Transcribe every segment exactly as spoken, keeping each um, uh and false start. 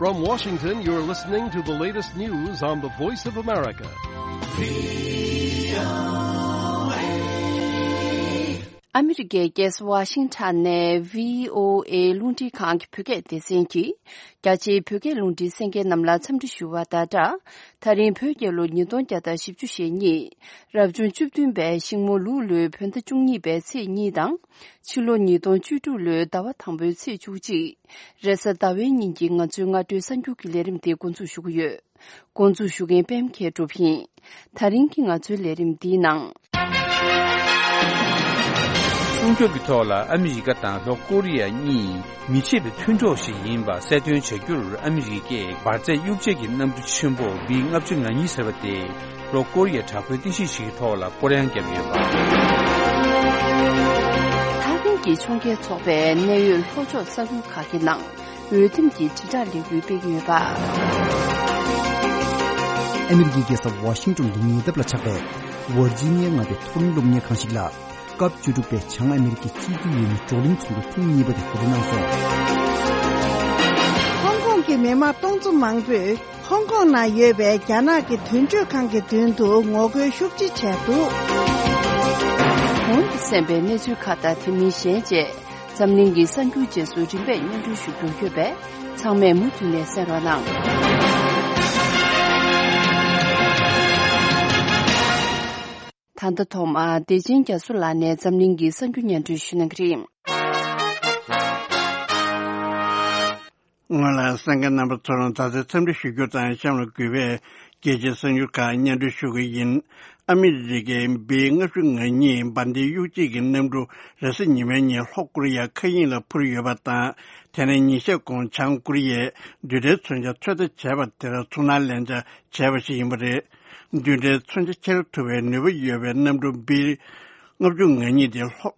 From Washington, you're listening to the latest news on the Voice of America. ཨ་མི་རི་ཀའི་རྒྱལ་ས་ཝ་ཤིང་ཊོན་ནས་བྷི་ཨོ་ཨེ་རླུང་འཕྲིན་ཁང་གི་བོད་སྐད་སྡེ་ཚན་གྱིས། རྒྱ་ཆེའི་བོད་སྐད་རླུང་འཕྲིན་གསན་མཁན་རྣམས་ལ་འཚམས་འདྲི་ཞུ་བ་དང་སྦྲགས། ད་རིང་བོད་རྒྱལ་ལོ་ཉིས་སྟོང་བརྒྱ་དང་བཞི་བཅུ་ཞེ་གཉིས། རབ་བྱུང་བཅུ་བདུན་པའི་ཤིང་མོ་ལུག་ལོའི་བོད་ཟླ་བཅུ་གཉིས་པའི་ཚེས་གཉིས་དང་། ཕྱི་ལོ་ཉིས་སྟོང་བཅུ་དྲུག་ལོའི་ཟླ་བ་དང་པོའི་ཚེས་བཅུ་གཅིག་རེས་གཟའ་ཟླ་བའི་ཉིན་གྱི་ང་ཚོའི་སྔ་དྲོའི་གསར་འགྱུར་གྱི་ལས་རིམ་དེ་འགོ་འཛུགས་ཞུ་གི་ཡོད། འགོ་འཛུགས་ཞུ་མཁན་པད་མ་མཁས་གྲུབ་ཡིན། ད་རིང་གི་ང་ཚོའི་ལས་རིམ་འདིའི་ནང་། སྲུང་སྐྱོབ་ཀྱི་ཐོག་ལ་ཨ་མི་རི་ཀ་དང་ལྷོ་ཀོ་རི་ཡ་གཉིས་མི་ཕྱེད་པའི་མཐུན་གྲོགས་ཤིག་ཡིན་པ་གསལ་སྟོན་བྱ་རྒྱུར་ཨ་མི་རི་ཀས་འབར་རྫས་གཡུག་བྱེད་ཀྱི་གནམ་གྲུ་ཆེན་པོ་བི་ལྔ་བཅུ་ང་གཉིས་ཟེར་བ་དེ་ལྷོ་ཀོ་རི་ཡའི་དྲག་པོའི་རྟེན་གཞི་ཞིག་གི་ཐོག་ལ་སྐོར་གཡང་བརྒྱབ་ཡོད་པ། ཐའེ་ཝན་གྱི་ཕྱོགས་འགལ་ཚོགས་པས་གནད་ཡོད་ལྷོ་ཕྱོགས་ས་ཁུལ་ཁག་གི་ནང་འོས་འདེམས་ཀྱི་དྲིལ་བསྒྲགས་ལས་འགུལ་སྤེལ་གྱི་ཡོད་པ། ཨ་མི་རི་ཀའི་རྒྱལ་ས་ཝ་ཤིང་ཏོན་གྱི་ཉེ་འདབས་ལ་ཆགས་པའི་ཝར་ཇི་ནི་ཡ་མངའ་སྡེའི་མཐོ་རིམ་སློབ་གཉེར་ཁང་ཞིག་ལ། སྐབས་བཅུ་དྲུག་པའི་བྱང་ཨ་མི་རི་ཀའི་སྤྱི་འཐུས་ཡས་མས་བགྲོ་གླེང་ཚོགས་འདུ་ཐེངས་གཉིས་པ་དེ་གོ་སྒྲིག་གནང་སོང་། ཧོང་ཀོང་གི་མི་མང་སྟོང་ཚོ་མང་པོས་ཧོང་ཀོང་ནང་ཡོད་པའི་རྒྱ་ནག་གི་དོན་གཅོད་ཁང་གི་མདུན་དུ་ངོ་རྒོལ་ཤུགས་ཆེ་བྱས་འདུག་གོང་དུ་གསན་པའི་གནས་ཚུལ་ཁག་དང་དེ་མིན་གཞན་བཅས་འཛམ་གླིང་གི་གསར་འགྱུར་རྗེས་སུ་རིམ་པས་སྙན་སྒྲོན་ཞུ་རྒྱུ་ཡོད་པས་ཚང་མས་མུ་མཐུད་ནས་གསན་རོགས་གནང་། ད་ལྟ་ཐོག་མར་བདེ་ཆེན་རྒྱ་མཚོ་ལགས་ནས་འཛམ་གླིང་གི་གསར་འགྱུར་སྙན་སྒྲོན་ཞུ་གནང་གི་རེད། སྔོན་ལ་གསན་མཁན་རྣམ་པ་ཚོར་ད་ཆ་འཚམས་འདྲི་ཞུ་རྒྱུ་དང་གཤམ་ལ་གུས་པས་རྒྱལ་སྤྱིའི་གསར་འགྱུར་ཁག་སྙན་སྒྲོན་ཞུ་གི་ཡིན། ཨ་མི་རི་ཀའི་བི་ལྔ་བཅུ་ང་གཉིས་འབར་མདེལ་གཡུག་བྱེད་ཀྱི་གནམ་གྲུ་རེས་གཟའ་ཉི་མའི་ཉིན་ལྷོ་ཀོ་རི་ཡ་མཁའ་དབྱིངས་ལ་འཕུར་ཡོད་པ་དང་། དེ་ནས་ཉིན་ཤས་གོང་བྱང་ཀོ་རི་ཡས་རྡུལ་ཕྲན་མཚོན་ཆ་ཚོད་ལྟ་བྱས་པ་དེར་ཚུར་སྣང་ལན་ཆགས་བྱས་པ་ཞིག་ཡིན་པ་རེད། རྡུལ་ཕྲན་མཚོན་ཆ་འཁྱེར་ཐུབ་པའི་ནུས་པ་ཡོད་པའི་གནམ་གྲུ་བི་ལྔ་བཅུ་ང་གཉིས་དེ་ལྷོ་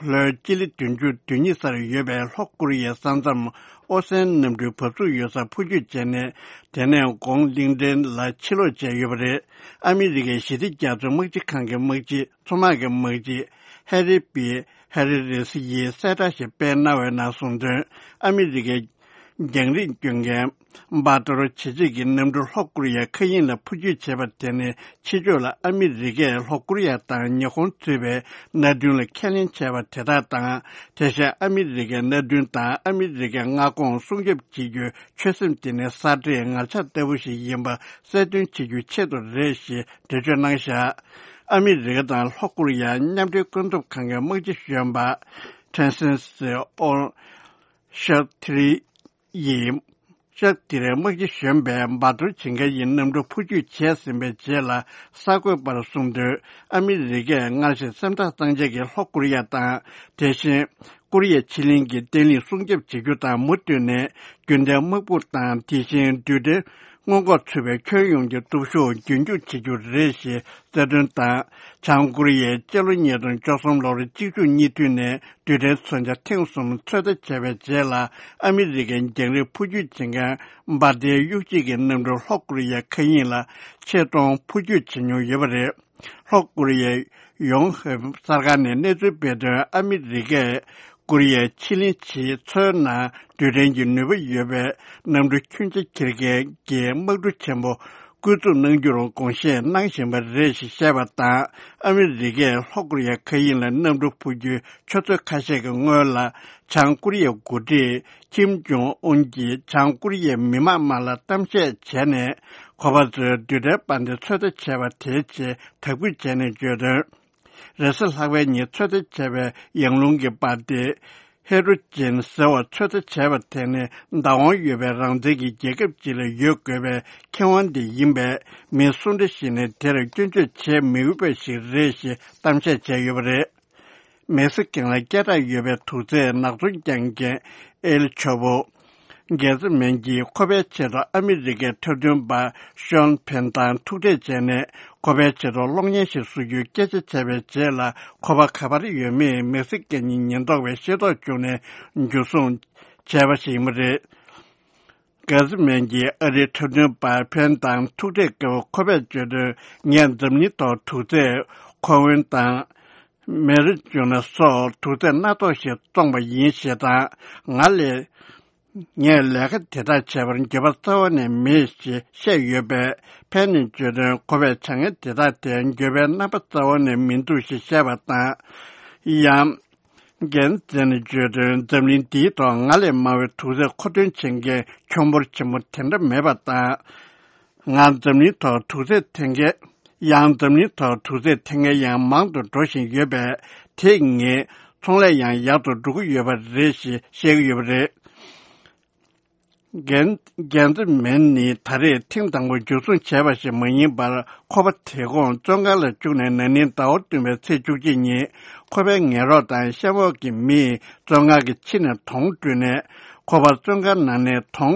ལྷོའི་སྤྱི་ལེ་བདུན་ཅུ་དོན་གཉིས་སར་ཡོད་པའི་ལྷོ་ཀོ་རི་ཡའི་ས་མཚམས་ཨོ་སན་གནམ་གྲུའི་བབས་ཚུགས་ཡོད་སར་འཕུར་སྐྱོད་བྱས་ནས། དེ་ནས་དགོང་གླིང་ཕྲན་ལ་ཕྱིར་ལོག་བྱས་ཡོད་པ་རེད། ཨ་མི་རི་ཀའི་ཞི་བདེ་རྒྱ་མཚོའི་དམག་སྤྱི་ཁང་གི་དམག་སྤྱི་མཚོ་དམག་གི་དམག་སྤྱི་ཧེ་རི་པི་ཧེ་རི་རེ་སི་ཡིས་གསལ་བསྒྲགས་ཤིག་སྤེལ་གནང་བའི་ནང་གསུངས་དོན། ཨ་མི་རི་ཀའི་རྒྱང་རིང་སྐྱོད་མཁན་བྷ་ཏོ་རོ་བྱེད་སྤྱད་ཀྱི་གནམ་གྲུ་ལྷོ་ཀོ་རི་ཡའི་མཁའ་དབྱིངས་ལ་འཕུར་སྐྱོད་བྱས་པ་དེ་ནི་ཕྱི་ཕྱོགས་ལ་ཨ་མི་རི་ཀས་ལྷོ་ཀོ་རི་ཡ་དང་ཉི་ཧོང་གཙོས་པའི་མནའ་མཐུན་ལ་ཁས་ལེན་བྱས་པ་དེ་དག་དང་། དེ་བཞིན་ཨ་མི་རི་ཀའི་མནའ་མཐུན་དང་ཨ་མི་རི་ཀའི་མངའ་ཁོངས་སྲུང་སྐྱོབ་བྱེད་རྒྱུའི་ཆོད་སེམས་དེ་ནི་གསར་བགྲེས་ངར་ཆགས་ལྟ་བུ་ཞིག་ཡིན་པ་གསལ་སྟོན་བྱེད་རྒྱུའི་ཆེད་དུ་རེད་ཞེས་འགྲེལ་བརྗོད་གནང་བཞག་ཨ་མི་རི་ཀ་དང་ལྷོ་ཀོ་རི་ཡ་མཉམ་འབྲེལ་ཀུན་སློང་ཁང་གི་དམག་སྤྱི་གཞོན་པ་ཁྲེན་སན་སི་ཨོ་ཤར་ཐི་རི་ཡིས་ཤར་ཐི་རིའི་དམག་སྤྱི་གཞོན་པས་འབར་གཏོར་བྱེད་མཁན་གྱི་གནམ་གྲུ་འཕུར་སྐྱོད་བྱས་ཟིན་པའི་རྗེས་ལ་གསར་འགོད་པར་གསུངས་དོན། ཨ་མི་རི་ཀས་སྔར་བཞིན་སེམས་ཐག་གཙང་བཅད་ཀྱིས་ལྷོ་ཀོ་རི་ཡ་དང་། དེ་བཞིན་ཀོ་རི་ཡའི་ཕྱེད་གླིང་གི་བརྟན་ལྷིང་སྲུང་སྐྱོབ་བྱེད་རྒྱུ་དང་མུ་མཐུད་ནས་རྒྱུན་ལྡན་དམག་དཔུང་དང་དེ་བཞིན་རྡུལ་ཕྲན་སྔོན་འགོག་ཚུད་པའི་ཁྱོན་ཡོངས་ཀྱི་སྟོབས་ཤུགས་རྒྱུན་འཁྱོངས་བྱེད་རྒྱུ་རེད་ཞེས་གསལ་སྟོན་དང་། བྱང་ཀོ་རི་ཡས་སྤྱི་ལོ་ཉིས་སྟོང་བཅུ་གསུམ་ལོར་གཅིག་མཇུག་གཉིས་མཐུད་ནས་རྡུལ་ཕྲན་མཚོན་ཆ་ཐེངས་གསུམ་ཚོད་ལྟ་བྱས་པའི་རྗེས་ལ་ཨ་མི་རི་ཀའི་རྒྱང་རིང་འཕུར་སྐྱོད་བྱེད་མཁན་འབར་མདེལ་གཡུག་བྱེད་ཀྱི་གནམ་གྲུ་ལྷོ་ཀོ་རི་ཡའི་མཁའ་དབྱིངས་ལ་ཆེད་གཏོང་འཕུར་སྐྱོད་བྱེད་མྱོང་ཡོད་པ་རེད། ལྷོ་ཀོ་རི་ཡའི་ཡོང་ཧེབ་གསར་ཁང་ནས་གནས་ཚུལ་སྤེལ་དོན། ཨ་མི་རི་ཀས་ཀོ་རི་ཡའི་ཕྱེད་གླིང་བྱེད་མཚོའི་ནང་རྡུལ་ཕྲན་གྱི་ནུས་པ་ཡོད་པའི་གནམ་གྲུ་ཁྱོན་ཆེ་འཁྱེར་མཁན་གྱི་དམག་གྲུ་ཆེན་པོ་བསྐོ་འཛུགས་གནང་རྒྱུར་དགོངས་བཞེས་གནང་བཞིན་པ་རེད་ཞེས་བཤད་པ་དང་། ཨ་མི་རི་ཀས་ལྷོ་ཀོ་རི་ཡའི་མཁའ་དབྱིངས་ལ་གནམ་གྲུ་འཕུར་རྒྱུའི་ཆུ་ཚོད་ཁ་ཤས་ཀྱི་སྔོན་ལ་བྱང་ཀོ་རི་ཡའི་འགོ་ཁྲིད་ཁིམ་ཇོང་ཨུན་གྱིས་བྱང་ཀོ་རི་ཡའི་མི་དམངས་དམངས་ལ་གཏམ་བཤད་བྱས་ནས། ཁོ་པ་ཚོས་རྡུལ་ཕྲན་དཔར་འདེབས་ཚོད་ལྟ་བྱས་པ་དེའི་ཆེད་དག་འབུལ་བྱས་ནས་བརྗོད་དོན། རེས་གཟའ་ལྷག་པའི་ཉིན་ཚོད་ལྟ་བྱས་པའི་ཡང་ལུང་གི་དཔར་འདེབས་ཧེ་ཌྲོ་ཇེན་ཟེར་བ་ཚོད་ལྟ་བྱས་པ་དེ་ནི་བདག་དབང་ཡོད་པའི་རང་བཙན་གྱི་རྒྱལ་ཁབ་ཅིག་ལ་ཡོད་དགོས་པའི་ཁེ་དབང་དེ་ཡིན་པས། མི་སུ་འདྲ་ཞིག་ནས་དེར་སྐྱོན་བརྗོད་བྱེད་མི་འོས་པ་ཞིག་རེད་ཞེས་གཏམ་བཤད་བྱས་ཡོད་པ་རེད། མེག་སི་ཀན་ལ་སྐད་གྲགས་ཡོད་པའི་དུག་རྫས་ནག་ཚོང་རྒྱག་མཁན་ཨེལ་ཆོ་པོ་གེ་ཙི་མན་གྱིས་ཁོ་པའི་ཆེད་དུ་ཨ་མི་རི་ཀའི་འཁྲབ་སྟོན་པ་ཤོན་ཕེན་དང་ཐུག་འཕྲད་བྱས་ནས། ཁོ་པའི་ཆེད་དུ་གློག་བརྙན་ཞིག་བཟོ་རྒྱུའི་སྐད་ཆ་བྱས་པའི་རྗེས་ལ། ཁོ་པ་ག་པར་ཡོད་མེད་མེག་སི་ཀན་གྱི་ཉེན་རྟོག་པས་ཤེས་རྟོགས་བྱུང་ནས་འཇུ་བཟུང་བྱས་པ་ཞིག་ཡིན་པ་རེད། གེ་ཙི་མན་གྱིས་ཨ་རིའི་འཁྲབ་སྟོན་པ་ཕེན་དང་ཐུག་འཕྲད་སྐབས་ཁོ་པས་བརྗོད་དོན། ངས་འཛམ་གླིང་ཐོག་དུག་རྫས་ཁོ་ཝེན་དང་མེ་རི་ཇུ་ན་སོགས་དུག་རྫས་སྣ་ཚོགས་ཤིག་བཙོངས་པ་ཡིན་ཞེས་དང་། ང་ལས་ ངས་ལས་ཀ་དེ་དག་བྱས་པར་འགྱོད་པ་རྩ་བ་ནས་མེད་ཞེས་བཤད་ཡོད་པས། ཕན་ནི་བརྗོད་དོན་ཁོ་པས་བྱ་ངན་དེ་དག་དེར་འགྱོད་པའི་རྣམ་པ་རྩ་བ་ནས་མི་འདུག་ཞེས་བཤད་པ་དང་། ཡང་། འགན་འཛིན་བརྗོད་དོན་འཛམ་གླིང་འདིའི་ཐོག་ང་ལས་དམའ་བའི་དུག་རྫས་མཁོ་འདོན་བྱེད་མཁན་ཁྱོན་འབོར་ཆེན་པོ་དེ་འདྲ་མེད་པ་དང་། ང་འཛམ་གླིང་ཐོག་དུག་རྫས་འཐེན་མཁན། ཡང་འཛམ་གླིང་ཐོག་དུག་རྫས་འཐེན་མཁན་ཡང་མང་དུ་འགྲོ་བཞིན་ཡོད་པས། དེས་ངའི་ཚོང་ལས་ཡང་ཡག་ཏུ་འགྲོ་གི་ཡོད་པ་རེད་ཞེས་བཤད་ཀྱི་ཡོད་པ་རེད། འགན་འགན་འཛིན་མེན་ནི་ད་རེས་ཐེངས་དང་པོ་འཇུ་བཟུང་བྱས་པ་ཞིག་མ་ཡིན་པར། ཁོ་པ་དེ་གོང་བཙོན་ཁང་ལ་བཅུག་ནས་ན་ནིང་ཟླ་བ་བདུན་པའི་ཚེས་བཅུ་གཅིག་ཉིན། ཁོ་པའི་ངན་རོགས་དང་གཤམ་འོག་གི་མིས་བཙོན་ཁང་གི་ཕྱི་ནས་དོང་བརྒྱབ་ནས། ཁོ་པ་བཙོན་ཁང་ནང་ནས་དོང་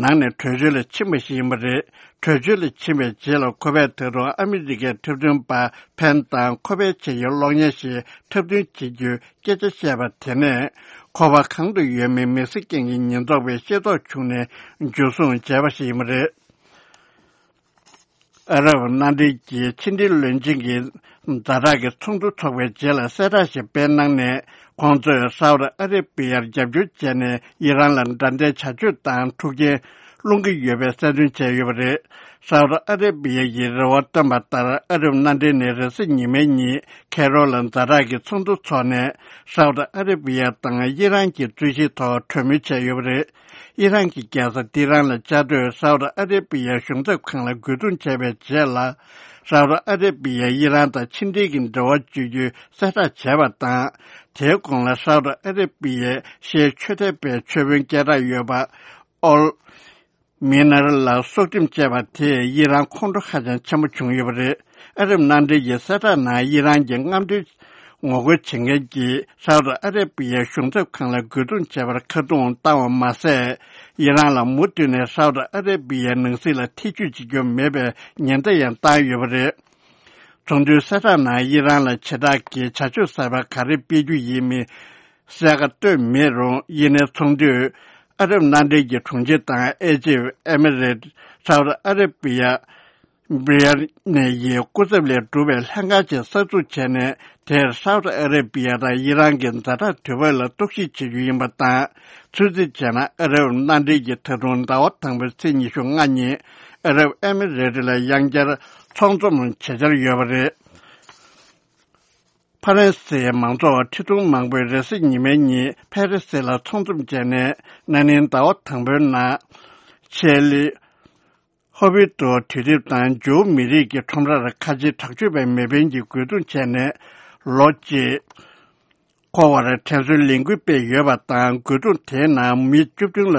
ནང་ནས་བྲོས་བྱོལ་ལ་ཕྱིན་པ་ཞིག་ཡིན་པ་རེད། བྲོས་བྱོལ་ལ་ཕྱིན་པའི་རྗེས་ལ། ཁོ་པས་ད་དུང་ཨ་མི་རི་ཀའི་འཁྲབ་སྟོན་པ་ཕན་དང་ཁོ་པའི་ཆེད་ཀྱི་གློག་བརྙན་ཞིག་འཁྲབ་སྟོན་བྱེད་རྒྱུའི་སྐད་ཆ་བཤད་པ་དེ་ནས། ཁོ་པ་གང་དུ་ཡོད་མེད་མི་གཟིགས་མཁན་གྱི་ཉེན་རྟོག་པས་ཤེས་རྟོགས་བྱུང་ནས་འཇུ་བཟུང་བྱས་པ་ཞིག་ཡིན་པ་རེད། ཨ་རབ་མནའ་འབྲེལ་གྱི་ཕྱི་འབྲེལ་བློན་ཆེན་གྱི་ཛ་དྲག་གི་ཚོགས་འདུ་འཚོགས་པའི་རྗེས་ལ་གསལ་བསྒྲགས་ཤིག་སྤེལ་གནང་ནས། ཁོང་ཚོས་སའུ་ཏི་ཨ་རེ་བི་ཡར་རྒྱབ་སྐྱོར་བྱས་ནས་ཨི་རན་ལ་དགྲ་ལྡན་བྱ་སྤྱོད་དང་འཁྲུག་རྐྱེན་སློང་གི་ཡོད་པའི་གསལ་སྟོན་བྱས་ཡོད་པ་རེད། སའུ་ཏི་ཨ་རེ་བི་ཡ་ཡིས་རེ་བ་བཏོན་པ་ལྟར། ཨ་རབ་མནའ་འབྲེལ་ནས་རེས་གཟའ་ཉི་མའི་ཉིན་ཁེ་རོ་ལ་ཛ་དྲག་གི་ཚོགས་འདུ་འཚོགས་ནས། སའུ་ཏི་ཨ་རེ་བི་ཡ་དང་ཨི་རན་གྱི་རྩོད་གཞིའི་ཐོག་གྲོས་མོལ་བྱས་ཡོད་པ་རེད། ཨི་རན་གྱི་རྒྱལ་ས་ཏི་ཧྲན་ལ་བཅའ་སྡོད་སའུ་ཏི་ཨ་རེ་བི་ཡའི་གཞུང་ཚབ་ཁང་ལ་རྒོལ་རྡུང་བྱས་པའི་རྗེས་ལ། སའུ་ཏི་ཨ་རེ་བི་ཡས་ཨི་རན་དང་ཕྱི་འབྲེལ་གྱི་འབྲེལ་བ་གཅོད་རྒྱུའི་གསལ་བསྒྲགས་བྱས་པ་དང་། དེའི་གོང་ལ་སའུ་ཏི་ཨ་རེ་བི་ཡའི་ཤེས་ཆོས་དད་པའི་ཆོས་དཔོན་སྐད་གྲགས་ཡོད་པ་ཨོལ་མི་ནར་ལ་སྲོག་ཁྲིམས་བཅད་པ་དེས་ཨི་རན་ཁོང་ཁྲོ་ཧ་ཅང་ཆེན་པོ་བྱུང་ཡོད་པ་རེད། ཨ་རབ་མནའ་འབྲེལ་གྱི་གསལ་བསྒྲགས་ནང་ཨི་རན་གྱི་རྔམ་སྟོན་ངོ་རྒོལ་བྱེད་མཁན་གྱིས་སའུ་ཏི་ཨ་རེ་བི་ཡའི་གཞུང་ཚབ་ཁང་ལ་རྒོལ་རྡུང་བྱས་པར་ཁ་རྡུང་བཏང་བ་མ་ཟད། ཨི་རན་ལ་མུ་མཐུད་ནས་སའུ་ཏི་ཨ་རེ་བི་ཡའི་ནང་སྲིད་ལ་ཐེ་ཇུས་བྱེད་རྒྱུ་མེད་པའི་ཉེན་བརྡ་ཡང་བཏང་ཡོད་པ་རེད། ཚོགས་འདུའི་གསལ་བསྒྲགས་ནང་ཨི་རན་ལ་བྱེ་བྲག་གིས་བྱ་སྤྱོད་གསར་པ་ག་རེ་སྤེལ་རྒྱུ་ཡིན་མིན་གསལ་ཁ་བཏོན་མེད་རུང་། ཡིན་ནའི་ཚོགས་འདུས་ཨ་རབ་མནའ་འབྲེལ་གྱི་དྲུང་ཆེ་དང་ཨེ་ཇིབ། ཨེ་མི་རེད། སའུ་ཏི་ཨ་རེ་བི་ཡ། བྷི་རི་ཡ་ནེ་ཡི་སྐུ་ཚབ་ལས་གྲུབ་པའི་ལྷན་ཁང་ཅིག་གསར་འཛུགས་བྱས་ནས། དེར་སའུ་ཏི་ཨ་རེ་བི་ཡ་དང་ཨི་རན་གྱི་ཛ་དྲག་དུས་བབ་ལ་རྟོག་ཞིབ་བྱེད་རྒྱུ་ཡིན་པ་དང་། ཚོད་རྩིས་བྱས་ན། ཨ་རབ་མནའ་འབྲེལ་གྱིས་ད་དུང་ཟླ་བ་དང་པོའི་ཚེས་ཉི་ཤུ་ལྔ་ཉིན་ཨ་རབ་ཨེ་མི་རེ་ཊི་ལ་ཡང་བསྐྱར་ཚོགས་འཛོམས་བྱེད་འཆར་ཡོད་པ་རེད། ཕ་རན་སིའི་མང་ཚོགས་ཁྲི་སྟོང་མང་པོས་རེས་གཟའ་ཉི་མའི་ཉིན་ཕ་རི་སི་ལ་ཚོགས་འཛོམས་བྱས་ནས། ན་ནིང་ཟླ་བ་དང་པོའི་ནང་ཆེ་ལི། ཧོ་བི་ཏོ་དུས་དེབ་དང་ཇོའུ་མི་རིགས་ཀྱི་ཁྲོམ་རར་ཁ་ཆེའི་དྲག་སྤྱོད་པའི་མེ་འཕེན་གྱི་རྒོལ་རྡུང་བྱས་ནས་ལོ་གཅིག་འཁོར་བར་དྲན་གསོའི་ལས་འགུལ་སྤེལ་ཡོད་པ་དང་། རྒོལ་རྡུང་དེའི་ནང་མི་བཅུ་བདུན་ལ་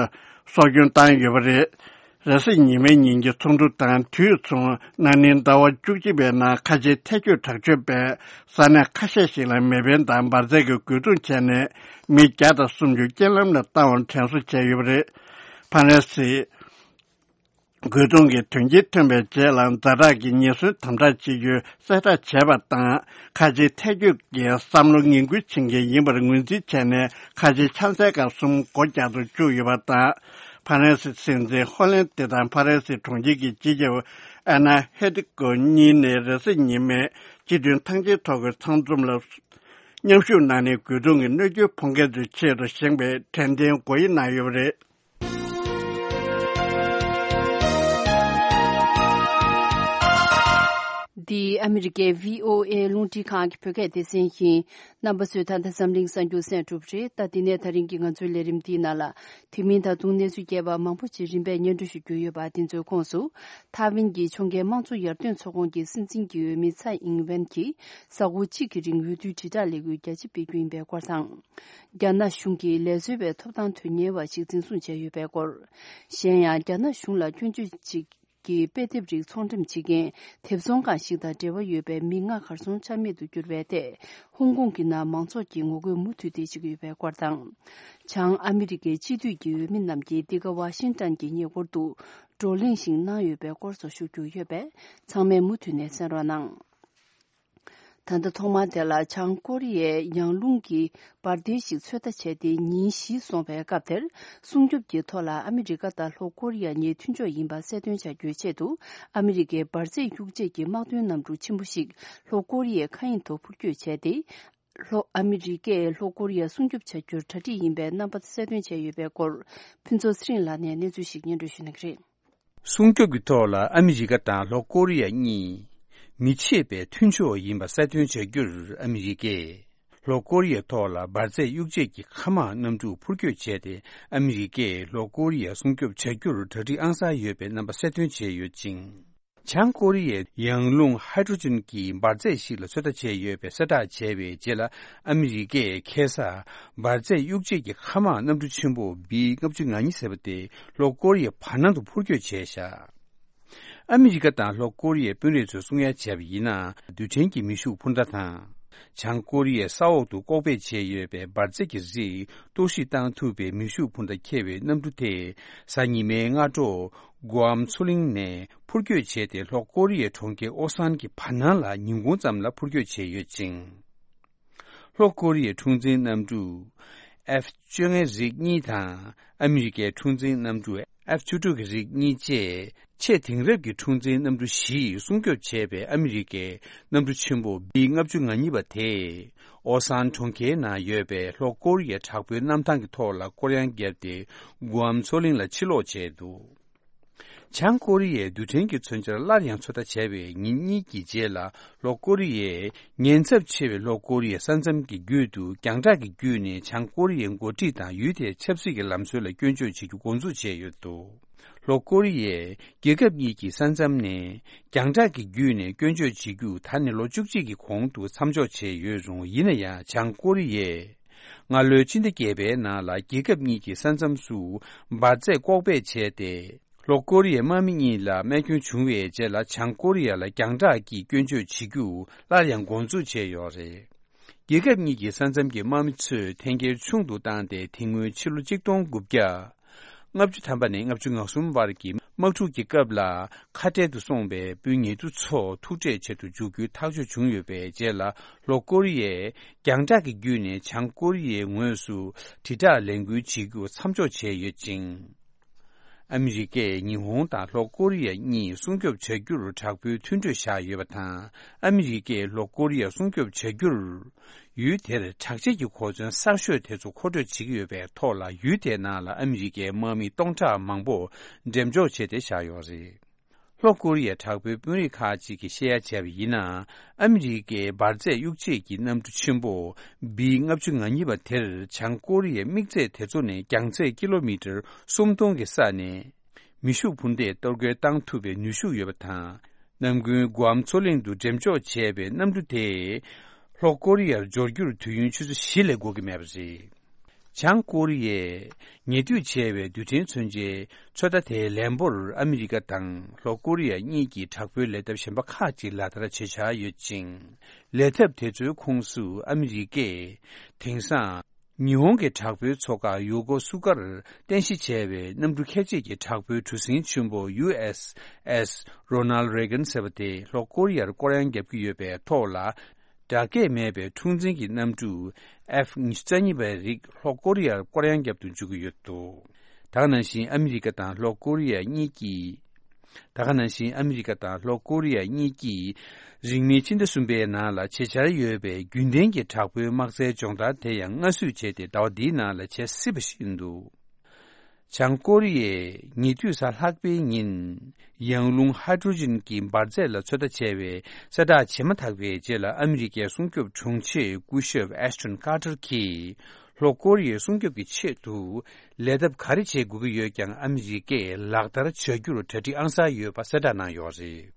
སྲོག་སྐྱོན་བཏང་ཡོད་པ་རེད། རེས་གཟའ་ཉི་མའི་ཉིན་གྱི་ཚོགས་འདུ་དང་དུས་མཚུངས། ན་ནིང་ཟླ་བ་བཅུ་གཅིག་པའི་ནང་ཁ་ཆེའི་ཐལ་སྐྱོད་དྲག་སྤྱོད་པས་ས་གནས་ཁ་ཤས་ཤིག་ལ་མེ་འཕེན་དང་འབར་རྫས་ཀྱི་རྒོལ་རྡུང་བྱས་ནས་མི་བརྒྱ་དང་སུམ་ཅུ་རྐྱེན་ལམ་ལ་བཏང་བར་དྲན་གསོ་བྱས་ཡོད་པ་རེད། ཕ་རན་སི། རྒོལ་རྡུང་གི་དོན་རྐྱེན་ཐོན་པའི་རྗེས་ལ། ཛ་དྲག་གི་ཉེན་ཟོན་དམ་དྲག་བྱེད་རྒྱུའི་གསལ་བསྒྲགས་བྱས་པ་དང་། ཁ་ཆེའི་ཐལ་སྐྱོད་ཀྱི་བསམ་བློ་ངན་སྐུལ་བྱེད་མཁན་ཡིན་པར་ངོས་འཛིན་བྱས་ནས། ཁ་ཆེའི་ཆང་སའི་སྒར་གསུམ་སྒོ་རྒྱག་ཏུ་བཅུག་ཡོད་པ་དང་། ཕ་རན་སི་སྲིད་འཛིན་ཧོ་ལན་ཏེ་དང་ཕ་རན་སིའི་དྲུང་ཆེ་གི་སྤྱི་ཁྱབ་ཨ་ན་ཧེ་ཏི་ཀོ་གཉིས་ནས་རེས་གཟའ་ཉི་མའི་སྤྱི་མཐུན་ཐང་ཆེན་ཐོག་གི་ཚང་འཛོམས་ལ་མཉམ་ཞུགས་གནང་ནས། རྒོལ་རྡུང་གི་གནོད་སྐྱོན་ཕོག་མཁན་ཚོའི་ཆེད་དུ་བཞེངས་པའི་དྲན་རྟེན་སྒོ་དབྱེ་གནང་ཡོད་པ་རེད། འདི་ཨ་མི་རི་ཀའི་བྷི་ཨོ་ཨེ་རླུང་འཕྲིན་ཁང་གི་བོད་སྐད་སྡེ་ཚན་ཡིན། རྣམ་པ་ཚོས་ད་ལྟ་འཛམ་གླིང་གསར་འགྱུར་གསན་གྲུབ་རེད། ད་འདི་ནས་ད་རིང་གི་ང་ཚོའི་ལས་རིམ་འདིའི་ནང་ལ། དེ་མིན་ད་དུང་གནས་ཚུལ་རྒྱས་པ་མང་པོ་ཅིག་རིམ་པས་སྙན་སྒྲོན་ཞུ་རྒྱུ་ཡོད་པ། དེ་ཚོའི་ཁོངས་སུ། ཐའེ་ཝན་གྱི་ཕྱོགས་འགལ་དམངས་གཙོ་ཡར་ཐོན་ཚོགས་ཁང་གི་སྲིད་འཛིན་གྱི་འོས་མི་ཚའེ་ཨིང་ཝེན་གྱིས་གཟའ་འཁོར་གཅིག་གི་རིང་འོས་བསྡུའི་དྲིལ་བསྒྲགས་ལས་འགུལ་རྒྱ་ཆེ་སྤེལ་རྒྱུ་ཡིན་པའི་སྐོར་དང་། རྒྱ་ནག་གཞུང་གིས་ལས་བཟོ་བའི་ཐོབ་ཐང་དོན་གཉེར་བ་ཞིག་འཛིན་བཟུང་བྱས་ཡོད་པའི་སྐོར། གཞན་ཡང་། རྒྱ་ནག་གཞུང་ལ་སྐྱོན་བརྗོད་ཅིག་གི་དཔེ་དེབ་རིགས་ཚོང་འགྲེམས་བྱེད་མཁན་དེབ་ཚོང་ཁང་ཞིག་དང་འབྲེལ་བ་ཡོད་པའི་མི་ལྔ་གར་སོང་ཆ་མེད་དུ་གྱུར་བའི་ཐད། ཧོང་ཀོང་གི་ནང་མང་ཚོགས་ཀྱིས་ངོ་རྒོལ་མུ་མཐུད་དེ་བྱེད་ཀྱི་ཡོད་པའི་སྐོར་དང་། བྱང་ཨ་མི་རི་ཀའི་སྤྱི་འཐུས་ཀྱི་འོས་མི་རྣམས་ཀྱིས་འདི་ག་ཝ་ཤིང་ཏན་གྱི་ཉེ་འཁོར་དུ་བགྲོ་གླེང་ཞིག་གནང་ཡོད་པའི་སྐོར་སོགས་ཞུ་རྒྱུ་ཡོད་པས། ཚང་མས་མུ་མཐུད་ནས་གསན་རོགས་གནང་། ད་ལྟ་ཐོག་མར་དེ་ལ་བྱང་ཀོ་རི་ཡས་ཡང་རླུང་གི་འབར་མདེལ་ཞིག་ཚོད་ལྟ་བྱས་ཏེ་ཉིན་བཞི་སོང་བའི་སྐབས་དེར། སྲུང་སྐྱོབ་ཀྱི་ཐོག་ལ་ཨ་མི་རི་ཀ་དང་ལྷོ་ཀོ་རི་ཡ་གཉིས་མཐུན་ཕྱོགས་ཡིན་པ་གསལ་སྟོན་བྱ་རྒྱུའི་ཆེད་དུ། ཨ་མི་རི་ཀའི་འབར་རྫས་གཡུག་བྱེད་ཀྱི་དམག་དོན་གནམ་གྲུ་ཆེན་པོ་ཞིག་ལྷོ་ཀོ་རི་ཡའི་མཁའ་དབྱིངས་ཐོག་འཕུར་སྐྱོད་བྱས་ཏེ། ལྷོ་ཨ་མི་རི་ཀས་ལྷོ་ཀོ་རི་ཡ་སྲུང་སྐྱོབ་བྱ་རྒྱུར་གྲ་སྒྲིག་ཡིན་པའི་རྣམ་པ་གསལ་སྟོན་བྱས་ཡོད་པའི་སྐོར། ཕུན་ཚོགས་ཚེ་རིང་ལགས་ནས་གནས་ཚུལ་ཞིག་སྙན་སྒྲོན་ཞུ་གནང་གི་རེད། སྲུང་སྐྱོབ་ཀྱི་ཐོག་ལ་ཨ་མི་རི་ཀ་དང་ལྷོ་ཀོ་རི་ཡ་གཉིས་མི་ཕྱེད་པའི་མཐུན་ཕྱོགས་ཡིན་པ་གསལ་སྟོན་བྱ་རྒྱུར་ཨ་མི་རི་ཀས་ལྷོ་ཀོ་རི་ཡའི་ཐོག་ལ་འབར་རྫས་གཡུག་བྱེད་ཀྱི་མཁའ་དམག་གནམ་གྲུ་འཕུར་སྐྱོད་བྱས་ཏེ། ཨ་མི་རི་ཀས་ལྷོ་ཀོ་རི་ཡ་སྲུང་སྐྱོབ་བྱ་རྒྱུར་གྲ་སྒྲིག་ཨང་གསར་ཡོད་པའི་རྣམ་པ་གསལ་སྟོན་བྱས་ཡོད་ཅིང་། བྱང་ཀོ་རི་ཡས་ཡང་རླུང་ཧའི་ཌྲོ་ཇིན་གྱི་འབར་རྫས་ཤིག་ལ་ཚོད་ལྟ་བྱས་ཡོད་པའི་གསལ་བསྒྲགས་བྱས་པའི་རྗེས་ལ། ཨ་མི་རི་ཀས་ཁ་སང་འབར་རྫས་གཡུག་བྱེད་ཀྱི་མཁའ་དམག་གནམ་གྲུ་ཆེན་པོ་བི་ལྔ་བཅུ་ང་གཉིས་ཟེར་བ་དེ་ལྷོ་ཀོ་རི་ཡའི་བར་སྣང་དུ་འཕུར་སྐྱོད་བྱས་བཞག་ཨ་མི་རི་ཀ་དང་ལྷོ་ཀོ་རི་ཡའི་དཔོན་རིགས་ཚོས་གསུང་ཡ་བྱས་པ་ཡིན་ན། རྡུལ་ཕྲན་གྱི་མེ་ཤུགས་འཕུར་མདའ་དང་། བྱང་ཀོ་རི་ཡའི་ས་འོག་ཏུ་ལྐོག་སྦས་བྱས་ཡོད་པའི་འབར་རྫས་ཀྱི་རིགས་གཏོར་བཤིག་བཏང་ཐུབ་པའི་མེ་ཤུགས་འཕུར་མདའ་འཁྱེར་བའི་གནམ་གྲུ་དེ་གཟའ་ཉི་མའི་སྔ་དྲོ་གུ་ཨམ་མཚོ་གླིང་ནས་འཕུར་སྐྱོད་བྱས་ཏེ། ལྷོ་ཀོ་རི་ཡའི་གྲོང་ཁྱེར་ཨོ་སན་གྱི་བར་སྣང་ལ་ཉིན་གུང་ཙམ་ལ་འཕུར་སྐྱོད་བྱས་ཡོད་ཅིང་། ལྷོ་ཀོ་རི་ཡའི་འཁྲུག་འཛིང་གནམ་གྲུ་ཨེཕ་བཅོ་ལྔའི་རིགས་གཉིས་དང་། ཨ་མི་རི་ཀའི་འཁྲུག་འཛིང་གནམ་གྲུ་ཨེཕ་བཅུ་དྲུག་གི་རིགས་གཉིས་བཅས་ཆེས་དེང་རབས་ཀྱི་འཁྲུག་འཛིང་གནམ་གྲུ་བཞི་ཡིས་སྲུང་སྐྱོབ་བྱས་པའི་ཨ་མི་རི་ཀའི་གནམ་གྲུ་ཆེན་པོ་བི་ལྔ་བཅུ་ང་གཉིས་པ་དེས་ཨོ་སན་གྲོང་ཁྱེར་ནང་ཡོད་པའི་ལྷོ་ཀོ་རི་ཡའི་དྲག་པོའི་གནམ་ཐང་གི་ཐོག་ལ་སྐོར་གཡང་བརྒྱབ་སྟེ། གུ་ཨམ་མཚོ་གླིང་ལ་ཕྱིར་ལོག་བྱས་འདུག་བྱང་ཀོ་རི་ཡས་རྡུལ་ཕྲན་གྱི་མཚོན་ཆར་སླར་ཡང་ཚོད་ལྟ་བྱས་པའི་ཉིན་གཉིས་ཀྱི་རྗེས་ལ། ལྷོ་ཀོ་རི་ཡས་ཉེན་ཚབས་ཆེ་བའི་ལྷོ་ཀོ་རི་ཡའི་ས་མཚམས་ཀྱི་རྒྱུད་དུ་རྒྱང་བསྒྲགས་ཀྱི་བརྒྱུད་ནས་བྱང་ཀོ་རི་ཡའི་འགོ་ཁྲིད་དང་ཡུལ་དེའི་ཆབ་སྲིད་ཀྱི་ལམ་སྲོལ་ལ་སྐྱོན་བརྗོད་བྱེད་རྒྱུ་འགོ་འཛུགས་བྱས་ཡོད་འདུག་ལྷོ་ཀོ་རི་ཡས་རྒྱལ་ཁབ་གཉིས་ཀྱི་ས་མཚམས་ནས་རྒྱང་བསྒྲགས་ཀྱི་བརྒྱུད་ནས་སྐྱོན་བརྗོད་བྱེད་རྒྱུ་ད་ནི་ལོ་བཅུ་གཅིག་གི་གོང་དུ་མཚམས་འཇོག་བྱས་ཡོད་རུང་། ཡིན་ན་ཡང་། བྱང་ཀོ་རི་ཡས་སྔ་ལོའི་ཕྱི་ཟླ་བརྒྱད་པའི་ནང་ལ་རྒྱལ་ཁབ་གཉིས་ཀྱི་ས་མཚམས་སུ་འབར་རྫས་ལྐོག་སྦས་བྱས་ཏེ། ལྷོ་ཀོ་རི་ཡའི་དམག་མི་གཉིས་ལ་རྨས་སྐྱོན་བྱུང་བའི་རྗེས་ལ། བྱང་ཀོ་རི་ཡ་ལ་རྒྱང་བསྒྲགས་ཀྱིས་སྐྱོན་བརྗོད་བྱེད་རྒྱུ་སླར་ཡང་འགོ་འཛུགས་བྱས་ཡོད་རེད། རྒྱལ་ཁབ་གཉིས་ཀྱི་ས་མཚམས་ཀྱི་དམག་མི་ཚོས་འཐེན་འཁྱེར་ཆུང་དུ་བཏང་སྟེ། དེ་སྔོན་ཕྱི་ལོ་གཅིག་སྟོང་དགུ་བརྒྱ་ལྔ་བཅུ་ཐམ་པ་ནས་ལྔ་བཅུ་ང་གསུམ་བར་གྱི་དམག་འཁྲུག་གི་སྐབས་ལ། ཁ་བྲལ་དུ་སོང་བའི་དཔོན་ཉེ་དུ་ཚོ་ཐུག་འཕྲད་བྱེད་དུ་འཇུག་རྒྱུའི་ཐག་གཅོད་བྱུང་ཡོད་པའི་རྗེས་ལ། ལྷོ་ཀོ་རི་ཡས་རྒྱང་བསྒྲགས་ཀྱི་བརྒྱུད་ནས་བྱང་ཀོ་རི་ཡའི་ངོས་སུ་དྲིལ་བསྒྲགས་ལས་འགུལ་བྱེད་རྒྱུ་མཚམས་འཇོག་བྱས་ཡོད་ཅིང་། ཨ་མི་རི་ཀས་ཉི་ཧོང་དང་ལྷོ་ཀོ་རི་ཡ་གཉིས་སྲུང་སྐྱོབ་བྱ་རྒྱུར་དྲག་པོའི་མཐུན་གྲོས་བཞག་ཡོད་པ་དང་། ཨ་མི་རི་ཀས་ལྷོ་ཀོ་རི་ཡ་སྲུང་སྐྱོབ་བྱ་རྒྱུར། ཡུལ་དེར་དྲག་ཆས་ཀྱི་གོ་མཚོན་གསར་ཤོས་དེ་ཚོ་མཁོ་སྤྲོད་བྱེད་ཀྱི་ཡོད་པའི་ཐོག་ལ། ཡུལ་དེའི་ནང་ལ་ཨ་མི་རི་ཀའི་དམག་མི་སྟོང་ཕྲག་མང་པོ་འགྲེམས་འཇོག་བྱས་ཏེ་བཞག་ཡོད་རེད། ལྷོ་ཀོ་རི་ཡའི་དྲག་པོའི་དཔོན་རིགས་ཁག་ཅིག་གིས་བཤད་ཡ་བྱས་པ་ཡིན་ན། ཨ་མི་རི་ཀའི་འབར་རྫས་གཡུག་བྱེད་ཀྱི་གནམ་གྲུ་ཆེན་པོ་བི་ལྔ་བཅུ་ང་གཉིས་པ་དེར་བྱང་ཀོ་རི་ཡའི་དམིགས་ཚད་དེ་ཚོ་ནས་རྒྱང་ཚད་ཀི་ལོ་མི་ཊར་སུམ་སྟོང་གི་ས་ནས་མེ་ཤུགས་འཕུར་མདས་གཏོར་རྒོལ་བཏང་ཐུབ་པའི་ནུས་ཤུགས་ཡོད་པ་དང་། གནམ་དགུན་གུ་ཨམ་མཚོ་གླིང་དུ་འགྲེམས་འཇོག་བྱས་པའི་གནམ་གྲུ་དེས་ལྷོ་ཀོ་རི་ཡར་འབྱོར་རྒྱུར་དུས་ཡུན་ཆུ་ཚོད་བཞི་ལས་འགོར་གྱི་མེད་པ་རེད། བྱང་ཀོ་རི་ཡས་ཉེ་དུས་བྱས་པའི་རྡུལ་ཕྲན་མཚོན་ཆའི་ཚོད་ལྟ་དེའི་ལན་པོར། ཨ་མི་རི་ཀ་དང་ལྷོ་ཀོ་རི་ཡ་གཉིས་ཀྱིས་དྲག་པོའི་ལས་ཐབས་གཞན་པ་ཁག་ཅིག་ལག་བསྟར་བྱེད་འཆར་ཡོད་ཅིང་། ལས་ཐབས་དེ་ཚོའི་ཁོངས་སུ་ཨ་མི་རི་ཀས་དེང་སང་ཉི་ཧོང་གི་དྲག་པོའི་མཚོ་ཁག་ཡོ་ཀོ་སུ་ཀར་རྟེན་གཞི་བྱས་པའི་གནམ་གྲུ་ཁྱད་ཆོས་ཀྱི་དྲག་པོའི་གྲུ་གཟིངས་ཆེན་པོ་ཡུ་ཨེས་ཨེས་རོ་ནལ་རེ་གན་ཟེར་བ་དེ་ལྷོ་ཀོ་རི་ཡར་སྐོར་གཡང་བརྒྱབ་ཀྱི་ཡོད་པའི་ཐོག་ལ། བདག་སྐྱེད་མེད་པའི་འཁྲུག་འཛིང་གི་གནམ་གྲུ་ཨེཕ་ཉི་ཤུ་རྩ་གཉིས་པའི་རིགས་ལྷོ་ཀོ་རི་ཡར་སྐོར་གཡང་བརྒྱབ་ཏུ་འཇུག་གི་ཡོད་འདུག་ད་ག་ནང་བཞིན་ཨ་མི་རི་ཀ་དང་ལྷོ་ཀོ་རི་ཡ་གཉིས་ཀྱིས། ད་ག་ནང་བཞིན་ཨ་མི་རི་ཀ་དང་ལྷོ་ཀོ་རི་ཡ་གཉིས་ཀྱིས་རིང་མིན་ཕྱི་ཟླ་གསུམ་པའི་ནང་ལ་བྱེད་འཆར་ཡོད་པའི་རྒྱུན་ལྡན་གྱི་དྲག་པོའི་དམག་རྩལ་སྦྱོང་བརྡར་དེ་ཡང་སྔ་བསུས་བྱས་ཏེ། ཟླ་བ་འདིའི་ནང་ལ་བྱེད་སྲིད་པ་ཞིག་ཡིན་འདུག་བྱང་ཀོ་རི་ཡས་ཉེ་དུས་གཟའ་ལྷག་པའི་ཉིན་ཡང་རླུང་ཧའི་ཌྲོ་ཇིན་གྱི་འབར་རྫས་ལ་ཚོད་ལྟ་བྱས་པའི་གསལ་བསྒྲགས་བྱས་མ་ཐག་པའི་རྗེས་ལ། ཨ་མི་རི་ཀའི་སྲུང་སྐྱོབ་དྲུང་ཆེ་སྐུ་ཞབས་ཨེ་ཤ་ཊོན་ཀར་ཏར་གྱིས་ལྷོ་ཀོ་རི་ཡའི་སྲུང་སྐྱོབ་ཀྱི་ཆེད་དུ་ལས་ཐབས་ག་རེ་བྱེད་དགོས་ཀྱི་ཡོད་ཀྱང་། ཨ་མི་རི་ཀས་ལག་བསྟར་བྱ་རྒྱུར་གྲ་སྒྲིག་ཨང་གསར་ཡོད་པ་གསལ་བསྒྲགས་གནང་ཡོད་རེད།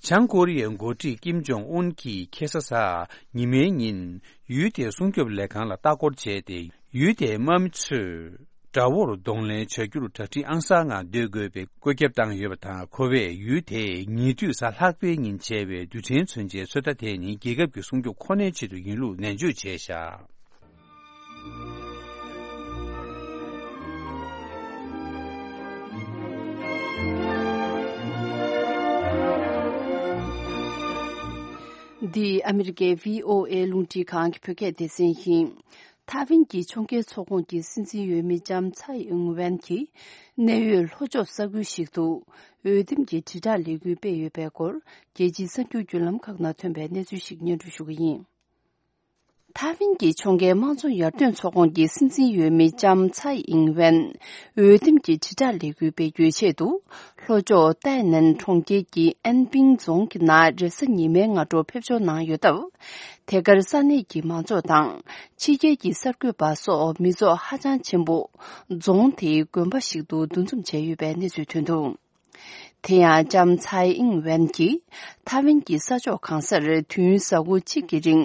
བྱང་ཀོ་རི་ཡའི་འགོ་ཁྲིད་ཀིམ་ཇོང་ཨུན་གྱིས་ཁ་སང་གཟའ་ཉི་མའི་ཉིན་ཡུལ་དེའི་སྲུང་སྐྱོབ་ལས་ཁང་ལ་ལྟ་སྐོར་བྱས་ཏེ། ཡུལ་དེའི་དམག་མི་ཚོས་དགྲ་བོར་གདོང་ལེན་བྱ་རྒྱུར་གྲ་སྒྲིག་ཨང་གསར་ངང་སྡོད་དགོས་པའི་བཀོད་ཁྱབ་བཏང་ཡོད་པ་དང་། ཁོ་བས་ཡུལ་དེས་ཉེ་དུས་གཟའ་ལྷག་པའི་ཉིན་བྱས་པའི་རྡུལ་ཕྲན་མཚོན་ཆའི་ཚོད་ལྟ་དེ་ནི་རྒྱལ་ཁབ་ཀྱི་སྲུང་སྐྱོབ་ཁོ་ནའི་ཆེད་དུ་ཡིན་ལུགས་ནན་བརྗོད་བྱས་བཞག་འདི་ཨ་མི་རི་ཀའི་བྷི་ཨོ་ཨེ་རླུང་འཕྲིན་ཁང་གི་བོད་སྐད་སྡེ་ཚན་ཡིན། ཐའེ་ཝན་གྱི་ཕྱོགས་འགལ་ཚོགས་ཁོངས་ཀྱི་སྲིད་འཛིན་འོས་མི་ལྕམ་ཚའེ་ཨིང་ཝེན་གྱིས་གནད་ཡོད་ལྷོ་ཕྱོགས་ས་ཁུལ་ཞིག་ཏུ་འོས་འདེམས་ཀྱི་དྲིལ་བསྒྲགས་ལས་འགུལ་སྤེལ་ཡོད་པའི་སྐོར། རྒྱལ་སྤྱིའི་གསར་འགྱུར་བརྒྱུད་ལམ་ཁག་ནང་ཐོན་པའི་གནས་ཚུལ་ཞིག་སྙན་སྒྲོན་ཞུ་གི་ཡིན། ཐའེ་ཝན་གྱི་ཕྱོགས་འགལ་དམངས་གཙོ་ཡར་ཐོན་ཚོགས་ཁོངས་ཀྱི་སྲིད་འཛིན་འོས་མི་ལྕམ་ཚའེ་ཨིང་ཝེན་འོས་འདེམས་ཀྱི་དྲིལ་བསྒྲགས་ལས་འགུལ་སྤེལ་རྒྱུའི་ཆེད་དུ། ལྷོ་ཕྱོགས་ཏའེ་ནན་གྲོང་ཁྱེར་གྱི་ཨན་པིང་རྫོང་གི་ནང་རེས་གཟའ་ཉི་མའི་སྔ་དྲོ་ཕེབས་འབྱོར་གནང་ཡོད་སྟབས། དེ་གར་ས་གནས་ཀྱི་མང་ཚོགས་དང་། ཕྱི་རྒྱལ་གྱི་གསར་འགོད་པ་སོགས་མི་ཚོགས་ཧ་ཅང་ཆེན་པོ། རྫོང་དེའི་དགོན་པ་ཞིག་ཏུ་འདུ་འཛོམས་བྱས་ཡོད་པའི་གནས་ཚུལ་ཐོན་འདུག་དེ་ཡང་ལྕམ་ཚའེ་ཨིང་ཝེན་གྱིས་ཐའེ་ཝན་གྱི་ས་ཕྱོགས་གང་སར་དུས་ཡུན་གཟའ་འཁོར་གཅིག་གི་རིང་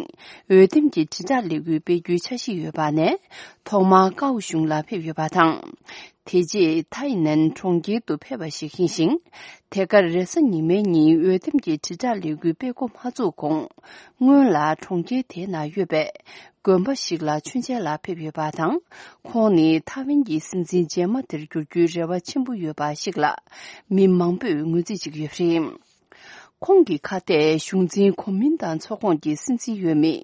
འོས་འདེམས་ཀྱི་དྲིལ་བསྒྲགས་ལས་འགུལ་སྤེལ་རྒྱུའི་འཆར་གཞི་ཡོད་པ་ནས། ཐོག་མར་ཀའོ་གཞུང་ལ་ཕེབས་ཡོད་པ་དང་། དེ་རྗེས་ཐའེ་ནན་གྲོང་ཁྱེར་དུ་ཕེབས་པ་ཞིག་ཡིན་ཞིང་། དེ་གར་རེས་གཟའ་ཉི་མའི་ཉིན་འོས་འདེམས་ཀྱི་དྲིལ་བསྒྲགས་ལས་འགུལ་སྤེལ་འགོ་མ་བཙུགས་གོང་། སྔོན་ལ་གྲོང་ཁྱེར་དེའི་ནང་ཡོད་པའི་དགོན་པ་ཞིག་ལ་མཆོད་མཇལ་ལ་ཕེབས་ཡོད་པ་དང་། ཁོང་ནི་ཐའེ་ཝན་གྱི་སྲིད་འཛིན་རྗེས་མ་དེར་འགྱུར་རྒྱུའི་རེ་བ་ཆེན་པོ་ཡོད་པ་ཞིག་ལ། མི་མང་པོས་ངོས་འཛིན་བྱེད་ཀྱི་ཡོད་པ་རེད། ཁོང་གི་ཁ་གཏད་གཞུང་འཛིན་གོ་མིན་ཏང་ཚོགས་ཁོངས་ཀྱི་སྲིད་འཛིན་འོས་མི་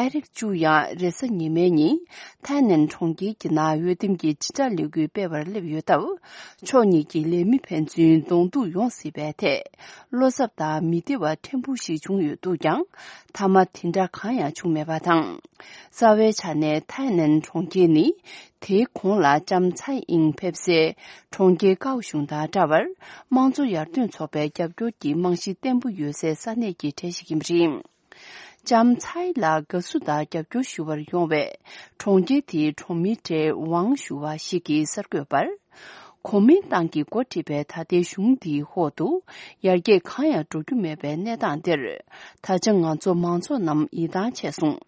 ཨེ་རིག་ཅུ་ཡང་རེས་གཟའ་ཉི་མའི་ཉིན་ཐའེ་ནན་གྲོང་ཁྱེར་གྱི་ནང་འོས་འདེམས་ཀྱི་དྲིལ་བསྒྲགས་ལས་འགུལ་སྤེལ་བར་སླེབས་ཡོད་སྟབས། ཕྱོགས་གཉིས་ཀྱི་ལས་མི་ཕན་ཚུན་གདོང་ཐུག་ཡོང་སྲིད་པའི་ཐད། བློ་འཚབ་དང་མི་བདེ་བ་ཕྲན་བུ་ཞིག་བྱུང་ཡོད་འདུག་ཀྱང་། མཐའ་མ་དེ་འདྲ་གང་ཡང་བྱུང་མེད་པ་དང་། རྩ་བའི་ཆ་ནས་ཐའེ་ནན་གྲོང་ཁྱེར་ནི། དེའི་གོང་ལ་ལྕམ་ཚའེ་ཨིང་ཕེབས་སའི་གྲོང་ཁྱེར་ཀའོ་གཞུང་དང་འདྲ་བར། དམངས་གཙོ་ཡར་ཐོན་ཚོགས་པའི་རྒྱབ་སྐྱོར་གྱི་རྨང་གཞི་བརྟན་པོ་ཡོད་སའི་ས་གནས་ཀྱི་གྲས་ཤིག་ཡིན་པ་རེད། ལྕམ་ཚའེ་ལ་དགའ་བསུ་དང་རྒྱབ་སྐྱོར་ཞུ་བར་ཡོང་བའི་གྲོང་ཁྱེར་དེའི་གྲོང་མི་གྲས་ཝང་ཞུ་བ་ཞིག་གིས་གསར་འགོད་པར། གོ་མིན་ཏང་གིས་འགོ་ཁྲིད་པའི་ད་ལྟའི་གཞུང་འདིའི་འོག་ཏུ་ཡར་རྒྱས་གང་ཡང་འགྲོ་རྒྱུ་མེད་པའི་གནས་སྟངས་འདིར། ད་ཆ་ང་ཚོ་མང་ཚོགས་རྣམས་ཡིད་ཐང་ཆད་སོང་།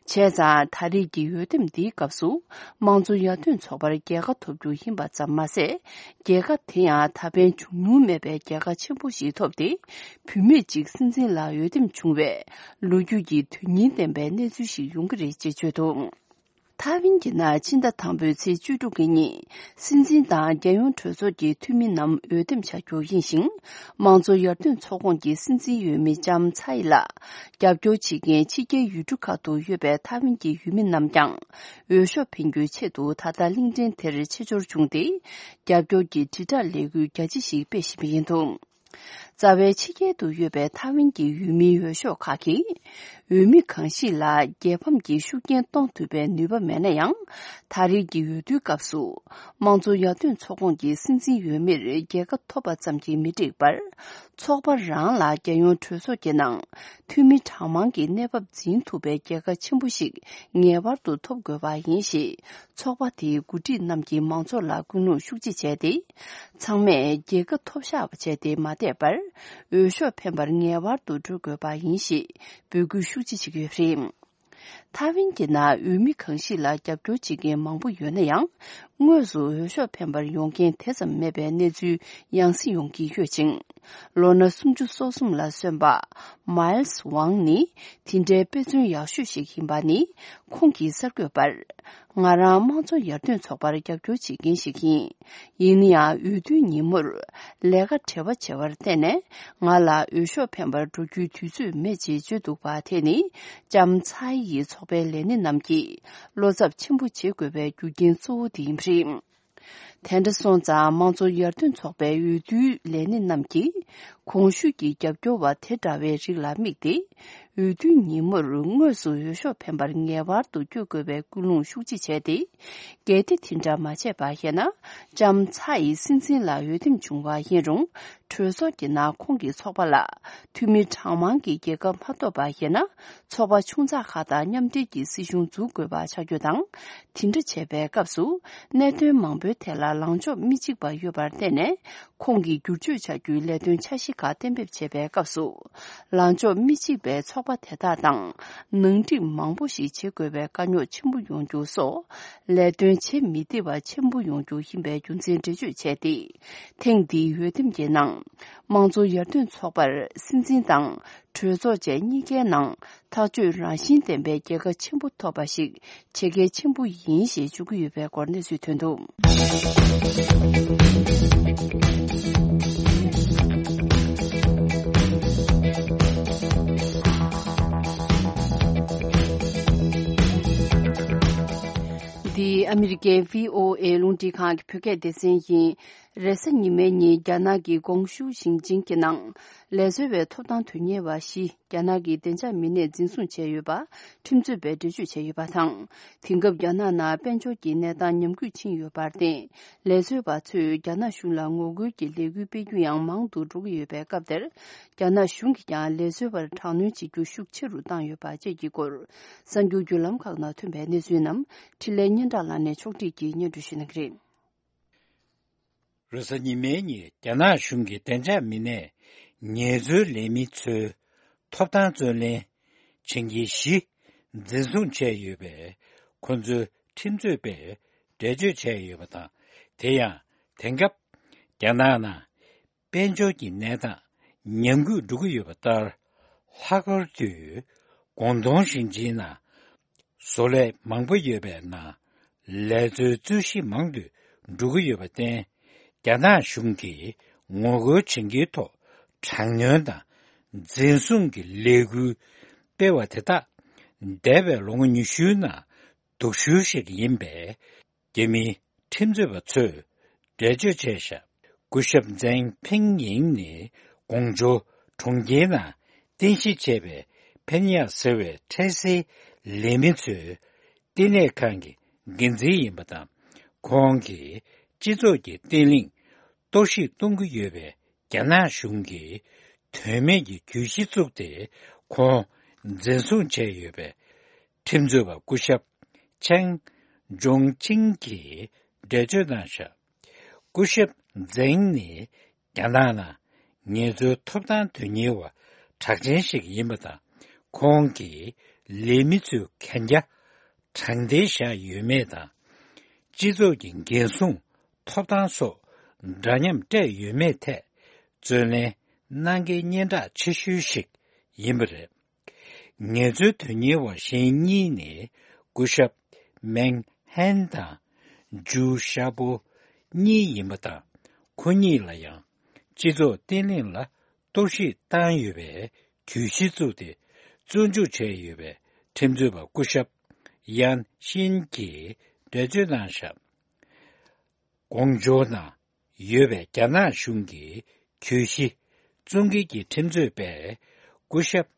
བྱས་ཙང་ད་རེས་ཀྱི་འོས་འདེམས་འདིའི་སྐབས་སུ་དམངས་གཙོ་ཡར་ཐོན་ཚོགས་པར་རྒྱལ་ཁ་ཐོབ་རྒྱུ་ཡིན་པ་ཙམ་མ་ཟད། རྒྱལ་ཁ་དེ་ཡང་ད་ཕན་བྱུང་མྱོང་མེད་པའི་རྒྱལ་ཁ་ཆེན་པོ་ཞིག་ཐོབ་སྟེ། བུད་མེད་ཅིག་སྲིད་འཛིན་ལ་འོས་འདེམས་བྱུང་བའི་ལོ་རྒྱུས་ཀྱི་དོན་སྙིང་ལྡན་པའི་གནས་ཚུལ་ཞིག་ཡོང་གི་རེད་ཅེས་བརྗོད་འདུག་ཐའེ་ཝན་གྱི་ནང་ཕྱི་ཟླ་དང་པོའི་ཚེས་བཅུ་དྲུག་གི་ཉིན། སྲིད་འཛིན་དང་རྒྱལ་ཡོངས་གྲོས་ཚོགས་ཀྱི་འཐུས་མི་རྣམས་འོས་འདེམས་བྱ་རྒྱུ་ཡིན་ཞིང་། དམངས་གཙོ་ཡར་ཐོན་ཚོགས་ཁོངས་ཀྱི་སྲིད་འཛིན་འོས་མི་ལྕམ་ཚའེ་ལ་རྒྱབ་སྐྱོར་བྱེད་མཁན་ཕྱི་རྒྱལ་ཡུལ་གྲུ་ཁག་ཏུ་ཡོད་པའི་ཐའེ་ཝན་གྱི་ཡུལ་མི་རྣམས་ཀྱང་འོས་ཤོག་འཕེན་རྒྱུའི་ཆེད་དུ་ད་ལྟ་གླིང་ཕྲན་དེར་ཆེད་འབྱོར་བྱུང་སྟེ། རྒྱབ་སྐྱོར་གྱི་དྲིལ་བསྒྲགས་ལས་འགུལ་རྒྱ་ཆེ་ཞིག་སྤེལ་བཞིན་པ་ཡིན་འདུག་རྩ་བའི་ཕྱི་རྒྱལ་དུ་ཡོད་པའི་ཐའེ་ཝན་གྱི་ཡུལ་མིའི་འོས་ཤོག་ཁག་གིས། འོས་མི་གང་ཞིག་ལ་རྒྱལ་ཕམ་གྱི་ཤུགས་རྐྱེན་གཏོང་ཐུབ་པའི་ནུས་པ་མེད་ན་ཡང་། ད་རེས་ཀྱི་འོས་བསྡུའི་སྐབས་སུ། དམངས་གཙོ་ཡར་ཐོན་ཚོགས་ཁོངས་ཀྱི་སྲིད་འཛིན་འོས་མིར་རྒྱལ་ཁ་ཐོབ་པ་ཙམ་གྱིས་མི་འགྲིག་པར། ཚོགས་པ་རང་ལ་རྒྱལ་ཡོངས་གྲོས་ཚོགས་ཀྱི་ནང་། འཐུས་མི་གྲངས་མང་གི་གནས་བབ་འཛིན་ཐུབ་པའི་རྒྱལ་ཁ་ཆེན་པོ་ཞིག་ངེས་པར་དུ་ཐོབ་དགོས་པ་ཡིན་ཞེས། ཚོགས་པ་དེའི་འགོ་ཁྲིད་རྣམས་ཀྱིས་མང་ཚོགས་ལ་སྐུལ་སློང་ཤུགས་ཆེ་བྱས་ཏེ། ཚང་མས་རྒྱལ་ཁ་ཐོབ་བཞག་པ་བྱས་ཏེ་མ་བསྡད་པར། འོས་ཤོག་འཕེན་པར་ངེས་པར་དུ་འགྲོ་དགོས་པ་ཡིན་ཞེས་འབོད་སྐུལ་ཤུགས་ཆེ་བྱེད་ཀྱི་ཡོད་པ་རེད། ཐའེ་ཝན་གྱི་ནང་འོས་མི་གང་ཞིག་ལ་རྒྱབ་སྐྱོར་བྱེད་མཁན་མང་པོ་ཡོད་ན་ཡང་། དངོས་སུ་འོས་ཤོག་འཕེན་པར་ཡོང་མཁན་དེ་ཙམ་མེད་པའི་གནས་ཚུལ་ཡང་སེ་ཡོང་གི་ཡོད་ཅིང་། ལོ་ན་སུམ་ཅུ་སོ་གསུམ་ལ་སོན་པ་མཱལ་སི་ཝང་ནི་དེ་འདྲའི་དཔེ་མཚོན་ཡག་ཤོས་ཤིག་ཡིན་པ་ནི། ཁོང་གིས་གསར་འགོད་པར། ང་རང་དམངས་གཙོ་ཡར་ཐོན་ཚོགས་པར་རྒྱབ་སྐྱོར་བྱེད་མཁན་ཞིག་ཡིན། ཡིན་ན་ཡང་འོས་བསྡུའི་ཉིན་མོར་ལས་ཀ་བྲེལ་བ་ཆེ་བར་བརྟེན་ནས། ང་ལ་འོས་ཤོག་འཕེན་པར་འགྲོ་རྒྱུའི་དུས་ཚོད་མེད་ཅེས་བརྗོད་འདུག་པ་དེ་ནི། ལྕམ་ཚའེ་ཡི་ཚོགས་པའི་ལས་སྣེ་རྣམས་ཀྱིས་བློ་འཚབ་ཆེན་པོ་བྱེད་དགོས་པའི་རྒྱུ་རྐྱེན་གཙོ་བོ་དེ་ཡིན་པ་རེད། དེ་འདྲ་སོང་ཙང་། དམངས་གཙོ་ཡར་ཐོན་ཚོགས་པའི་འོས་བསྡུའི་ལས་སྣེ་རྣམས་ཀྱིས། གོང་ཞུས་ཀྱི་རྒྱབ་སྐྱོར་བ་དེ་འདྲ་བའི་རིགས་ལ་དམིགས་ཏེ། འོས་བསྡུའི་ཉིན་མོར་དངོས་སུ་འོས་ཤོག་འཕེན་པར་ངེས་པར་དུ་བསྐྱོད་དགོས་པའི་སྐུལ་སློང་ཤུགས་ཆེ་བྱས་ཏེ། གལ་ཏེ་དེ་འདྲ་མ་བྱས་པ་ཡིན་ན། ལྕམ་ཚའེ་ཡི་སྲིད་འཛིན་ལ་འོས་འདེམས་བྱུང་བ་ཡིན་རུང་། གྲོས་ཚོགས་ཀྱི་ནང་ཁོང་གི་ཚོགས་པ་ལ་འཐུས་མི་གྲངས་མང་གི་རྒྱལ་ཁ་མ་ཐོབ་པ་ཡིན་ན། ཚོགས་པ་ཆུང་ཙག་ཁག་དང་མཉམ་འབྲེལ་གྱིས་སྲིད་གཞུང་འཛུགས་དགོས་པ་ཆགས་རྒྱུ་དང་། དེ་འདྲ་བྱས་པའི་སྐབས་སུ། གནད་དོན་མང་པོའི་ཐད་ལ་ལངས་ཕྱོགས་མི་གཅིག་པ་ཡོད་པར་བརྟེན་ནས། ཁོང་གིས་བསྒྱུར་བཅོས་བྱ་རྒྱུའི་ལས་དོན་འཆར་གཞི་ཁག་གཏན་འབེབས་བྱེད་པའི་སྐབས་སུ། ལངས་ཕྱོགས་མི་གཅིག་པའི་ཚོགས་པ་དེ་དག་དང་། ནང་འགྲིག་མང་པོ་ཞིག་བྱེད་དགོས་པའི་དཀའ་རྙོག་ཆེན་པོ་ཡོང་རྒྱུ་སོགས། ལས་དོན་བྱེད་མི་བདེ་བ་ཆེན་པོ་ཡོང་རྒྱུ་ཡིན་པའི་རྒྱུ་མཚན་འགྲེལ་བརྗོད་བྱས་ཏེ། ཐེངས་འདིའི་འོས་འདེམས་ཀྱི་ནང་། དམངས་གཙོ་ཡར་ཐོན་ཚོགས་པར་སྲིད་འཛིན་དང་། གྲོས་ཚོགས་བཅས་གཉིས་ཀའི་ནང་ཐག་གཅོད་རང་བཞིན་ལྡན་པའི་རྒྱལ་ཁ་ཆེན་པོ་ཐོབ་པ་ཞིག་བྱེད་གལ་ཆེན་པོ་ཡིན་ཞེས་བརྗོད་ཀྱི་ཡོད་པའི་སྐོར་གནས་ཚུལ་ཐོན་འདུག་འདི་ཨ་མི་རི་ཀའི་བྷི་ཨོ་ཨེ་རླུང་འཕྲིན་ཁང་གི་བོད་སྐད་སྡེ་ཚན་ཡིན། རེས་གཟའ་ཉི་མའི་ཉིན་རྒྱ་ནག་གི་ཀོང་ཞུ་ཞིང་ཆེན་གྱི་ནང་ལས་བཟོ་བའི་ཐོབ་ཐང་དོན་གཉེར་བ་བཞི་རྒྱ་ནག་གི་བདེ་འཇགས་མི་སྣས་འཛིན་བཟུང་བྱས་ཡོད་པ་ཁྲིམས་རྩོད་པས་འགྲེལ་བརྗོད་བྱས་ཡོད་པ་དང་། དེང་སྐབས་རྒྱ་ནག་ནང་དཔལ་འབྱོར་གྱི་གནས་སྟངས་ཉམས་རྒུད་ཕྱིན་ཡོད་པར་བརྟེན། ལས་བཟོ་བ་ཚོས་རྒྱ་ནག་གཞུང་ལ་ངོ་རྒོལ་གྱི་ལས་འགུལ་སྤེལ་རྒྱུ་ཡང་མང་དུ་འགྲོ་གི་ཡོད་པའི་སྐབས་དེར། རྒྱ་ནག་གཞུང་གིས་ཀྱང་ལས་བཟོ་བར་དྲག་གནོན་བྱེད་རྒྱུ་ཤུགས་ཆེ་རུ་བཏང་ཡོད་པ་བཅས་ཀྱི་སྐོར། གསར་འགྱུར་བརྒྱུད་ལམ་ཁག་ནང་ཐོན་པའི་གནས་ཚུལ་རྣམས་འཕྲིན་ལས་སྙན་གྲགས་ལགས་ནས་ཕྱོགས་སྒྲིག་གིས་སྙན་སྒྲོན་ཞུ་གནང་གི་རེད། རེས་གཟའ་ཉི་མའི་ཉིན་རྒྱ་ནག་གཞུང་གི་བདེ་འཇགས་མི་སྣས་ངལ་རྩོལ་ལས་མི་ཚོའི་ཐོབ་ཐང་རྩོད་ལེན་བྱེད་མཁན་བཞི་འཛིན་བཟུང་བྱས་ཡོད་པས། ཁོ་ཚོའི་ཁྲིམས་རྩོད་པས་འགྲེལ་བརྗོད་བྱས་ཡོད་པ་དང་། དེ་ཡང་དེང་སྐབས་རྒྱ་ནག་ནང་དཔལ་འབྱོར་གྱི་གནས་སྟངས་ཉམས་རྒུད་འགྲོ་གི་ཡོད་པ་ལྟར། ལྷག་པར་དུ་ཀོང་ཏུང་ཞིང་ཆེན་ནང་བཟོ་ལས་མང་པོ་ཡོད་པའི་ནང་ལས་བཟོའི་རྩོད་གཞི་མང་དུ་འགྲོ་གི་ཡོད་པར་བརྟེན། རྒྱ་ནག་གཞུང་གིས་ངོ་རྒོལ་བྱེད་མཁན་ཐོག་དྲག་གནོན་དང་འཛིན་བཟུང་གི་ལས་འགུལ་སྤེལ་བ་དེ་དག་འདས་པའི་ལོ་ངོ་ཉི་ཤུའི་ནང་སྡུག་ཤོས་ཤིག་ཡིན་པས། རྒྱ་མིའི་ཁྲིམས་རྩོད་པ་ཚོས་འགྲེལ་བརྗོད་བྱས་ཤག་སྐུ་ཞབས་ཛེང་ཕིང་ཡིང་ནི་ཀོང་ཇོ་གྲོང་ཁྱེར་ནང་རྟེན་གཞི་བྱས་པའི་ཕེན་ཡ་ཟེར་བའི་འཕྲལ་སེལ་ལས་མི་ཚོའི་བསྟི་གནས་ཁང་གི་འགན་འཛིན་ཡིན་པ་དང་། ཁོང་གིས་སྤྱི་ཚོགས་ཀྱི་བརྟན་ལྷིང་གཏོར་བཤིག་གཏོང་གི་ཡོད་པའི་རྒྱ་ནག་གཞུང་གིས་དོན་མེད་ཀྱི་གྱོད་གཞི་བཙུགས་ཏེ་ཁོང་འཛིན་བཟུང་བྱས་ཡོད་པའི་ཁྲིམས་རྩོད་པ་སྐུ་ཞབས་ཆང་ཇོང་ཆིང་གིས་འགྲེལ་བརྗོད་གནང་ཤག་སྐུ་ཞབས་ཛེང་ནི་རྒྱ་ནག་ནང་ངལ་རྩོལ་ཐོབ་ཐང་དོན་གཉེར་བ་གྲགས་ཅན་ཞིག་ཡིན་པ་དང་། ཁོང་གིས་ལས་མི་ཚོའི་གན་རྒྱ་དྲང་བདེན་བཞག་ཡོད་མེད་དང་། སྤྱི་ཚོགས་ཀྱི་འགན་སྲུང་ཐོབ་ཐང་སོགས་འདྲ་མཉམ་སྤྲད་ཡོད་མེད་ཐད་རྩོད་ལེན་གནང་མཁན་སྙན་གྲགས་ཆེ་ཤོས་ཤིག་ཡིན་པ་རེད། ངལ་རྩོལ་དོན་གཉེར་བ་གཞན་གཉིས་ནི་སྐུ་ཞབས་མེང་ཧན་དང་ཇུ་ཤ་པོ་གཉིས་ཡིན་པ་དང་། ཁོ་གཉིས་ལ་ཡང་སྤྱི་ཚོགས་བརྟན་ལྷིང་ལ་གཏོར་བཤིག་བཏང་ཡོད་པའི་གྱོད་གཞི་བཙུགས་ཏེ་བཙོན་འཇུག་བྱས་ཡོད་པའི་ཁྲིམས་རྩོད་པ་སྐུ་ཞབས་ཡན་ཤིན་གྱིས་འགྲེལ་བརྗོད་གནང་ཤག་ཀོང་ཇོ་ནང་ཡོད་པའི་རྒྱ་ནག་གཞུང་གི་གྱོད་གཞི་བཙོང་མཁན་གྱི་ཁྲིམས་རྩོད་པས་སྐུ་ཞབས་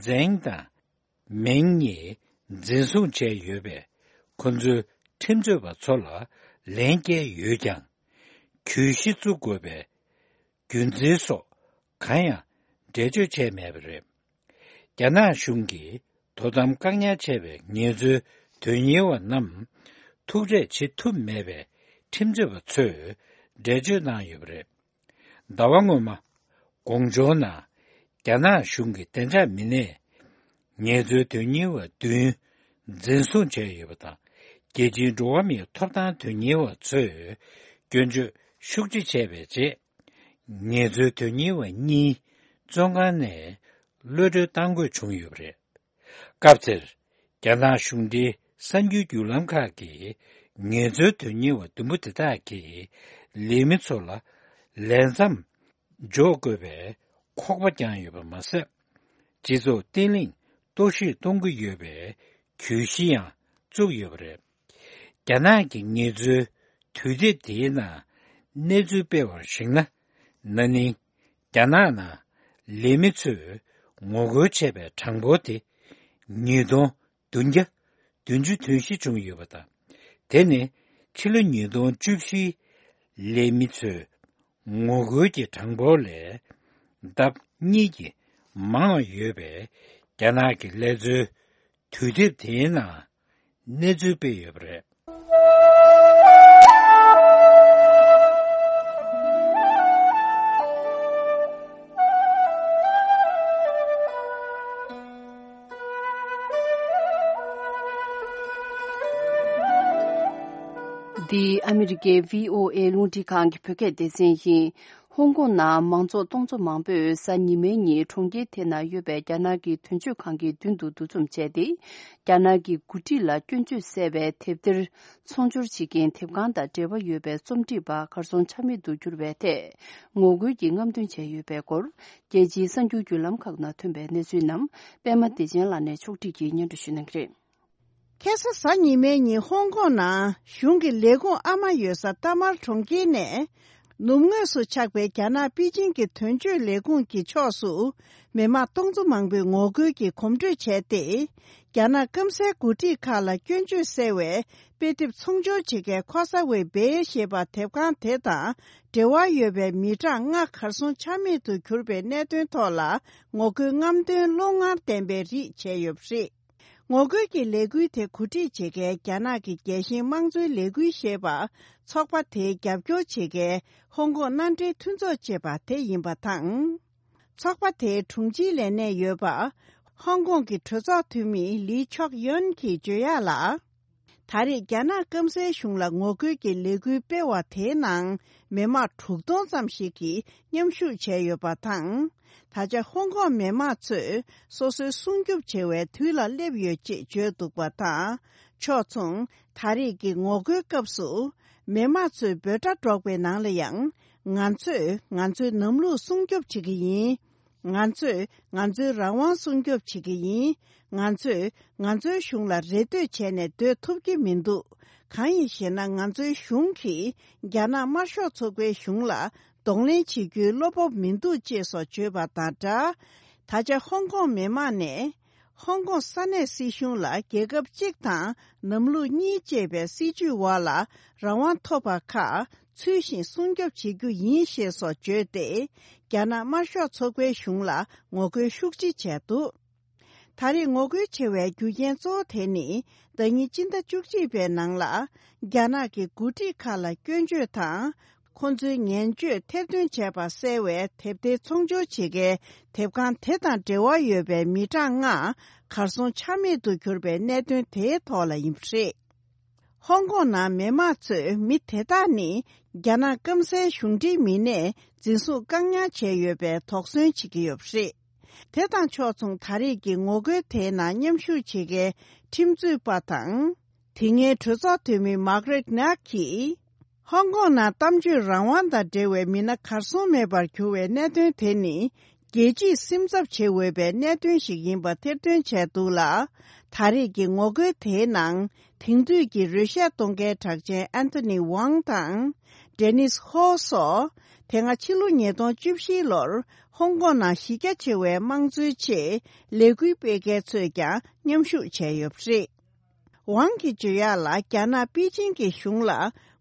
ཛེང་དང་མེང་གཉིས་འཛིན་བཟུང་བྱས་ཡོད་པས། ཁོ་ཚོའི་ཁྲིམས་རྩོད་པ་ཚོ་ལ་ལན་བསྐྱལ་ཡོད་ཀྱང་། གྱོད་གཞི་བཙུགས་དགོས་པའི་རྒྱུ་མཚན་སོགས་གང་ཡང་འགྲེལ་བརྗོད་བྱས་མེད་པ་རེད། རྒྱ་ནག་གཞུང་གིས་དོ་དམ་བཀག་ཉར་བྱས་པའི་ངལ་རྩོལ་དོན་གཉེར་བ་རྣམས་ཐུག་འཕྲད་བྱེད་ཐུབ་མེད་པའི་ཁྲིམས་རྩོད་པ་ཚོས་འགྲེལ་བརྗོད་གནང་ཡོད་པ་རེད། ཟླ་བ་སྔོན་མ་ཀོང་ཇོ་ནང་རྒྱ་ནག་གཞུང་གི་བདེ་འཇགས་མི་སྣས་ངལ་རྩོལ་དོན་གཉེར་བ་བདུན་འཛིན་བཟུང་བྱས་ཡོད་པ་དང་། རྒྱལ་སྤྱིའི་འགྲོ་བ་མིའི་ཐོབ་ཐང་དོན་གཉེར་བ་ཚོས་སྐྱོན་བརྗོད་ཤུགས་ཆེ་བྱས་པའི་རྗེས། ངལ་རྩོལ་དོན་གཉེར་བ་གཉིས་བཙོན་ཁང་ནས་གློད་གྲོལ་བཏང་དགོས་བྱུང་ཡོད་པ་རེད། སྐབས་དེར་རྒྱ་ནག་གཞུང་འབྲེལ་གསར་འགྱུར་བརྒྱུད་ལམ་ཁག་གིས་ངལ་རྩོལ་དོན་གཉེར་བ་བདུན་པོ་དེ་དག་གིས་ལས་མི་ཚོ་ལ་ལས་མཚམས་འཇོག་དགོས་པའི་ཁོག་པ་བརྒྱངས་ཡོད་པ་མ་ཟད། སྤྱི་ཚོགས་བརྟན་ལྷིང་གཏོར་བཤིག་གཏོང་གི་ཡོད་པའི་གྱོད་གཞི་ཡང་བཙུགས་ཡོད་པ་རེད། རྒྱ་ནག་གི་ངལ་རྩོལ་དུས་དེབ་དེའི་ནང་གནས་ཚུལ་སྤེལ་བར་གཞིགས་ན། ན་ནིང་རྒྱ་ནག་ནང་ལས་མི་ཚོས་ངོ་རྒོལ་བྱས་པའི་གྲངས་འབོར་དེ་ཉིས་སྟོང་བདུན་བརྒྱ་བདུན་ཅུ་དོན་བཞི་བྱུང་ཡོད་པ་དང་། དེ་ནི་ཕྱི་ལོ་ཉིས་སྟོང་བཅུ་བཞིའི་ལས་མི་ཚོས་ངོ་རྒོལ་གྱི་གྲངས་འབོར་ལས་ལྡབ་གཉིས་ཀྱིས་མང་བ་ཡོད་པའི་རྒྱ་ནག་གི་ལས་རྩོལ་དུས་དེབ་དེའི་ནང་གནས་ཚུལ་སྤེལ་ཡོད་པ་རེད། འདི་ཨ་མི་རི་ཀའི་བྷི་ཨོ་ཨེ་རླུང་འཕྲིན་ཁང་གི་བོད་སྐད་སྡེ་ཚན་ཡིན། ཧོང་ཀོང་ནང་མང་ཚོགས་སྟོང་ཚོ་མང་པོས་གཟའ་ཉི་མའི་ཉིན་གྲོང་ཁྱེར་དེ་ན་ཡོད་པའི་རྒྱ་ནག་གི་དོན་གཅོད་ཁང་གི་མདུན་དུ་འདུ་འཛོམས་བྱས་ཏེ། རྒྱ་ནག་གི་འགོ་ཁྲིད་ལ་སྐྱོན་བརྗོད་གསལ་བའི་དེབ་ཐེར་ཚོང་སྦྱོར་བྱེད་མཁན་དེབ་ཁང་དང་འབྲེལ་བ་ཡོད་པའི་རྩོམ་སྒྲིག་པ་གར་སོང་ཆ་མེད་དུ་གྱུར་བའི་ཐད་ངོ་རྒོལ་གྱི་རྔམ་སྟོན་བྱས་ཡོད་པའི་སྐོར། རྒྱལ་སྤྱིའི་གསར་འགྱུར་བརྒྱུད་ལམ་ཁག་ནང་ཐོན་པའི་གནས་ཚུལ་རྣམས་པད་མ་བདེ་ཆེན་ལགས་ནས་ཕྱོགས་སྒྲིག་གིས་སྙན་སྒྲོན་ཞུ་གནང་གི་རེད། ཁ་སང་གཟའ་ཉི་མའི་ཉིན་ཧོང་ཀོང་ནང་གཞུང་གི་ལས་ཁུངས་ཨ་མ་ཡོད་ས་ཏཱ་མར་གྲོང་ཁྱེར་ནས་ ནུབ་ངོས་སུ་ཆགས་པའི་རྒྱ་ནག་པེ་ཅིང་གི་དོན་གཅོད་ལས་ཁུངས་ཀྱི་ཕྱོགས་སུ། མི་དམངས་སྟོང་ཚོ་མང་པོས་ངོ་རྒོལ་གྱི་གོམ་བགྲོད་བྱས་ཏེ། རྒྱ་ནག་སྐམ་སའི་འགོ་ཁྲིད་ཁག་ལ་སྐྱོན་བརྗོད་གསལ་བའི་དཔེ་དེབ་ཚོང་སྦྱོར་བྱེད་མཁན་ཁོ་ས་ཝེ་སྦེ་ཞེས་པ་དེབ་ཁང་དེ་དང་འབྲེལ་བ་ཡོད་པའི་མི་གྲངས་ལྔ་གར་སོང་ཆ་མེད་དུ་གྱུར་པའི་གནད་དོན་ཐོག་ལ་ངོ་རྒོལ་རྔམ་སྟོན་བློ་ངར་ལྡན་པའི་རིགས་བྱས་ཡོད་པ་རེད། ངོ་རྒོལ་གྱི་ལས་འགུལ་དེ་གོ་སྒྲིག་བྱེད་མཁན་རྒྱ་ནག་གི་རྒྱལ་ཞེན་དམངས་གཙོའི་ལས་འགུལ་ཞེས་པ་ཚོགས་པ་དེའི་རྒྱབ་སྐྱོར་བྱེད་མཁན་ཧོང་ཀོང་མནའ་འབྲེལ་མཐུན་ཚོགས་ཅེས་པ་དེ་ཡིན་པ་དང་། ཚོགས་པ་དེའི་དྲུང་ཆེའི་ལས་གནས་ཡོད་པ་ཧོང་ཀོང་གི་གྲོས་ཚོགས་འཐུས་མི་ལི་ཆོག་ཡོན་གྱིས་བརྗོད་ཡག་ལ། ད་རེས་རྒྱ་ནག་སྐམ་སའི་གཞུང་ལ་ངོ་རྒོལ་གྱི་ལས་འགུལ་སྤེལ་བ་དེའི་ནང་མི་དམངས་དྲུག་སྟོང་ཙམ་ཞིག་གིས་མཉམ་ཞུགས་བྱས་ཡོད་པ་དང་། ད་ཆ་ཧོང་ཀོང་མི་དམངས་ཚོས་སོ་སོའི་སྲུང་སྐྱོབ་བྱེད་པའི་དུས་ལ་སླེབས་ཡོད་ཅེས་བརྗོད་འདུག་པ་དང་། ཕྱོགས་མཚུངས་ད་རེས་ཀྱི་ངོ་རྒོལ་སྐབས་སུ་མི་དམངས་ཚོས་འབོད་སྒྲ་སྒྲོག་པའི་ནང་ལ་ཡང་། ང་ཚོས་ང་ཚོའི་ནམ་ལུགས་སྲུང་སྐྱོབ་བྱེད་ཀྱི་ཡིན། ང་ཚོས་ང་ཚོའི་རང་དབང་སྲུང་སྐྱོབ་བྱེད་ཀྱི་ཡིན། ང་ཚོས་ང་ཚོའི་གཞུང་ལ་རེ་ལྟོས་བྱས་ནས་སྡོད་ཐུབ་ཀྱི་མི་འདུག། གང་ཡིན་ཞེ་ན། ང་ཚོའི་གཞུང་གིས་རྒྱ་ནག་དམར་ཤོག་ཚོགས་པའི་གཞུང་ལ་གདོང་ལེན་བྱེད་རྒྱུའི་བློ་སྤོབས་མི་འདུག་ཅེས་སོགས་བརྗོད་པ་དང་སྦྲགས། ད་ཆ་ཧོང་ཀོང་མི་དམངས་ནས། ཧོང་ཀོང་ས་གནས་སྲིད་གཞུང་ལ་རྒྱལ་ཁབ་གཅིག་དང་ནམ་ལུགས་གཉིས་ཅེས་པའི་སྲིད་བྱུས་འོག་ལ་རང་དབང་ཐོབ་པ་ཁག་ཚུལ་བཞིན་སྲུང་སྐྱོབ་བྱེད་རྒྱུ་ཡིན་ཞེས་སོགས་བརྗོད་དེ། རྒྱ་ནག་དམར་ཤོག་ཚོགས་པའི་གཞུང་ལ་ངོ་རྒོལ་ཤུགས་ཆེ་བྱས་འདུག། ད་རེས་ངོ་རྒོལ་བྱེད་པའི་རྒྱུ་རྐྱེན་གཙོ་བོ་དེ་ནི། ཟླ་ཉིན་སྤྱི་ཟླ་བཅུ་གཅིག་པའི་ནང་ལ། རྒྱ་ནག་གི་འགོ་ཁྲིད་ཁག་ལ་སྐྱོན་བརྗོད་དང་། ཁོང་ཚོའི་ངན་བརྗོད་ཐེར་འདོན་བྱས་པ་གསལ་བའི་དེབ་ཐེར་ཚོང་སྦྱོར་བྱེད་མཁན་དེབ་ཁང་དེ་དང་འབྲེལ་བ་ཡོད་པའི་མི་གྲངས་ལྔ་གར་སོང་ཆ་མེད་དུ་གྱུར་པའི་གནད་དོན་དེའི་ཐོག་ལ་ཡིན་པ་རེད། ཧོང་ཀོང་ནང་མི་དམངས་ཚོས་མི་དེ་དག་ནི་རྒྱ་ནག་སྐམ་སའི་གཞུང་འབྲེལ་མི་སྣས་འཛིན་བཟུང་བཀག་ཉར་བྱས་ཡོད་པའི་དོགས་ཟོན་བྱེད་ཀྱི་ཡོད་པ་རེད། དེ་དང་ཕྱོགས་མཚུངས་ད་རེས་ཀྱི་ངོ་རྒོལ་དེའི་ནང་མཉམ་ཞུགས་བྱེད་མཁན་ཁྲིམས་རྩོད་པ་དང་། དེ་སྔའི་གྲོས་ཚོགས་འཐུས་མི་མཱག་རེད་ནག་གིས། ཧོང་ཀོང་ནང་གཏམ་བརྗོད་རང་དབང་དང་འབྲེལ་བའི་མི་སྣ་གར་སོང་མེད་པར་གྱུར་བའི་གནད་དོན་དེ་ནི། རྒྱལ་སྤྱིས་སེམས་འཚབ་བྱེད་འོས་པའི་གནད་དོན་ཞིག་ཡིན་པ་ཐེར་འདོན་བྱས་འདུག་ལ། ད་རེས་ཀྱི་ངོ་རྒོལ་དེའི་ནང་། དེང་དུས་ཀྱི་རོལ་ཤ་གཏོང་མཁན་གྲགས་ཅན་ཨན་ཐོ་ནི་ཝང་དང་། ཌེ་ནིས་ཧོ་སོགས། དེ་སྔ་ཕྱི་ལོ་ཉིས་སྟོང་བཅུ་བཞི་ལོར་ཧོང་ཀོང་ནང་གཞི་རྒྱ་ཆེ་བའི་དམངས་གཙོའི་ཆེད་ལས་འགུལ་སྤེལ་མཁན་ཚོས་ཀྱང་མཉམ་ཞུགས་བྱས་ཡོད་པ་རེད། ཝང་གིས་བརྗོད་ཡག་ལ། རྒྱ་ནག་པེ་ཅིང་གི་གཞུང་ལ་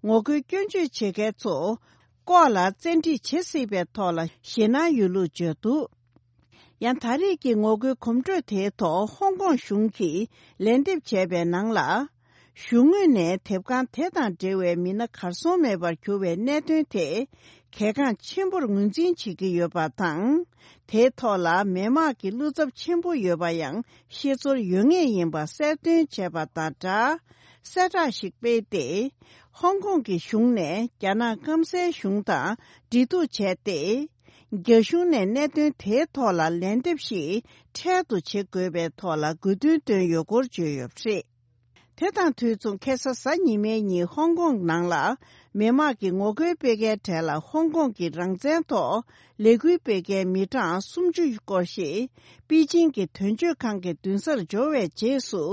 ངོ་རྒོལ་སྐྱོན་བརྗོད་བྱེད་མཁན་ཚོ་ལྐོག་ལ་བཙན་ཁྲིད་བྱེད་སྲིད་པའི་ཐོག་ལ་ཞེད་སྣང་ཡོད་ལུགས་བརྗོད་འདུག། ཡང་ད་རེས་ཀྱི་ངོ་རྒོལ་གོམ་བགྲོད་དེའི་ཐོག་ཧོང་ཀོང་གཞུང་གིས་ལན་འདེབས་བྱས་པའི་ནང་ལ། གཞུང་ངོས་ནས་དེབ་ཁང་དེ་དང་འབྲེལ་བའི་མི་སྣ་གར་སོང་མེད་པར་གྱུར་བའི་གནད་དོན་དེ་གལ་འགངས་ཆེན་པོར་ངོས་འཛིན་བྱེད་ཀྱི་ཡོད་པ་དང་། དེའི་ཐོག་ལ་མི་དམངས་ཀྱི་བློ་འཚབ་ཆེན་པོ་ཡོད་པ་ཡང་ཤེས་ཚོར་ཡོད་ངེས་ཡིན་པ་གསལ་སྟོན་བྱས་པ་དང་སྦྲགས། གསལ་བསྒྲགས་ཤིག་སྤེལ་ཏེ། ཧོང་ཀོང་གི་གཞུང་ནས་རྒྱ་ནག་སྐམ་སའི་གཞུང་དང་འབྲེལ་གཏུག་བྱས་ཏེ། རྒྱ་གཞུང་ནས་གནད་དོན་དེའི་ཐོག་ལ་ལན་འདེབས་ཤིག་འཕྲལ་དུ་བྱེད་དགོས་པའི་ཐོག་ལ་དགོས་འདུན་བཏོན་ཡོད་སྐོར་བརྗོད་ཡོད་པ་རེད། དེ་དང་དུས་མཚུངས་ཁ་སང་གཟའ་ཉི་མའི་ཉིན་ཧོང་ཀོང་ནང་ལ་མི་དམངས་ཀྱི་ངོ་རྒོལ་སྤེལ་མཁན་གྲས་ལ་ཧོང་ཀོང་གི་རང་བཙན་ཐོག་ལས་འགུལ་སྤེལ་མཁན་མི་གྲངས་སུམ་ཅུ་སྐོར་ཞིག་པེ་ཅིང་གི་དོན་གཅོད་ཁང་གི་མདུན་སར་འབྱོར་བའི་རྗེས་སུ་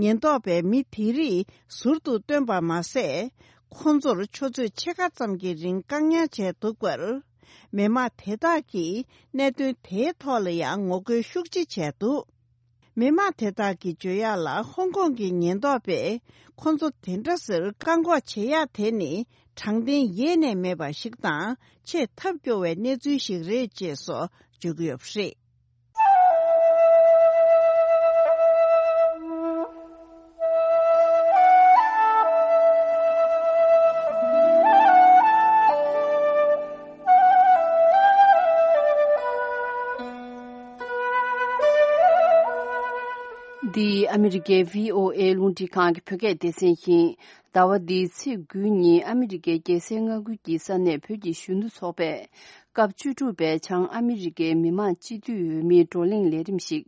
ཉེན་རྟོག་པས་མི་དེ་རིགས་ཟུར་དུ་བཏོན་པ་མ་ཟད། ཁོང་ཚོར་ཆུ་ཚོད་ཕྱེད་ཀ་ཙམ་གྱི་རིང་བཀག་ཉར་བྱས་འདུག་པར། མི་དམངས་དེ་དག་གིས་གནད་དོན་དེའི་ཐོག་ལ་ཡང་ངོ་རྒོལ་ཤུགས་ཆེ་བྱས་འདུག། མི་དམངས་དེ་དག་གིས་བརྗོད་ཡག་ལ། ཧོང་ཀོང་གི་ཉེན་རྟོག་པས་ཁོང་ཚོ་དེ་འདྲ་ཟེར་བཀག་འགོག་བྱེད་ཡག་དེ་ནི་དྲང་བདེན་ཡེ་ནས་མེད་པ་ཞིག་དང་ཆེས་ཐབས་སྐྱོ་བའི་གནས་ཚུལ་ཞིག་རེད་ཅེས་སོགས་བརྗོད་ཀྱི་ཡོད་པ་རེད། འདི་ཨ་མི་རི་ཀའི་བྷི་ཨོ་ཨེ་རླུང་འཕྲིན་ཁང་གི་བོད་སྐད་སྡེ་ཚན་ཡིན། ཟླ་བ་འདིའི་ཚེས་དགུའི་ཉིན་ཨ་མི་རི་ཀའི་རྒྱལ་སའི་མངའ་ཁུལ་གྱི་ས་གནས་བོད་ཀྱི་གཞོན་ནུ་ཚོགས་པས་སྐབས་བཅུ་དྲུག་པའི་བྱང་ཨ་མི་རི་ཀའི་མི་དམངས་སྤྱི་འཐུས་འོས་མིའི་བགྲོ་གླེང་ལས་རིམ་ཞིག་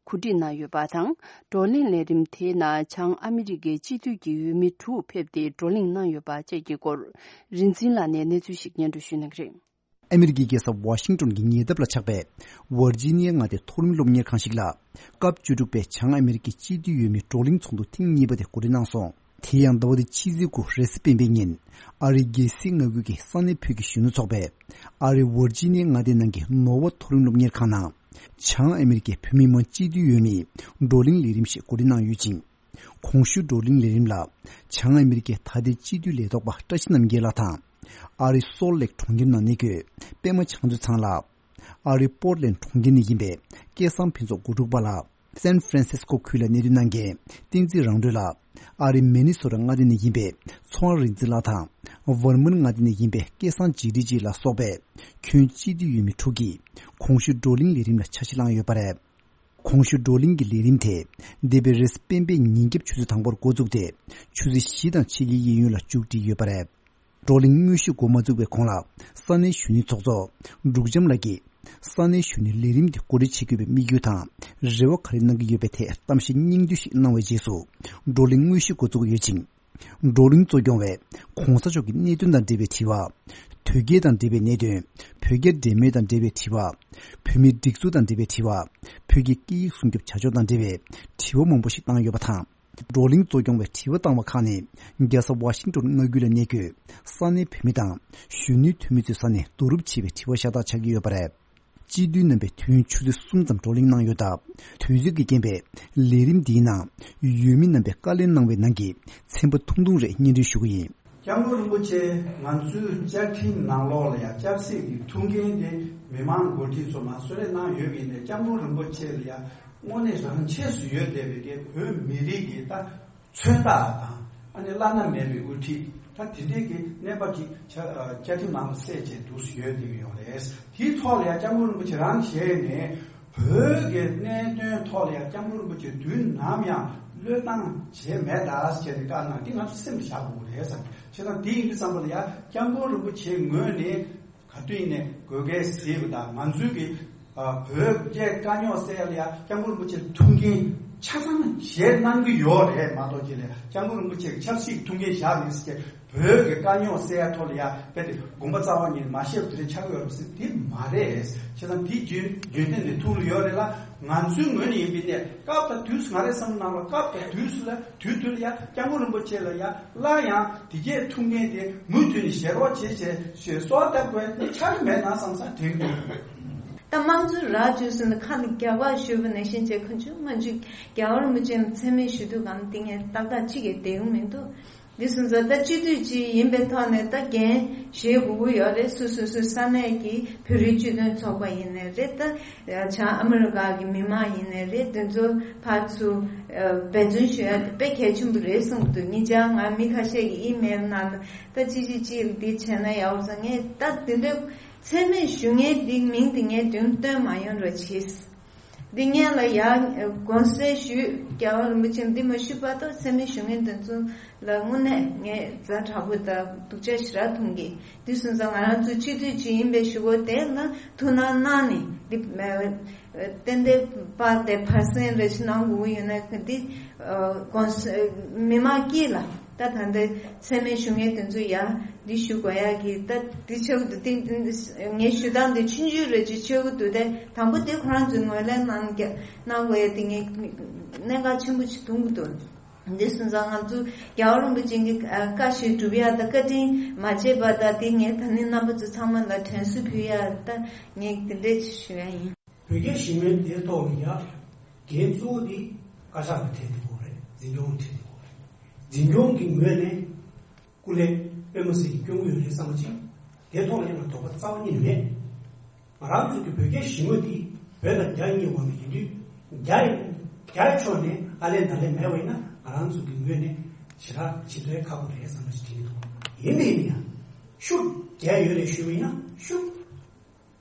གོ་སྒྲིག་གནང་ཡོད་པ་དང་། བགྲོ་གླེང་ལས་རིམ་དེའི་ནང་བྱང་ཨ་མི་རི་ཀའི་སྤྱི་འཐུས་ཀྱི་འོས་མི་དྲུག་ཕེབས་ཏེ་བགྲོ་གླེང་གནང་ཡོད་པ་བཅས་ཀྱི་སྐོར། རིག་འཛིན་ལགས་ནས་གནས་ཚུལ་ཞིག་སྙན་སྒྲོན་ཞུ་གནང་གི་རེད། ཨ་མི་རི་ཀའི་རྒྱལ་ས་ཝ་ཤིང་ཏོན་གྱི་ཉེ་འདབས་ལ་ཆགས་པའི་ཝར་ཇི་ནི་ཡ་མངའ་སྡེའི་མཐོ་རིམ་སློབ་གཉེར་ཁང་ཞིག་ལ། སྐབས་བཅུ་དྲུག་པའི་བྱང་ཨ་མི་རི་ཀའི་སྤྱི་འཐུས་འོས་མིའི་བགྲོ་གླེང་ཚོགས་འདུ་ཐེངས་གཉིས་པ་དེ་གོ་སྒྲིག་གནང་སོང་། དེ་ཡང་ཟླ་བ་འདིའི་ཕྱི་ཚེས་དགུ་རེས་གཟའ་སྤེན་པའི་ཉིན། ཨ་རིའི་རྒྱལ་སྲིད་མངའ་ཁུལ་གྱི་ས་གནས་བོད་ཀྱི་གཞོན་ནུ་ཚོགས་པས། ཨ་རིའི་ཝར་ཇི་ནི་ཡ་མངའ་སྡེའི་ནང་གི་ནོར་ཝ་མཐོ་རིམ་སློབ་གཉེར་ཁང་ནང་། བྱང་ཨ་མི་རི་ཀའི་བོད་མི་མང་སྤྱི་འཐུས་འོས་མིའི་བགྲོ་གླེང་ལས་རིམ་ཞིག་གོ་སྒྲིག་གནང་ཡོད་ཅིང་། གོང་ཞུས་བགྲོ་གླེང་ལས་རིམ་ལ། བྱང་ཨ་མི་རི་ཀའི་ད་ལྟའི་སྤྱི་འཐུས་ལས་ཐོག་པ་བཀྲ་ཤིས་རྣམ་རྒྱལ་ལགས་དང་། ཨ་རིའི་སོལ་ལེག་གྲོང་ཁྱེར་ནང་གནས་འཁོད་པད་མ་བྱང་ཆུབ་ཚང་ལགས། ཨ་རིའི་པོར་ལེན་གྲོང་ཁྱེར་ནས་ཡིན་པའི་སྐལ་བཟང་ཕུན་ཚོགས་དགུ་ཕྲུག་པ་ལགས། སན་ཧྥ་རན་སིས་ཀོ་ཁུལ་ལ་གནས་སྡོད་གནང་མཁན་བསྟན་འཛིན་རང་གྲོལ་ལགས། ཨ་རིའི་མི་ནི་སོ་ཊ་མངའ་སྡེ་ནས་ཡིན་པའི་ཚོང་རིག་འཛིན་ལགས་དང་། ཝར་མན་མངའ་སྡེ་ནས་ཡིན་པའི་སྐལ་བཟང་འཇིགས་བྲལ་སྐྱིད་ལ་སོགས་པའི་ཁྱོན་སྤྱི་འཐུས་འོས་མི་དྲུག་གིས་གོང་ཞུས་བགྲོ་གླེང་ལས་རིམ་ལ་ཆ་ཤས་བླངས་ཡོད་པ་རེད། གོང་ཞུས་བགྲོ་གླེང་གི་ལས་རིམ་དེ། འདས་པའི་རེས་སྤེན་པའི་ཉིན་རྒྱབ་ཆུ་ཚོད་དང་པོར་འགོ་བཙུགས་ཏེ། ཆུ་ཚོད་བཞི་དང་ཕྱེད་ཀའི་གཡས་གཡོན་ལ་མཇུག་སྒྲིལ་ཡོད་པ་རེད། བགྲོ་གླེང་དངོས་གཞི་འགོ་མ་བཙུགས་པའི་གོང་ལ། ས་གནས་གཞོན་ནུའི་ཚོགས་གཙོ། འབྲུག་བྱམས་ལགས་ཀྱིས། ས་གནས་གཞོན་ནུའི་ལས་རིམ་འདི་གོ་སྒྲིག་བྱེད་དགོས་པའི་དམིགས་ཡུལ་དང་། རེ་བ་ག་རེ་གནང་གི་ཡོད་པའི་ཐད་གཏམ་བཤད་སྙིང་བསྡུས་ཤིག་གནང་བའི་རྗེས་སུ། བགྲོ་གླེང་དངོས་གཞི་འགོ་བཙུགས་ཡོད་ཅིང་། བགྲོ་གླེང་གཙོ་སྐྱོང་བས། ྋགོང་ས་མཆོག་གི་གནད་དོན་དང་འབྲེལ་བའི་དྲི་བ། དོལ་རྒྱལ་དང་འབྲེལ་བའི་གནད་དོན། བོད་རྒྱ་འབྲེལ་མོལ་དང་འབྲེལ་བའི་དྲི་བ། བོད་མིའི་སྒྲིག་འཛུགས་དང་འབྲེལ་བའི་དྲི་བ། བོད་ཀྱི་སྐད་ཡིག་སྲུང་སྐྱོབ་བྱ་ཕྱོགས་དང་འབྲེལ་བའི་དྲི་བ་མང་པོ་ཞིག་བཏང་ཡོད་པ་དང་། བགྲོ་གླེང་གཙོ་སྐྱོང་བས་དྲི་བ་བཏང་བ་ཁག་ནི། རྒྱལ་ས་ཝ་ཤིང་ཏོན་མངའ་ཁུལ་ལ་གནས་འཁོད་ས་གནས་བོད་མི་དང་གཞོན་ནུའི་འཐུས་མི་ཚོའི་ས་ནས་བསྡུ་རུབ་བྱས་པའི་དྲི་བ་ཤ་སྟག་ཆགས་ཀྱི་ཡོད་པ་རེད། སྤྱི་འཐུས་རྣམ་པས་དུས་ཡུན་ཆུ་ཚོད་གསུམ་ཙམ་བགྲོ་གླེང་གནང་ཡོད་སྟབས། དུས་ཚོད་ཀྱི་རྐྱེན་པས་ལས་རིམ་འདིའི་ནང་འོས་མི་རྣམ་པས་བཀའ་ལན་གནང་བའི་ནང་གི་ཚན་པ་ཐུང་ཐུང་རེ་སྙན་སྒྲོན་ཞུ་གི་ཡིན། སྐྱབས་མགོན་རིན་པོ་ཆེ་ང་ཚོའི་བཅའ་ཁྲིམས་ནང་ལོགས་ལ་ཡང་ཆབ་སྲིད་ཀྱི་ཐུགས་འགན་དེ་མི་མང་འགོ་ཁྲིད་ཚོ་མར་གསོལ་རས་གནང་ཡོད་པ་ཡིན་ནའི་སྐྱབས་མགོན་རིན་པོ་ཆེ་ལ་ཡང་དངོས་གནས་རང་ཆས་སུ་ཡོད་བསྡད་པའི་གི་བོད་མི་རིགས་ཀྱི་ད་མཚོན་རྟགས་དང་ཨ་ནི་བླ་ན་མེད་པའི་དབུ་ཁྲིད་ད་དེ་འདྲའི་གི་གནས་བབ་ཅིག་བཅའ་ཁྲིམས་ནང་ལ་གསལ་བྱས་འདུག་སེ་ཡོད་བསྡད་ཀྱི་ཡོད་རེད། དེའི་ཐོག་ལ་ཡང་སྐྱབས་མགོན་རིན་པོ་ཆེ་རང་བཞེས་ནས། བོད་ཀྱི་གནད་དོན་ཐོག་ལ་ཡང་སྐྱབས་མགོན་རིན་པོ་ཆེ་དུས་ནམ་ཡང་བློས་བཏང་བྱས་མེད་ད་ཟེར་ནས་བཀའ་གནང་དེ་ང་ཚོ་སེམས་བཞག་དགོས་རེད་བསམ། བྱས་ཙང་དེ་ཡིན་དུས་ཙམ་པ་ལ་ཡང་སྐྱབས་མགོན་རིན་པོ་ཆེའི་ངོས་ནས་ག་དུས་ཡིན་ནའི་དགོས་གལ་གཟིགས་པ་དང་ང་ཚོའི་གི་བོད་རྒྱའི་དཀའ་རྙོག་སེལ་ཡ་ལ་ཡང་སྐྱབས་མགོན་རིན་པོ་ཆེ་ཐུགས་འགན་ཆ་ཚང་བཞེས་གནང་གི་ཡོད་རེད་མ་གཏོགས་ཅི་ལས་སྐྱབས་མགོན་རིན་པོ་ཆེ་གི་ཆབ་སྲིད་ཀྱི་ཐུགས་འགན་བཞག་མེད་ཟེར། བོད་ཀྱི་དཀའ་རྙོག་སེལ་ཡ་ཐོག་ལ་ཡ་དཔེ་དེ་དགོངས་པ་རྩ་བ་ཉིད་ནས་མ་བཤད་པ་དེ་འདྲ་ཆགས་ཀྱི་ཡོད་རེད་ཟེར་དེ་མ་རེད། བྱས་ཙང་དེ་རྒྱུན་རྒྱུན་ལྡན་ནས་ཐུགས་ལ་ཡོད་རེད་ལ། ང་ཚོའི་ངོས་ནས་ཡིན་པའི་ནས་སྐབས་དང་དུས་སུ་ང་རའི་བསམ་བློ་ནང་ལ་སྐབས་དང་དུས་སུ་ལ་དུས་དུས་ལ་ཡ་སྐྱབས་མགོན་རིན་པོ་ཆེ་ལ་ཡ་སླར་ཡང་དེ་གས་ཐུགས་འགན་དེ་མུ་མཐུད་ནས་བཞེས་རོགས་བྱེད་ཅེས་ཞེས་གསོལ་བ་བཏབ་དགོས་ནི་ཆགས་ཀྱི་མེད་ན་བསམ་ས་དྲན་གྱི་ཡོད། ད་དམངས་གཙོའི་ར་བཅུ་ཟིན་ཁ་ནས་རྒྱ་གར་ཞུས་པ་ནང་བཞིན་བྱས་ཁོ་ཚོས་སྔོན་ཆད་རྒྱལ་བ་རིན་པོ་ཆེ་མཚན་སྨད་ཞུ་དུས་གང་དེ་ངས་ཏག་ཏག་གཅིག་གིས་བསྡད་ཡོང་མི་འདུག་འདི་སོང་ཙང་ད་སྤྱི་འཐུས་ཅིག་ཡིན་པའི་ཐོག་ནས་ད་འགན་བཞེས་དགོས་ཀྱི་ཡོད་རེད། སོ་སོ་སོའི་ས་གནས་ཀྱི་བོད་རིགས་སྤྱི་མཐུན་ཚོགས་པ་ཡིན་ནའི་རེད། ད་བྱང་ཨ་མི་རི་ཀ་གི་མི་མང་ཡིན་ནའི་རེད། དེ་ཚོ་ཕར་ཚུར་འབད་བརྩོན་ཞུ་ཡ་དེ་དཔེ་གལ་ཆེན་པོ་རེད་བསམ་གྱི་འདུག་ཉེ་ཆར་ང་མི་ཁ་ཤས་ཀྱིས་ཨི་མེལ་ནང་ལ་ད་ཅི་ཅི་ཅི་འདི་བྱས་ན་ཡག་པོ་ཟེར། ངས་ད་དེ་འདྲའི་མཚན་སྨད་ཞུ་མཁན་འདི་མིང་དེ་ངས་མདུན་བཏོན་མ་ཡོང་རོགས་བྱེད། འདི་སྔོན་ལ་ཡང་དགོངས་སེལ་ཞུས། རྒྱལ་བ་རིན་པོ་ཆེ་འདི་མ་ཞུས་བར་དུ་མཚན་སྨད་ཞུ་མཁན་དེ་ཚོ་ལ་དངོས་གནས་ངས་ཛ་དྲག་པོ་དང་སྡུག་ཅག་ཞེ་དྲག་མཐོང་གི། འདི་སོང་ཙང་ང་རང་ཚོ་སྤྱི་འཐུས་ཅིག་ཡིན་པའི་གཞུག་གུ་དེ་ལ་ཐུགས་སྣང་གནང་ནས་འདི་ཏན་ཏན་པར་དེ་ཕར་གསན་རེ་ཞིག་གནང་དགོས་ཀྱི་ཡོད་ན་འདི་དགོངས་སེལ་མི་མང་དཀྱིལ་ལ་ད་ད་ལྟ་མཚན་སྨད་ཞུ་མཁན་དེ་ཚོ་ཡ། འདི་ཞུ་དགོས་ཡག་གི་ད་འདི་ཆེ་བོ་འདུག་དེ་ངས་ཞུ་སྟངས་འདི་ཆུང་ཆུང་རེ་ཅིག་ཆེ་བོ་འདུག་དེ་དང་པོ་དེ་ཁོ་རང་ཚོས་ངོས་ལེན་གནང་གི་གནང་དགོས་ཡག་དེ་ངས་གནད་འགག་ཆེན་པོ་ཅིག་མཐོང་གི་འདུག་འདི་སོང་ཙང་ང་ཚོ་རྒྱལ་བ་རིན་པོ་ཆེ་གི་བཀའ་བཞིན་སྒྲུབ་ཡག་དང་བཀའ་དྲིན་མ་བརྗེད་པ་དང་དེ་ངས་ད་ནི་རྣམ་པ་ཚོ་ཚང་མ་ལ་དྲན་གསོ་ཕུལ་ཡག་ད་ངས་དེ་འདྲས་ཅིག་ཞུ་ཡག་ཡིན། བོད་རྒྱ་ཞི་མོལ་དེའི་ཐོག་ལ་ཡ་འགན་གཙོ་བོ་དེ་བཀའ་ཤག་ལ་ཐེབས་དགོས་རེད། འཛིན་སྐྱོང་ལ་ཐེབས་དགོས་རེད། འཛིན་སྐྱོང་གི་ངོས་ནས་སྐུ་ལས་པད་མ་སེ་གིས་སྐྱོང་གི་ཡོད་རེད་བསམ་གྱི། དེ་ཐོག་ལ་ཡང་ང་དོགས་པ་རྩ་བ་ཉིད་ནས་མེད། ང་རང་ཚོ་གི་བོད་རྒྱ་ཞི་མོལ་དེ་བོད་དང་རྒྱ་གཉིས་དབར་ལ་ཡིན་དུས་རྒྱ་ཡི་རྒྱ་ཡི་ཕྱོགས་ནས་ཨ་ལན་ད་ལན་མེད་པ་ཡིན་ན་ང་རང་ཚོ་གི་ངོས་ནས་ཞེ་དྲག་ཇི་ལྟར་ཁག་པོ་རེད་བསམ་པ་ཞིག་དྲན་གྱི་འདུག་ཡིན་ནའི་ཡིན་ཡང་ཤུགས་རྒྱ་ཡོད་རེད་ཞུས་པ་ཡིན་ན་ཤུགས།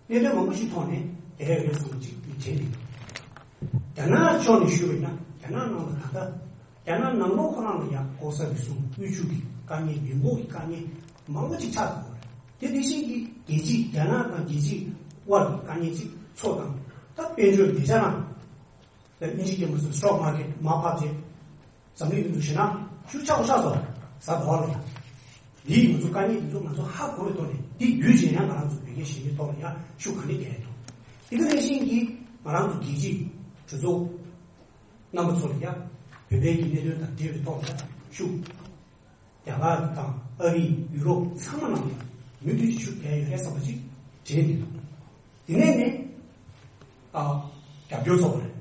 གནད་དོན་མང་པོ་ཞིག་ཐོག་ནས་དེ་འདྲ་ཡོད་བསམ་གྱི་མི་དྲན་འདུག་རྒྱ་ནག་ཕྱོགས་ནས་ཞུས་པ་ཡིན་ན་རྒྱ་ནག་ནང་ལ་ད་ལྟ་རྒྱ་ནག་ནང་ལོགས་ཁོ་རང་ལ་ཡང་ལྐོག་ཟ་རུལ་སུངས་དབུལ་ཕྱུག་གི་དཀའ་ངལ་མི་འབོར་གྱི་དཀའ་ངལ་མང་པོ་ཅིག་ཆགས་འདུག་དེ་དེ་བཞིན་གྱི་རྒྱལ་སྤྱི་རྒྱ་ནག་དང་རྒྱལ་སྤྱི་དབར་གྱི་དཀའ་ངལ་ཅིག་མཚོ་དང་ད་དཔལ་འབྱོར་ཉེ་ཆར་རང་ལ་དབྱིན་ཇི་རྒྱལ་པོ་ཚོས་stock market་མར་ཕབ་རྗེས། འཛམ་གླིང་མི་འདུག་ཞེ་ན་ཤུགས་ཆག་པོ་ཆགས་སོང་། ཟ་འདོད་ལ་ཡ། འདིའི་ང་ཚོ་དཀའ་ངལ་འདི་ཚོ་ང་ཚོ་ཧ་གོ་བའི་ཐོག་ནས་འདི་བརྒྱུད་བྱས་ཡང་ང་རང་ཚོ་བོད་རྒྱ་ཞི་མོལ་ཐོག་ལ་ཡ་ཤུགས་ག་འདྲ་རྒྱག་ཡ་འདུག་དེ་ག་ནང་བཞིན་གྱི་ང་རང་ཚོ་རྒྱལ་སྤྱིའི་གྲོས་ཚོགས་རྣམ་པ་ཚོ་ལ་ཡ་བོད་པའི་གི་གནད་དོན་དང་འབྲེལ་བའི་ཐོག་ལ་ཡ་ཤུགས་ རྒྱ་གར་དང་ཨ་རི། ཡུ་རོབ་ཚང་མ་ནང་ལ་མུ་མཐུད་ཀྱི་ཤུགས་རྒྱག་ཡོད་རེད་བསམ་པ་ཅིག་དྲན་འདུག་དེ་ནས་ནི་ཨ་རྒྱབ་སྐྱོར་ཚོགས་པ་རེད།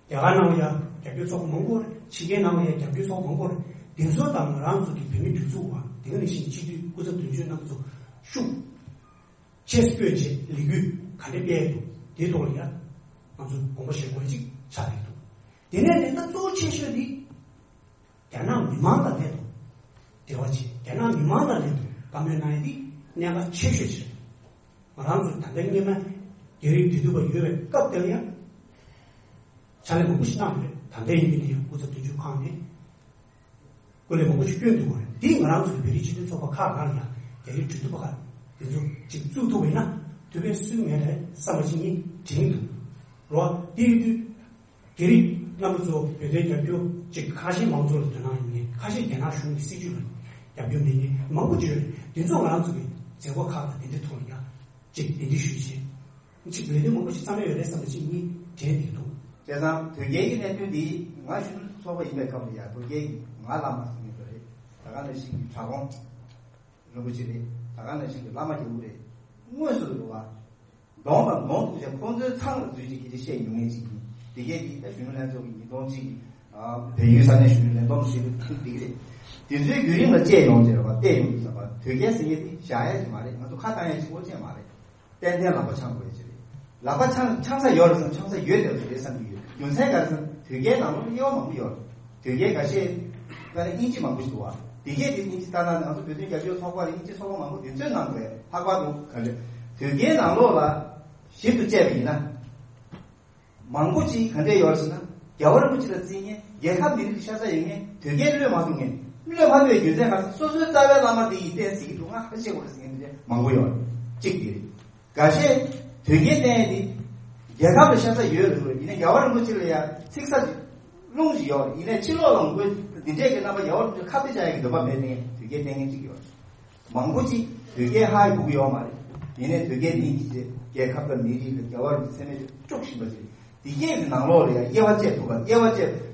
རྒྱ་གར་ནང་ལ་ཡང་རྒྱབ་སྐྱོར་ཚོགས་པ་མང་པོ་རེད། ཕྱི་རྒྱལ་ནང་ལ་ཡང་རྒྱབ་སྐྱོར་ཚོགས་པ་མང་པོ་རེད། དེ་ཚོ་དང་ང་རང་ཚོ་གི་བོད་མི་སྒྲིག་འཛུགས་པ་དེ་ག་ནང་བཞིན་སྤྱི་འཐུས་སྐུ་ཚབ་དོན་གཅོད་རྣམ་པ་ཚོ་ཤུགས་ཆེ་སྤོས་བྱས་ལས་འགུལ་ག་འདྲ་སྤེལ་འདུག་དེའི་ཐོག་ལ་ཡང་ང་ཚོ་དགོངས་པ་བཞེས་དགོས་ཅིག་ཆགས་ཀྱི་འདུག་དེ་ནས་ནི་ད་གཙོ་བོ་ཆེ་ཤོས་འདི་རྒྱ་ནག་མི་མང་དང་ལྷན་དུ་འབྲེལ་བ་བྱེད། རྒྱ་ནག་མི་མང་དང་ལྷན་དུ་བཀའ་མོལ་གནང་ཡ་འདི་གནད་འགག་ཆེ་ཤོས་ཤིག་རེད། ང་རང་ཚོ་ད་ལྟ་སྔོན་མ་རྒྱ་རིགས་འབྲེལ་གཏུག་པ་ཡོད་པའི་སྐབས་དེར་ཡང་ཕྱག་ལས་མང་པོ་ཞིག་གནང་ཡོད་རེད། ད་ལྟ་ཡིན་པ་ཡིན་ན་ཡང་སྐུ་ཚབ་དོན་གཅོད་ཁང་ནས་སྐུ་ལས་མང་པོ་ཞིག་བསྐྱོན་འདུག་པ་རེད། འདིས་ང་རང་ཚོ་གི་བོད་རིགས་སྤྱི་མཐུན་ཚོགས་པ་ཁག་ནང་ལ་ཡང་རྒྱ་རིགས་འབྲེལ་གཏུག་པ་ཁག་དེ་ཚོ་ཅིག་བཙུགས་ཐུབ་པ་ཡིན་ན་ཐུགས་ཕན་གསོས་མེད་རེད་བསམ་པ་ཅིག་ངས་དྲན་འདུག་རོ། དེ་ཡིན་དུས་རྒྱ་རིགས་རྣམ་པ་ཚོ་བོད་དོན་རྒྱབ་སྐྱོར་ཅིག་ཁ་ཤས་མང་ཚོགས་ལ་དོ་སྣང་ཡོད་མཁན། ཁ་ཤས་རྒྱ་ནག་གཞུང་གི་སྲིད་བྱུས་ལ་རྒྱབ་སྐྱོར་མེད་མཁན་མང་པོ་ཅིག་ཡོད་རེད། དེ་ཚོ་ང་རང་ཚོ་གི་མཛད་སྒོ་ཁག་དང་དེ་འདྲའི་ཐོག་ལ་ཡང་ཅིག་གདན་འདྲེན་ཞུས་བྱས། ཅིག་ལས་དོན་མང་པོ་ཞིག་བརྩམས་ཡོད་རེད་བསམ་པ་ཅིག་ངས་དྲན་བསྡད་འདུག་བྱས་ཙང་དོལ་རྒྱལ་གྱི་གནད་དོན་འདི་ང་གཞོན་ནུ་ཚོགས་པ་ཡིན་པའི་སྐབས་ལ་ཡང་དོལ་རྒྱལ་གྱི་ང་བླ་མ་ཟེར་མཁན་དེ་རེད། ད་ག་ནང་བཞིན་གྱི་གྲྭ་གོང་རིན་པོ་ཆེ་རེད། ད་ག་ནང་བཞིན་གྱི་བླ་མ་རྒྱལ་པོ་རེད། དངོས་སུ་རེད་བ། གདོང་དང་གདོང་ཐུག་བྱས་ཁོང་ཚོའི་ཚང་ལ་འཛུལ་ཅིག་གི་དེ་བཤད་མྱོང་མཁན་ཅིག་ཡིན། དེ་གས་དེ་ད་གཞོན་ནུ་ལྷན་ཚོགས་ཀྱི་ཉིས་སྟོང་གཅིག་གི་བལ་ཡུལ་ས་གནས་གཞོན་ནུ་ལས་བསྡོམས་ཞིག་ཐུག་དེ་གི་རེད། དེ་ཚོའི་བརྒྱུད་རིམ་ལ་དཔྱད་ཡོང་ཟེར་བ། བལྟས་ཡོང་དུས་ཙམ་པ་དོལ་རྒྱལ་ཟེར་མཁན་དེ་བཞག་ཡ་ཅིག་མ་རེད། ང་ཚོ་ཁ་བཏང་ཡ་ཅིག་པོ་ཅིག་མ་རེད། ཏན་ཏན་ལག་པ་འཆང་དགོས་ཡ་ཅིག་རེད། ལག་པ་འཆང་འཆང་ས་ཡོད་རེད་བསམ། འཆང་ས་ཡོད་བསྡད་པ་རེད་བསམ་གྱི་ཡོད། རྒྱུ་མཚན་ག་རེ་ཟེར་ན་དོལ་རྒྱལ་ནང་ལོགས་དབྱེ་བ་མང་པོ་ཡོད་རེད། དོལ་རྒྱལ་འགའ་ཤས་ད་ནི་དབྱིན་ཇི་མང་པོ་ཞིག་འདུག་བ། དེ་གས་དེ་དབྱིན་ཇི་ལྟ་ན་ང་ཚོ་བོད་དོན་རྒྱབ་སྐྱོར་ཚོགས་པ་ལ་དབྱིན་ཇི་ཚོགས་པ་མང་པོ་དེ་ཚོའི་ནང་དུ་ལྷག་པར་དུ་ག་རེ་དོལ་རྒྱལ་ནང་ལོགས་ལ་ཞིབ་ཏུ་དཔྱད་པ་ཡིན་ན། མང་པོ་ཅིག་ག་འདྲས་ཡོད་ཟེར་ན། རྒྱལ་བ་རིན་པོ་ཆེ་ལ་བརྩི་མཁན། རྒྱལ་ཁབ་མི་རིགས་ཀྱི་ཤ་ཚ་ཡོད་མཁན། དོལ་རྒྱལ་བློས་མ་ཐུབ་མཁན། བློས་མ་ཐུབ་པའི་རྒྱུ་མཚན་ག་རེ་ཟེར་ན། སོ་སོའི་རྩ་བའི་བླ་མ་འདི་ཡིས་བསྟེན་སྲིད་ཀྱི་འདུག་ང་ཧ་ཤེས་དགོས་རེད་ཟེར་མཁན་དེ་འདྲས་མང་པོ་ཡོད་རེད། གཅིག་དེ་རེད། འགའ་ཤས་དོལ་རྒྱལ་བསྟེན་ཡས་དེ་རྒྱལ་ཁབ་ལ་ཤ་ཚ་ཡོད་རེད་འདུག་ཡིན་ནའི་རྒྱལ་བ་རིན་པོ་ཆེ་ལ་ཡ་ཚིག་གསར་ཅིག་རླུང་ཞིག་ཡོད་རེད། ཡིན་ནའི་ཕྱི་ལོགས་ལ་ངོ་རྒོལ་འདི་འདྲས་ཀྱི་རྣམ་པ། རྒྱལ་བ་རིན་པོ་ཆེ་ཁ་གཏད་བྱ་ཡ་གི་འདོད་པ་མེད་མཁན་དོལ་རྒྱལ་བསྟེན་མཁན་གཅིག་ཡོད་རེད། མང་པོ་ཅིག་དོལ་རྒྱལ་ཧ་ཡི་སྒུག་གི་ཡོད་མ་རེད། ཡིན་ནའི་དོལ་རྒྱལ་ནི་ཡིན་གྱི་རྒྱལ་ཁབ་དང་མི་རིགས་དང་རྒྱལ་བ་རིན་པོ་ཆེ་མེད་དཀྲུག་བཞིན་པ་ཅིག་དེ་གས་ཀྱི་ནང་ལོགས་ལ་ཡང་དབྱེ་བ་བཅད་ཐུབ་པ། དབྱེ་བ་བཅད།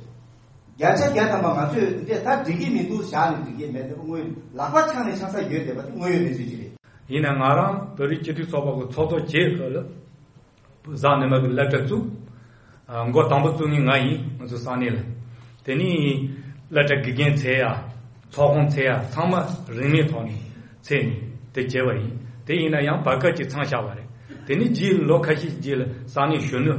བརྒྱ་ཆ་བརྒྱ་ཐམ་པ་ང་ཚོས་དེ་འདྲས་ད་འགྲིག་གི་མི་འདུག་བཞག་ནས་འགྲིག་གི་མེད་དེ་དངོས་ཡོད་ལག་པ་འཆང་ནས་ཆང་ས་ཡོད་བསྡད་པ་དེ་དངོས་ཡོད་གནས་ཚུལ་ཅིག་རེད། ཡིན་ན་ང་རང་བོད་རིགས་སྤྱི་མཐུན་ཚོགས་པ་གི་ཚོགས་གཙོ་བྱས་སྐབས་ལ། གཟའ་ཉི་མ་གི་སློབ་གྲྭ་བཙུགས། ཨ། འགོ་དང་པོ་བཙུགས་མཁན་ང་ཡིན། ང་ཚོ་ས་གནས་ལ། དེ་ནས་སློབ་གྲྭ་དགེ་རྒན་འཚོལ་ཡ། ཚོགས་ཁང་འཚོལ་ཡ། ཚང་མ་རིན་མེད་ཐོག་ནས་འཚོལ་ནས་དེ་བྱས་པ་ཡིན། དེ་ཡིན་ན་ཡང་བར་སྐབས་ཅིག་མཚམས་བཞག་པ་རེད། དེ་ནས་རྗེས་ལ་ལོ་ཁ་ཤས་རྗེས་ལ་ས་གནས་གཞོན་ནུ་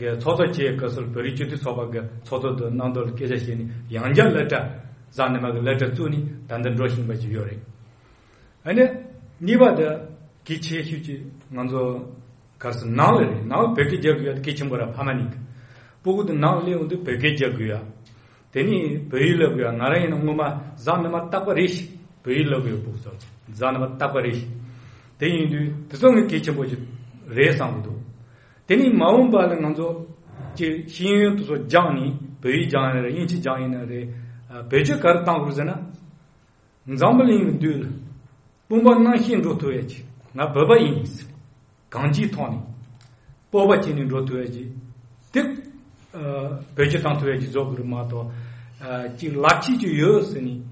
གི་ཚོགས་གཙོ་བྱས་སྐབས་སུ་བོད་རིགས་སྤྱི་མཐུན་ཚོགས་པ་གི་ཚོགས་གཙོ་དང་གནང་དོན་ལ་སྐད་ཆ་བཤད་ནས་ཡང་བསྐྱར་སློབ་གྲྭ་གཟའ་ཉི་མ་གི་སློབ་གྲྭ་བཙུགས་ནས་ད་ལྟ་འགྲོ་བཞིན་པ་ཞིག་ཡོད་རེད། ཨ་ནི། གཉིས་པ་དེ་གལ་ཆེ་ཤོས་ཀྱི་ང་ཚོ་ག་རེ་ཟེར། ནང་ལ་རེད། ནང་ལ་བོད་སྐད་རྒྱག་དགོས་ཡ་དེ་གལ་ཆེན་པོ་རེད། ཕ་མ་གཉིས་ཀ། སྤུ་གུ་དེ་ནང་ལ་སླེབས་ཡོང་དུས་བོད་སྐད་རྒྱག་དགོས་ཡ། དེ་ནས་བོད་ཡིག་སློབ་དགོས་ཡ། ང་རང་ཡིན་ན་སྔོན་མ་གཟའ་ཉི་མ་རྟག་པ་རེ་བཞིན་བོད་ཡིག་སློབ་དགོས་ཡ། སྤུ་གུ་ཚོ་གཟའ་ཉི་མ་རྟག་པ་རེ་བཞིན། དེ་ཡིན་དུས་དེ་ཚོ་ངས་གལ་ཆེན་པོ་ཞིག་རེད་བསམ་གྱི་འདུག་དེ་ནས་མ་འོངས་པ་ལ་ང་ཚོ་ཀྱི་ཤེས་ཡོན་དེ་ཚོ་སྦྱངས་ནས། བོད་ཡིག་སྦྱངས་ཡིན་ན་རེད། དབྱིན་ཇི་སྦྱངས་ཡིན་ན་རེད། ཨ། བེད་སྤྱོད་ག་རེ་གཏང་དགོས་ཟེར་ན། འཛམ་བུ་གླིང་གི་མདུན་ལ་དཔུང་པ་གནམ་བཞིན་འགྲོ་ཐུབ་ཡ་ཅིག་ང་བོད་པ་ཡིན་ཟེར། གང་ཅིའི་ཐོག་ནས་སྤོབས་པ་བྱས་ནས་འགྲོ་ཐུབ་ཡ་ཅིག་དེ། ཨ། བེད་སྤྱོད་བཏང་ཐུབ་ཡ་ཅིག་བཟོ་དགོས་རེད་མ་གཏོགས། ཨ། ཅིག་ལག་ཁྱེར་ཅིག་ཡོད་ཟེར་ནས་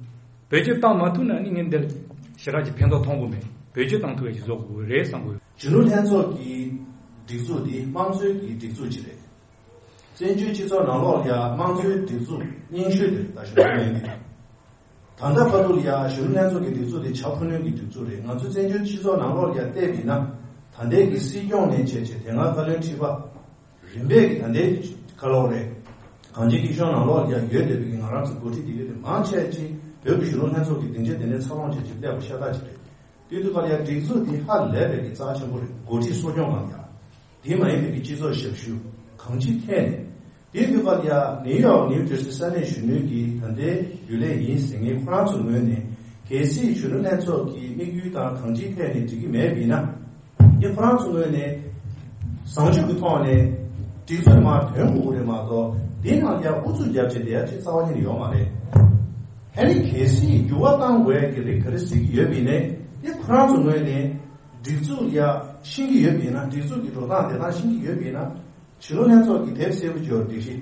བེད་སྤྱོད་བཏང་མ་ཐུབ་ན་ནི་ངས་འདིར་ཞེ་དྲག་ཅིག་ཕན་ཐོགས་མཐོང་གི་མེད། བེད་སྤྱོད་བཏང་ཐུབ་ཡ་ཅིག་བཟོ་དགོས་རེད་བསམ་གི་ཡོད། གཞོན་ནུ་ལྷན་ཚོགས་ཀྱི་སྒྲིག་འཛུགས་འདི་དམངས་གཙོའི་གི་སྒྲིག་འཛུགས་ཅིག་རེད། བཙན་བྱོལ་སྤྱི་ཚོགས་ནང་ལོགས་ལ་ཡང་དམངས་གཙོའི་སྒྲིག་འཛུགས་རྙིང་ཤོས་དེ་ད་གཞོན་ནུ་ལྷན་ཚོགས་ཡིན། ད་ལྟ་བར་དུ་ལ་ཡང་གཞོན་ནུ་ལྷན་ཚོགས་ཀྱི་སྒྲིག་འཛུགས་དེ་བྱ་ཁུ་ནུས་ཀྱི་སྒྲིག་འཛུགས་རེད། ང་ཚོ་བཙན་བྱོལ་སྤྱི་ཚོགས་ནང་ལོགས་ལ་ཡང་བལྟས་པ་ཡིན་ན། ད་ལྟའི་གི་སྲིད་སྐྱོང་ནས་བྱས་བྱས་དེ་སྔ་བཀའ་བློན་ཁྲི་པ། རིམ་པས་ཀྱི་ད་ལྟའི་ག་ལབ་དགོས་རེད། གངས་ཅན་སྐྱིད་གཤོངས་ནང་ལོགས་ལ་ཡང་ཡོད་བསྡད་པའི་གི་ང་རང་ཚོ་འགོ་ཁྲིད་དེ་ག་དེ་མང་ཆེ་ཅིག་བོད་ཀྱི་གཞོན་ནུ་ལྷན་ཚོགས་ཀྱི་སྡིངས་ཆ་དེ་ནས་འཚར་ལོངས་བྱས་བྱས་བསྡད་པ་ཤ་སྟག་ཅིག་རེད། དེ་དུས་ཀ་ལ་ཡང་སྒྲིག་འཛུགས་འདི་ཧ་ལས་པའི་གི་རྩ་ཆེན་པོ་རེད། འགོ་ཁྲིད་གསོ་སྐྱོང་གང་ཡང་། དེ་མ་ཡིན་པའི་གི་སྤྱི་ཚོགས་ཞབས་ཞུ་གང་ཅི་ཐད་ནས། དེ་དུས་ཀ་ལ་ཡང་ནིའུ་ཡོག་ནིའུ་ཇར་སི་ས་གནས་གཞོན་ནུའི་གི་ད་ལྟའི་རྒྱུན་ལས་ཡིན་ཟེར་མཁན་ཁོ་རང་ཚོའི་ངོས་ནས་གལ་སྲིད་གཞོན་ནུ་ལྷན་ཚོགས་ཀྱི་དམིགས་ཡུལ་དང་གང་ཅིའི་ཐད་ནས་འགྲིག་གི་མེད་པ་ཡིན་ན། འདི་ཁོ་རང་ཚོའི་ངོས་ནས་བཟང་སྤྱོད་ཀྱི་ཐོག་ནས་སྒྲིག་འཛུགས་མར་ཐོན་དགོས་ཀྱི་རེད་མ་གཏོགས། འདི་ནང་ལ་ཡང་ཨུ་ཚུགས་རྒྱབ་བྱས་བསྡད་ཡ་ཅིག་རྩ་བ་ཉིད་ནས་ཡོད་མ་རེད། ཨ་ནི་གལ་སྲིད་འགྱུར་བ་གཏང་དགོས་ཡ་གི་རིགས་ག་རེ་ཟེར་གྱི་ཡོད་པ་ཡིན་ནའི། འདི་ཁོ་རང་ཚོའི་ངོས་ནས་སྒྲིག་འཛུགས་ཡ་ཤེས་ཀྱི་ཡོད་པ་ཡིན་ན། སྒྲིག་འཛུགས་ཀྱི་འགྲོ་སྟངས་བདེ་ཐང་ཤེས་ཀྱི་ཡོད་པ་ཡིན་ན། གཞོན་ནུ་ལྷན་ཚོགས་ཀྱི་དེབ་སེར་པོ་འབྱོར་སྒྲིག་གཞི་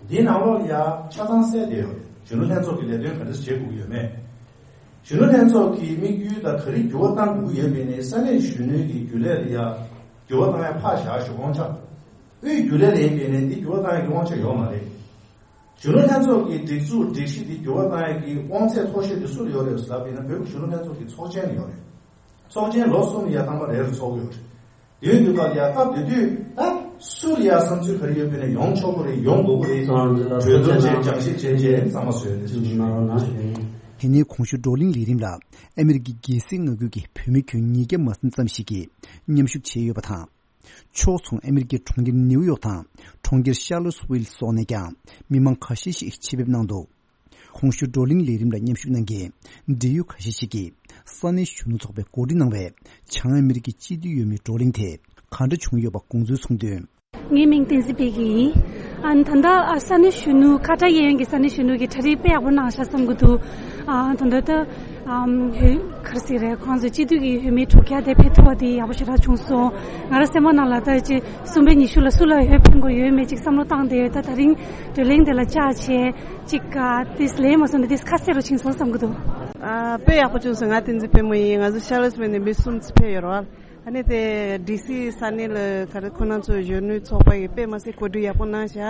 འདིའི་ནང་ལོགས་ལ་ཡ་ཆ་ཚང་གསལ་བསྡད་ཡོད་རེད། གཞོན་ནུ་ལྷན་ཚོགས་ཀྱི་ལས་དོན་ག་འདྲ་བྱེད་དགོས་ཀྱི་ཡོད་མེད། གཞོན་ནུ་ལྷན་ཚོགས་ཀྱི་དམིགས་ཡུལ་དང་ག་རེ་འགྱུར་བ་གཏང་དགོས་ཀྱི་ཡོད་མེད་ནི་ས་གནས་གཞོན་ནུའི་གི་རྒྱུན་ལས་ལ་ཡ་འགྱུར་བ་གཏང་ཡ་ཕར་བཞག་ཞུ། དབང་ཆ། དབུས་རྒྱུན་ལས་ལ་ཡིན་པས་ནི་འདི་འགྱུར་བ་གཏང་ཡ་གི་དབང་ཆ་ཡོད་མ་རེད། གཞོན་ནུ་ལྷན་ཚོགས་ཀྱི་སྒྲིག་འཛུགས་སྒྲིག་གཞི་འདི་འགྱུར་བ་གཏང་ཡ་གི་དབང་ཚད་མཐོ་ཤོས་དེ་སུ་ལ་ཡོད་རེད་ཟེར་ལབ་པ་ཡིན་ན་བོད་ཀྱི་གཞོན་ནུ་ལྷན་ཚོགས་ཀྱི་ཚོགས་ཆེན་ལ་ཡོད་རེད། ཚོགས་ཆེན་ལོ་གསུམ་ལ་ཡ་ཐེངས་མ་རེ་རེ་ཚོགས་ཀྱི་ཡོད་རེད། དེའི་དུས་སྐབས་ལ་ཡ་སྐབས་དེ་དུས་ད་སུ་ལ་ཡ་བསམ་ཚུལ་ག་རེ་ཡོད་པས་ན་ཡོང་ཆོག་གི་རེད། ཡོང་དགོས་ཀྱི་རེད། གྲོས་བསྡུར་བྱས་སྦྱང་བཤད་བྱས་རྗེས་གཙང་མ་བཟོས་ནས་ཞུ། དེ་ནས་གོང་ཞུས་བགྲོ་གླེང་ལས་རིམ་ལ་ཨ་མེ་རི་ཀའི་རྒྱལ་སྲིད་མངའ་ཁུལ་གྱི་བོད་མི་ཁྱོན་ཉིས་བརྒྱ་མ་ཟིན་ཙམ་ཞིག་གིས་མཉམ་ཞུགས་བྱས་ཡོད་པ་དང་། ཕྱོགས་མཚུངས་ཨ་མེ་རི་ཀའི་གྲོང་ཁྱེར་ནེའུ་ཡོག་དང་གྲོང་ཁྱེར་ཤར་ལོ་སི་ཝིལ་སོགས་ནས་ཀྱང་མི་མང་ཁ་ཤས་ཤིག་ཆེད་ཕེབས་གནང་འདུག་གོང་ཞུས་བགྲོ་གླེང་ལས་རིམ་ལ་མཉམ་ཞུགས་གནང་མཁན་འབྲེལ་ཡོད་ཁ་ཤས་ཤིག་གིས་ས་གནས་གཞོན་ནུ་ཚོགས་པས་གོ་སྒྲིག་གནང་བའི་བྱང་ཨ་མེ་རི་ཀའི་སྤྱི་འཐུས་འོས་མིའི་བགྲོ་གླེང་དེ་ག་འདྲ་བྱུང་ཡོད་པ་དགོངས་ཚུལ་གསུངས་དོན། ངའི་མིང་བསྟན་འཛིན་འཕེལ་རྒྱས་ཡིན། ཨ་ནི་ད་ལྟ་ཨ་ས་གནས་གཞོན་ནུ་ཁ་བྲལ་གཡས་གཡོན་གྱི་ས་གནས་གཞོན་ནུ་གིས་གྲ་སྒྲིག་དཔེ་ཡག་པོ་གནང་ཤག་བསམ་གྱི་འདུག་ཨ་ད་ལྟ་ད་ཨམ་ཧུ་ག་རེ་ཟེར་རེད། ཁོང་ཚོའི་སྤྱི་འཐུས་ཀྱི་འོས་མི་དྲུག་བརྒྱ་དེ་ཕེབས་ཐུབ་པ་དེ་ཡག་པོ་ཞེ་དྲག་བྱུང་སོང་། ང་རང་སེམས་པ་ནང་ལ་ད་ཅི་གསུམ་པའི་ཉི་ཤུ་ལ་སུ་ལ་འོས་འཕེན་དགོས་ཡོད་མེད་ཅིག་བསམ་བློ་བཏང་བསྡད་ཡོད། ད་ད་རིང་བགྲོ་གླེང་དེ་ལ་བཅར་བྱས་ཅིག་ཨ་ཏིས་ལན་མ་སོང་ན་ཏིས་ཁ་གསལ་རུ་ཕྱིན་སོང་བསམ་གྱི་འདུག་ཨ་དཔེ་ཡག་པོ་བྱུང་སོང་། ང་བསྟན་འཛིན་དཔལ་མོ་ཡིན། ང་ཚོ་ཤར་ལོ་སི་ཝིལ་ནས་མི་གསུམ་ཙམ་ཕེབས་ཡོད་རེད་བ། ཨ་ནི་དེ་ཌི་སི་ས་གནས་ལ་ག་རེ་ཁོ་རང་ཚོ་གཞོན་ནུའི་ཚོགས་པ་ཡིས་དཔེ་མ་སྲིད་གོ་སྒྲིག་ཡག་པོ་གནང་ཤག་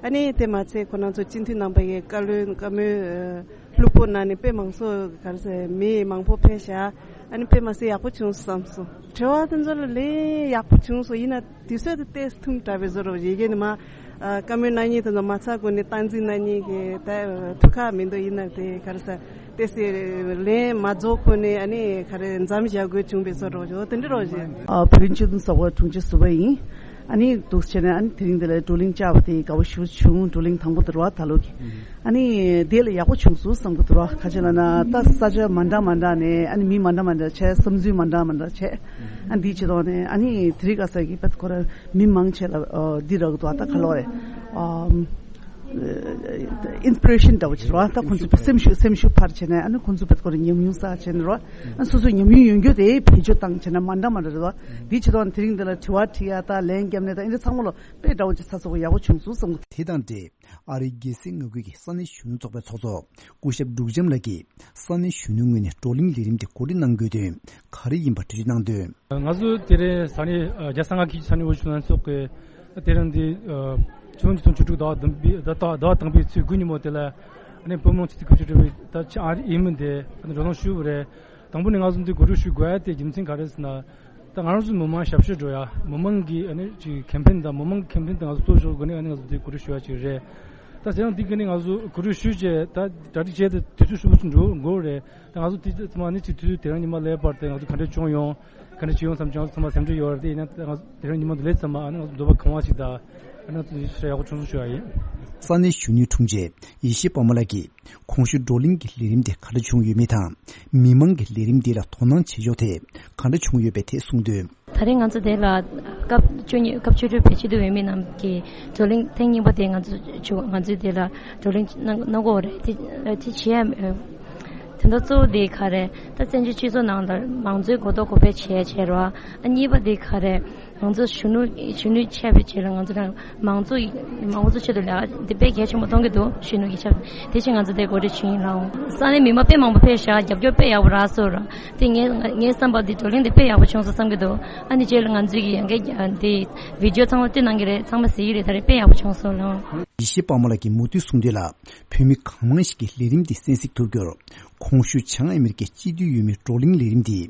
ཨ་ནི་དེ་མ་ཚད་ཁོ་རང་ཚོ་སྤྱི་འཐུས་རྣམ་པ་ཡིས་བཀའ་བློན་བཀའ་མོལ་ལྷུག་པོ་གནང་ནས་དཔེ་མང་ཚོགས་ག་རེ་ཟེར་མི་མང་པོ་ཕེབས་ཤག་ཨ་ནི་དཔེ་མ་སྲིད་ཡག་པོ་བྱུང་བསམ་སོང་། དྲི་བ་དེ་ཚོ་ལ་ལན་ཡག་པོ་བྱུང་སོང་། ཡིན་ན་དུས་ཚོད་དེ་ཏོག་ཙམ་ཐུང་དྲགས་པའི་བཟོ་འདྲ་པོ་ཡིན། རྒྱུ་ནི་མ་ཨ་བཀའ་མོལ་གནང་མཁན་དེ་ཚོ་མ་ཚར་གོང་ནས་སྟངས་འཛིན་གནང་མཁན་གྱི་ད་ཐུགས་ཁག་མི་འདུག་ཡིན་ན་དེ་ག་རེ་ཟེར། ཏེ་སི་ལན་མ་རྫོགས་གོང་ནས་ཨ་ནི་ག་རེ་མཚམས་བཞག་དགོས་བྱུང་བའི་བཟོ་འདྲ་པོ་དེ་འདྲ་རོགས་བྱེད། ཨ་བོད་རིགས་སྤྱི་མཐུན་ཚོགས་པ་དྲུང་ཆེ་ཟུར་པ་ཡིན། ཨ་ནི་འདུག་བྱས་ནས་ཨ་ནི་དེ་རིང་འདི་ལ་བགྲོ་གླེང་བཅར་བ་དེ་དགའ་པོ་ཞེ་པོ་བྱུང་། བགྲོ་གླེང་དང་པོ་དེ་རེད་བ་ད་ལོ་གི། ཨ་ནི་དེ་ལ་ཡག་པོ་བྱུང་སོང་བསམ་གི་འདུག་ར། ག་ཅི་ལབ་ན་ད་ས་ཆ་མ་འདྲ་མ་འདྲ་ནས་ཨ་ནི་མི་མ་འདྲ་མ་འདྲ་བྱས། བསམ་ཚུལ་མ་འདྲ་མ་འདྲ་བྱས། ཨ་འདི་བྱེད་དོགས་ནས་ཨ་ནི་དེ་རིང་ཁ་སང་གི་བད་ཁོ་ར་མི་མང་ཆེ་ལ་འདི་རག་འདུག་ད་ག་ལོ་རེད། ཨིན་སི་པི་རེ་ཤན་འདྲ་པོ་ཅིག་རེད་བ། ད་ཁོང་ཚོ་སེམས་ཤུགས་སེམས་ཤུགས་འཕར་བྱས་ནས་ཨ་ནི་ཁོང་ཚོ་བད་ཁོ་ར་ཉམས་མྱོང་བསགས་བྱས་ནས་རེད་བ། ཨ་སོ་སོའི་ཉམས་མྱོང་ཡོད་རྒྱུ་དེ་བེད་སྤྱོད་བཏང་བྱས་ན་མ་འདྲ་མ་འདྲ་རེད་བ། འདི་བྱེད་དོགས་ནས་དེ་རིང་འདི་ལ་དྲི་བ་དྲི་ཡ་ད་ལན་བརྒྱབ་ནས་ད་ཨིན་འདྲ་ཚང་མ་ལོ་དཔེ་འདྲ་པོ་ཅིག་ཚ་ཚ་པོ་ཡག་པོ་བྱུང་སོང་བསམ་གི། དེ་དང་འབྲེལ། ཨ་རིའི་རྒྱལ་སྲིད་མངའ་ཁུལ་གྱི་ས་གནས་གཞོན་ནུ་ཚོགས་པའི་ཚོགས་གཙོ་སྐུ་ཞབས་འབྲུག་བྱམས་ལགས་ཀྱིས་ས་གནས་གཞོན་ནུའི་ངོས་ནས་བགྲོ་གླེང་ལས་རིམ་དེ་གོ་སྒྲིག་གནང་དགོས་དོན་ག་རེ་ཡིན་པ་འགྲེལ་བརྗོད་གནང་དོན། ང་ཚོ་དེ་རིང་ས་གནས་རྒྱལ་ས་མངའ་ཁུལ་གྱི་ས་གནས་དབུ་བཞུགས་ལྷན་ཚོགས་ཀྱི་དེ་རིང་འདི་ཆུ་ཚོད་ཉི་ཤུ་རྩ་དྲུག་ཟླ་བ་བདུན་པའི་ཟླ་བ་དང་པོའི་ཚེས་དགུ་ཉིན་མོ་དེ་ལ་ཨ་ནི་བུ་མོ་ཆེ་ཚེ་དགུ་བཅུ་དྲུག་པའི་ད་ཆ་ཨ་རི་ཨི་མེལ་དེ་ཨ་ནི་བགྲོ་གླེང་ཞུས་པ་རེད། དང་པོ་ནས་ང་ཚོ་འདི་གོ་སྒྲིག་ཞུ་དགོས་ཡ་དེ་རྒྱུ་མཚན་ག་རེ་ཟེར་ན། ད་ང་ཚོ་མི་མང་ཞབས་ཞུ་འགྲོ་ཡ། མི་མང་གི་ཨ་ནི་ཅིག་ཁེམ་ཕེན་དང་མི་མང་གི་ཁེམ་ཕེན་དང་ང་ཚོ་གཙོ་བཞག་སྒོ་ནས་ཨ་ནི་ང་ཚོ་འདི་གོ་སྒྲིག་ཞུ་ཡ་ཅིག་རེད། ད་དེ་ཡང་འདི་ག་ནི་ང་ཚོ་གོ་སྒྲིག་ཞུས་བྱས་ད་གྲ་སྒྲིག་བྱས་ཏེ་དུས་ཚོད་ཧྲིལ་པོ་ཅིག་འགྲོ་དགོས་རེད། ད་ང་ཚོ་དེ་ཚང་མ་ཨ་ནི་ཅིག་དུས་ཚོད་དེ་རིང་ཉི་མ་སླེབས་བར་དུ་ང་ཚོ་ག་འདྲ་བྱུང་ཡོང་། ག་འདྲ་བྱུང་ཡོང་བསམ་ཅིག་ང་ཚོ་ཚང་མ་སེམས་ཁྲལ་ཡོད་རེད། དེ་ཡིན་ན་ད་ང་ཚོ་དེ་རིང་ཉི་མ་འདི་སླེབས་ཙམ་མ་ཨ་ནི་ང་ཚོ་འདོད་པ་གང་བ་ཞིག་དང་ཨ་ནི་ང་ཚོ་ཡག་པོ་བྱུང་སོང་ཞུ་ཡ་ཡིན། ས་གནས་གཞོན་ནུའི་དྲུང་ཆེ་ཡེ་ཤེས་དཔལ་མོ་ལགས་ཀྱིས། གོང་ཞུས་བགྲོ་གླེང་གི་ལས་རིམ་དེ་ག་འདྲ་བྱུང་ཡོད་མེད་དང་། མི་མང་གིས་ལས་རིམ་འདི་ལ་དོ་སྣང་བྱེད་ཕྱོགས་ཐད་ག་འདྲ་བྱུང་ཡོད་པའི་ཐད་གསུངས་དོན། ད་རེས་ང་ཚོ་དེ་ལ་སྐབས་བཅུ་གཉིས་སྐབས་བཅུ་དྲུག་པའི་སྤྱི་འཐུས་འོས་མི་རྣམས་ཀྱིས་བགྲོ་གླེང་ཐེངས་གཉིས་པ་དེ་ང་ཚོ་བྱུང་། ང་ཚོས་དེ་ལ་བགྲོ་གླེང་གནང་གནང་དགོས་རེད། དེ་དེ་བྱེད་ཡ་དོན་དག་གཙོ་བོ་དེ་ག་རེ་ད་བཙན་བྱོལ་སྤྱི་ཚོགས་ནང་ལ་མང་གཙོའི་གོ་རྟོགས་གོང་འཕེལ་བྱེད་ཡ་བྱེད་རོགས། ཨ་གཉིས་པ་དེ་ག་རེ། ང་ཚོ་གཞོན་ནུ་གཞོན་ནུ་ཆགས་པའི་རྗེས་ལ་ང་ཚོ་རང་མང་གཙོ་ཡི་མང་གཙོ་ཆེད་དུ་ལས་ཀ་འདི་དཔེ་གལ་ཆེན་པོ་མཐོང་གི་འདུག་གཞོན་ནུ་གི་ཆ་དེ་བཞིན་ང་ཚོ་དེ་གོ་སྒྲིག་བྱུང་ཡིན་ལགས། ས་གནས་མི་མང་དཔེ་མང་པོ་ཕེབས་ཤག་རྒྱབ་སྐྱོར་དཔེ་ཡག་པོ་རག་སོང་ར། དེ་ངས་ངའི་བསམ་པར་འདི་བགྲོ་གླེང་འདི་དཔེ་ཡག་པོ་བྱུང་སོང་བསམ་གི་འདུག་ཨ་ནི་རྗེས་ལ་ང་ཚོའི་གི་ཡང་གི་འདི་བི་ཌི་ཡོ་ཚང་མ་བཏོན་གནང་གི་རེད། ཚང་མ་གཟིགས་ཀྱི་རེད། ད་རེས་དཔེ་ཡག་པོ་བྱུང་སོང་ལགས། ཡེ་ཤེས་དཔལ་མོ་ལགས་ཀྱིས་མུ་མཐུད་གསུངས་དོན་ལ། བོད་མི་གང་མང་ཞིག་གིས་ལས་རིམ་འདི་གསན་གཟིགས་ཐུབ་རྒྱུར། གོང་ཞུས་བྱང་ཨ་མེ་རི་ཀའི་སྤྱི་འཐུས་འོས་མིའི་བགྲོ་གླེང་ལས་རིམ་འདི་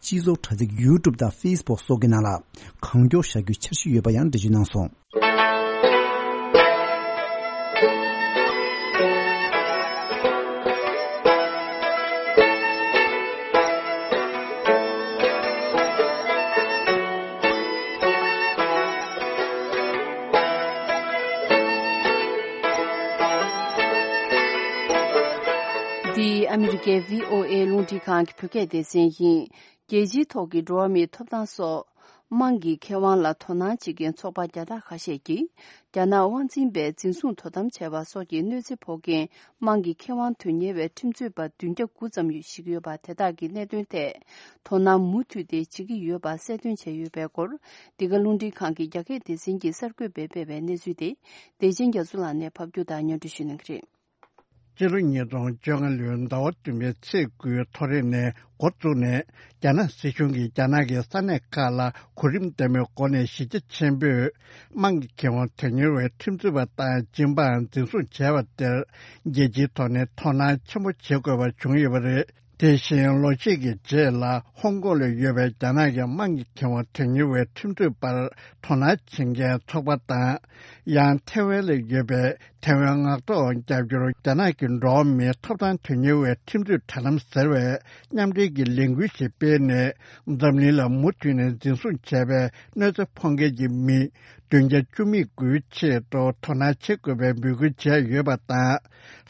སྤྱི་ཚོགས་དྲ་ཚིགས་ཡུ་ཊུབ་དང་ཧྥེ་སི་བུག་སོགས་ཀྱི་ནང་ལ་གང་མགྱོགས་བཞག་རྒྱུའི་འཆར་གཞི་ཡོད་པ་ཡང་འགྲེལ་བརྗོད་གནང་སོང་། འདི་ཨ་མི་རི་ཀའི་བྷི་ཨོ་ཨེ་རླུང་འཕྲིན་ཁང་གི་བོད་སྐད་སྡེ་ཚན་ཡིན། རྒྱལ་སྤྱིའི་ཐོག་གི་འགྲོ་བ་མིའི་ཐོབ་ཐང་སོགས། དམངས་ཀྱི་ཁེ་དབང་ལ་དོ་སྣང་བྱེད་མཁན་ཚོགས་པ་བརྒྱ་ཕྲག་ཁ་ཤས་ཀྱིས། རྒྱ་ནག་དབང་འཛིན་པས་འཛིན་བཟུང་དོ་དམ་བྱས་པ་སོགས་ཀྱི་གནོད་འཚེ་ཕོག་མཁན་དམངས་ཀྱི་ཁེ་དབང་དོན་གཉེར་བའི་ཁྲིམས་རྩོད་པ་བདུན་བརྒྱ་དགུ་ཙམ་ཞིག་ཡོད་པ་དེ་དག་གི་གནད་དོན་ཐད་དོ་སྣང་མུ་མཐུད་དེ་བྱེད་ཀྱི་ཡོད་པ་གསལ་སྟོན་བྱས་ཡོད་པའི་སྐོར། འདི་ག་རླུང་འཕྲིན་ཁང་གི་རྒྱ་སྐད་སྡེ་ཚན་གྱིས་གསར་འགོད་པས་སྤེལ་བའི་གནས་ཚུལ་དེ། བདེ་ཆེན་རྒྱ་མཚོ་ལགས་ནས་ཕབ་སྒྱུར་དང་སྙན་སྒྲོན་ཞུ་གནང་གི་རེད། སྤྱི་ལོ་ཉིས་སྟོང་བཅོ་ལྔ་ལོའི་ཟླ་བ་བདུན་པའི་ཚེས་དགུའི་ཐོ་རེ་ནས་འགོ་བཙུགས་ནས། རྒྱ་ནག་སྲིད་གཞུང་གིས་རྒྱ་ནག་གི་ས་གནས་ཁག་ལ་གོ་རིམ་ལྡན་པའི་སྒོ་ནས་གཞི་རྒྱ་ཆེན་པོས་དམངས་ཀྱི་ཁེ་དབང་དོན་གཉེར་བའི་ཁྲིམས་རྩོད་པ་དང་སྦྱིན་པའང་འཛིན་བཟུང་བྱས་པ་དེར། རྒྱལ་སྤྱིའི་ཐོག་ནས་དོ་སྣང་ཆེན་པོ་བྱེད་དགོས་པ་བྱུང་ཡོད་པ་རེད། དེ་བཞིན་ལོ་ཤས་ཀྱི་རྗེས་ལ་ཧོང་ཀོང་ལ་ཡོད་པའི་རྒྱ་ནག་གི་དམངས་ཀྱི་ཁེ་དབང་དོན་གཉེར་བའི་ཁྲིམས་རྩོད་པར་དོ་སྣང་བྱེད་མཁན་ཚོགས་པ་དང་། ཡང་ཐེ་ཝན་ལ་ཡོད་པའི་ཐེ་ཝན་ངག་ཐོག་རྒྱབ་སྐྱོར་རྒྱ་ནག་གི་འགྲོ་བ་མིའི་ཐོབ་ཐང་དོན་གཉེར་བའི་ཁྲིམས་རྩོད་དྲ་ལམ་ཟེར་བའི་མཉམ་འབྲེལ་གྱི་ལས་འགུལ་ཞིག་སྤེལ་ནས། འཛམ་གླིང་ལ་མུ་མཐུད་ནས་འཛིན་བཟུང་བྱས་པའི་གནོད་འཚེ་ཕོག་མཁན་གྱི་མི་བདུན་བརྒྱ་བཅུ་མེད་དགུའི་ཆེད་དུ་དོ་སྣང་བྱེད་དགོས་པའི་འབོད་སྐུལ་བྱས་ཡོད་པ་དང་།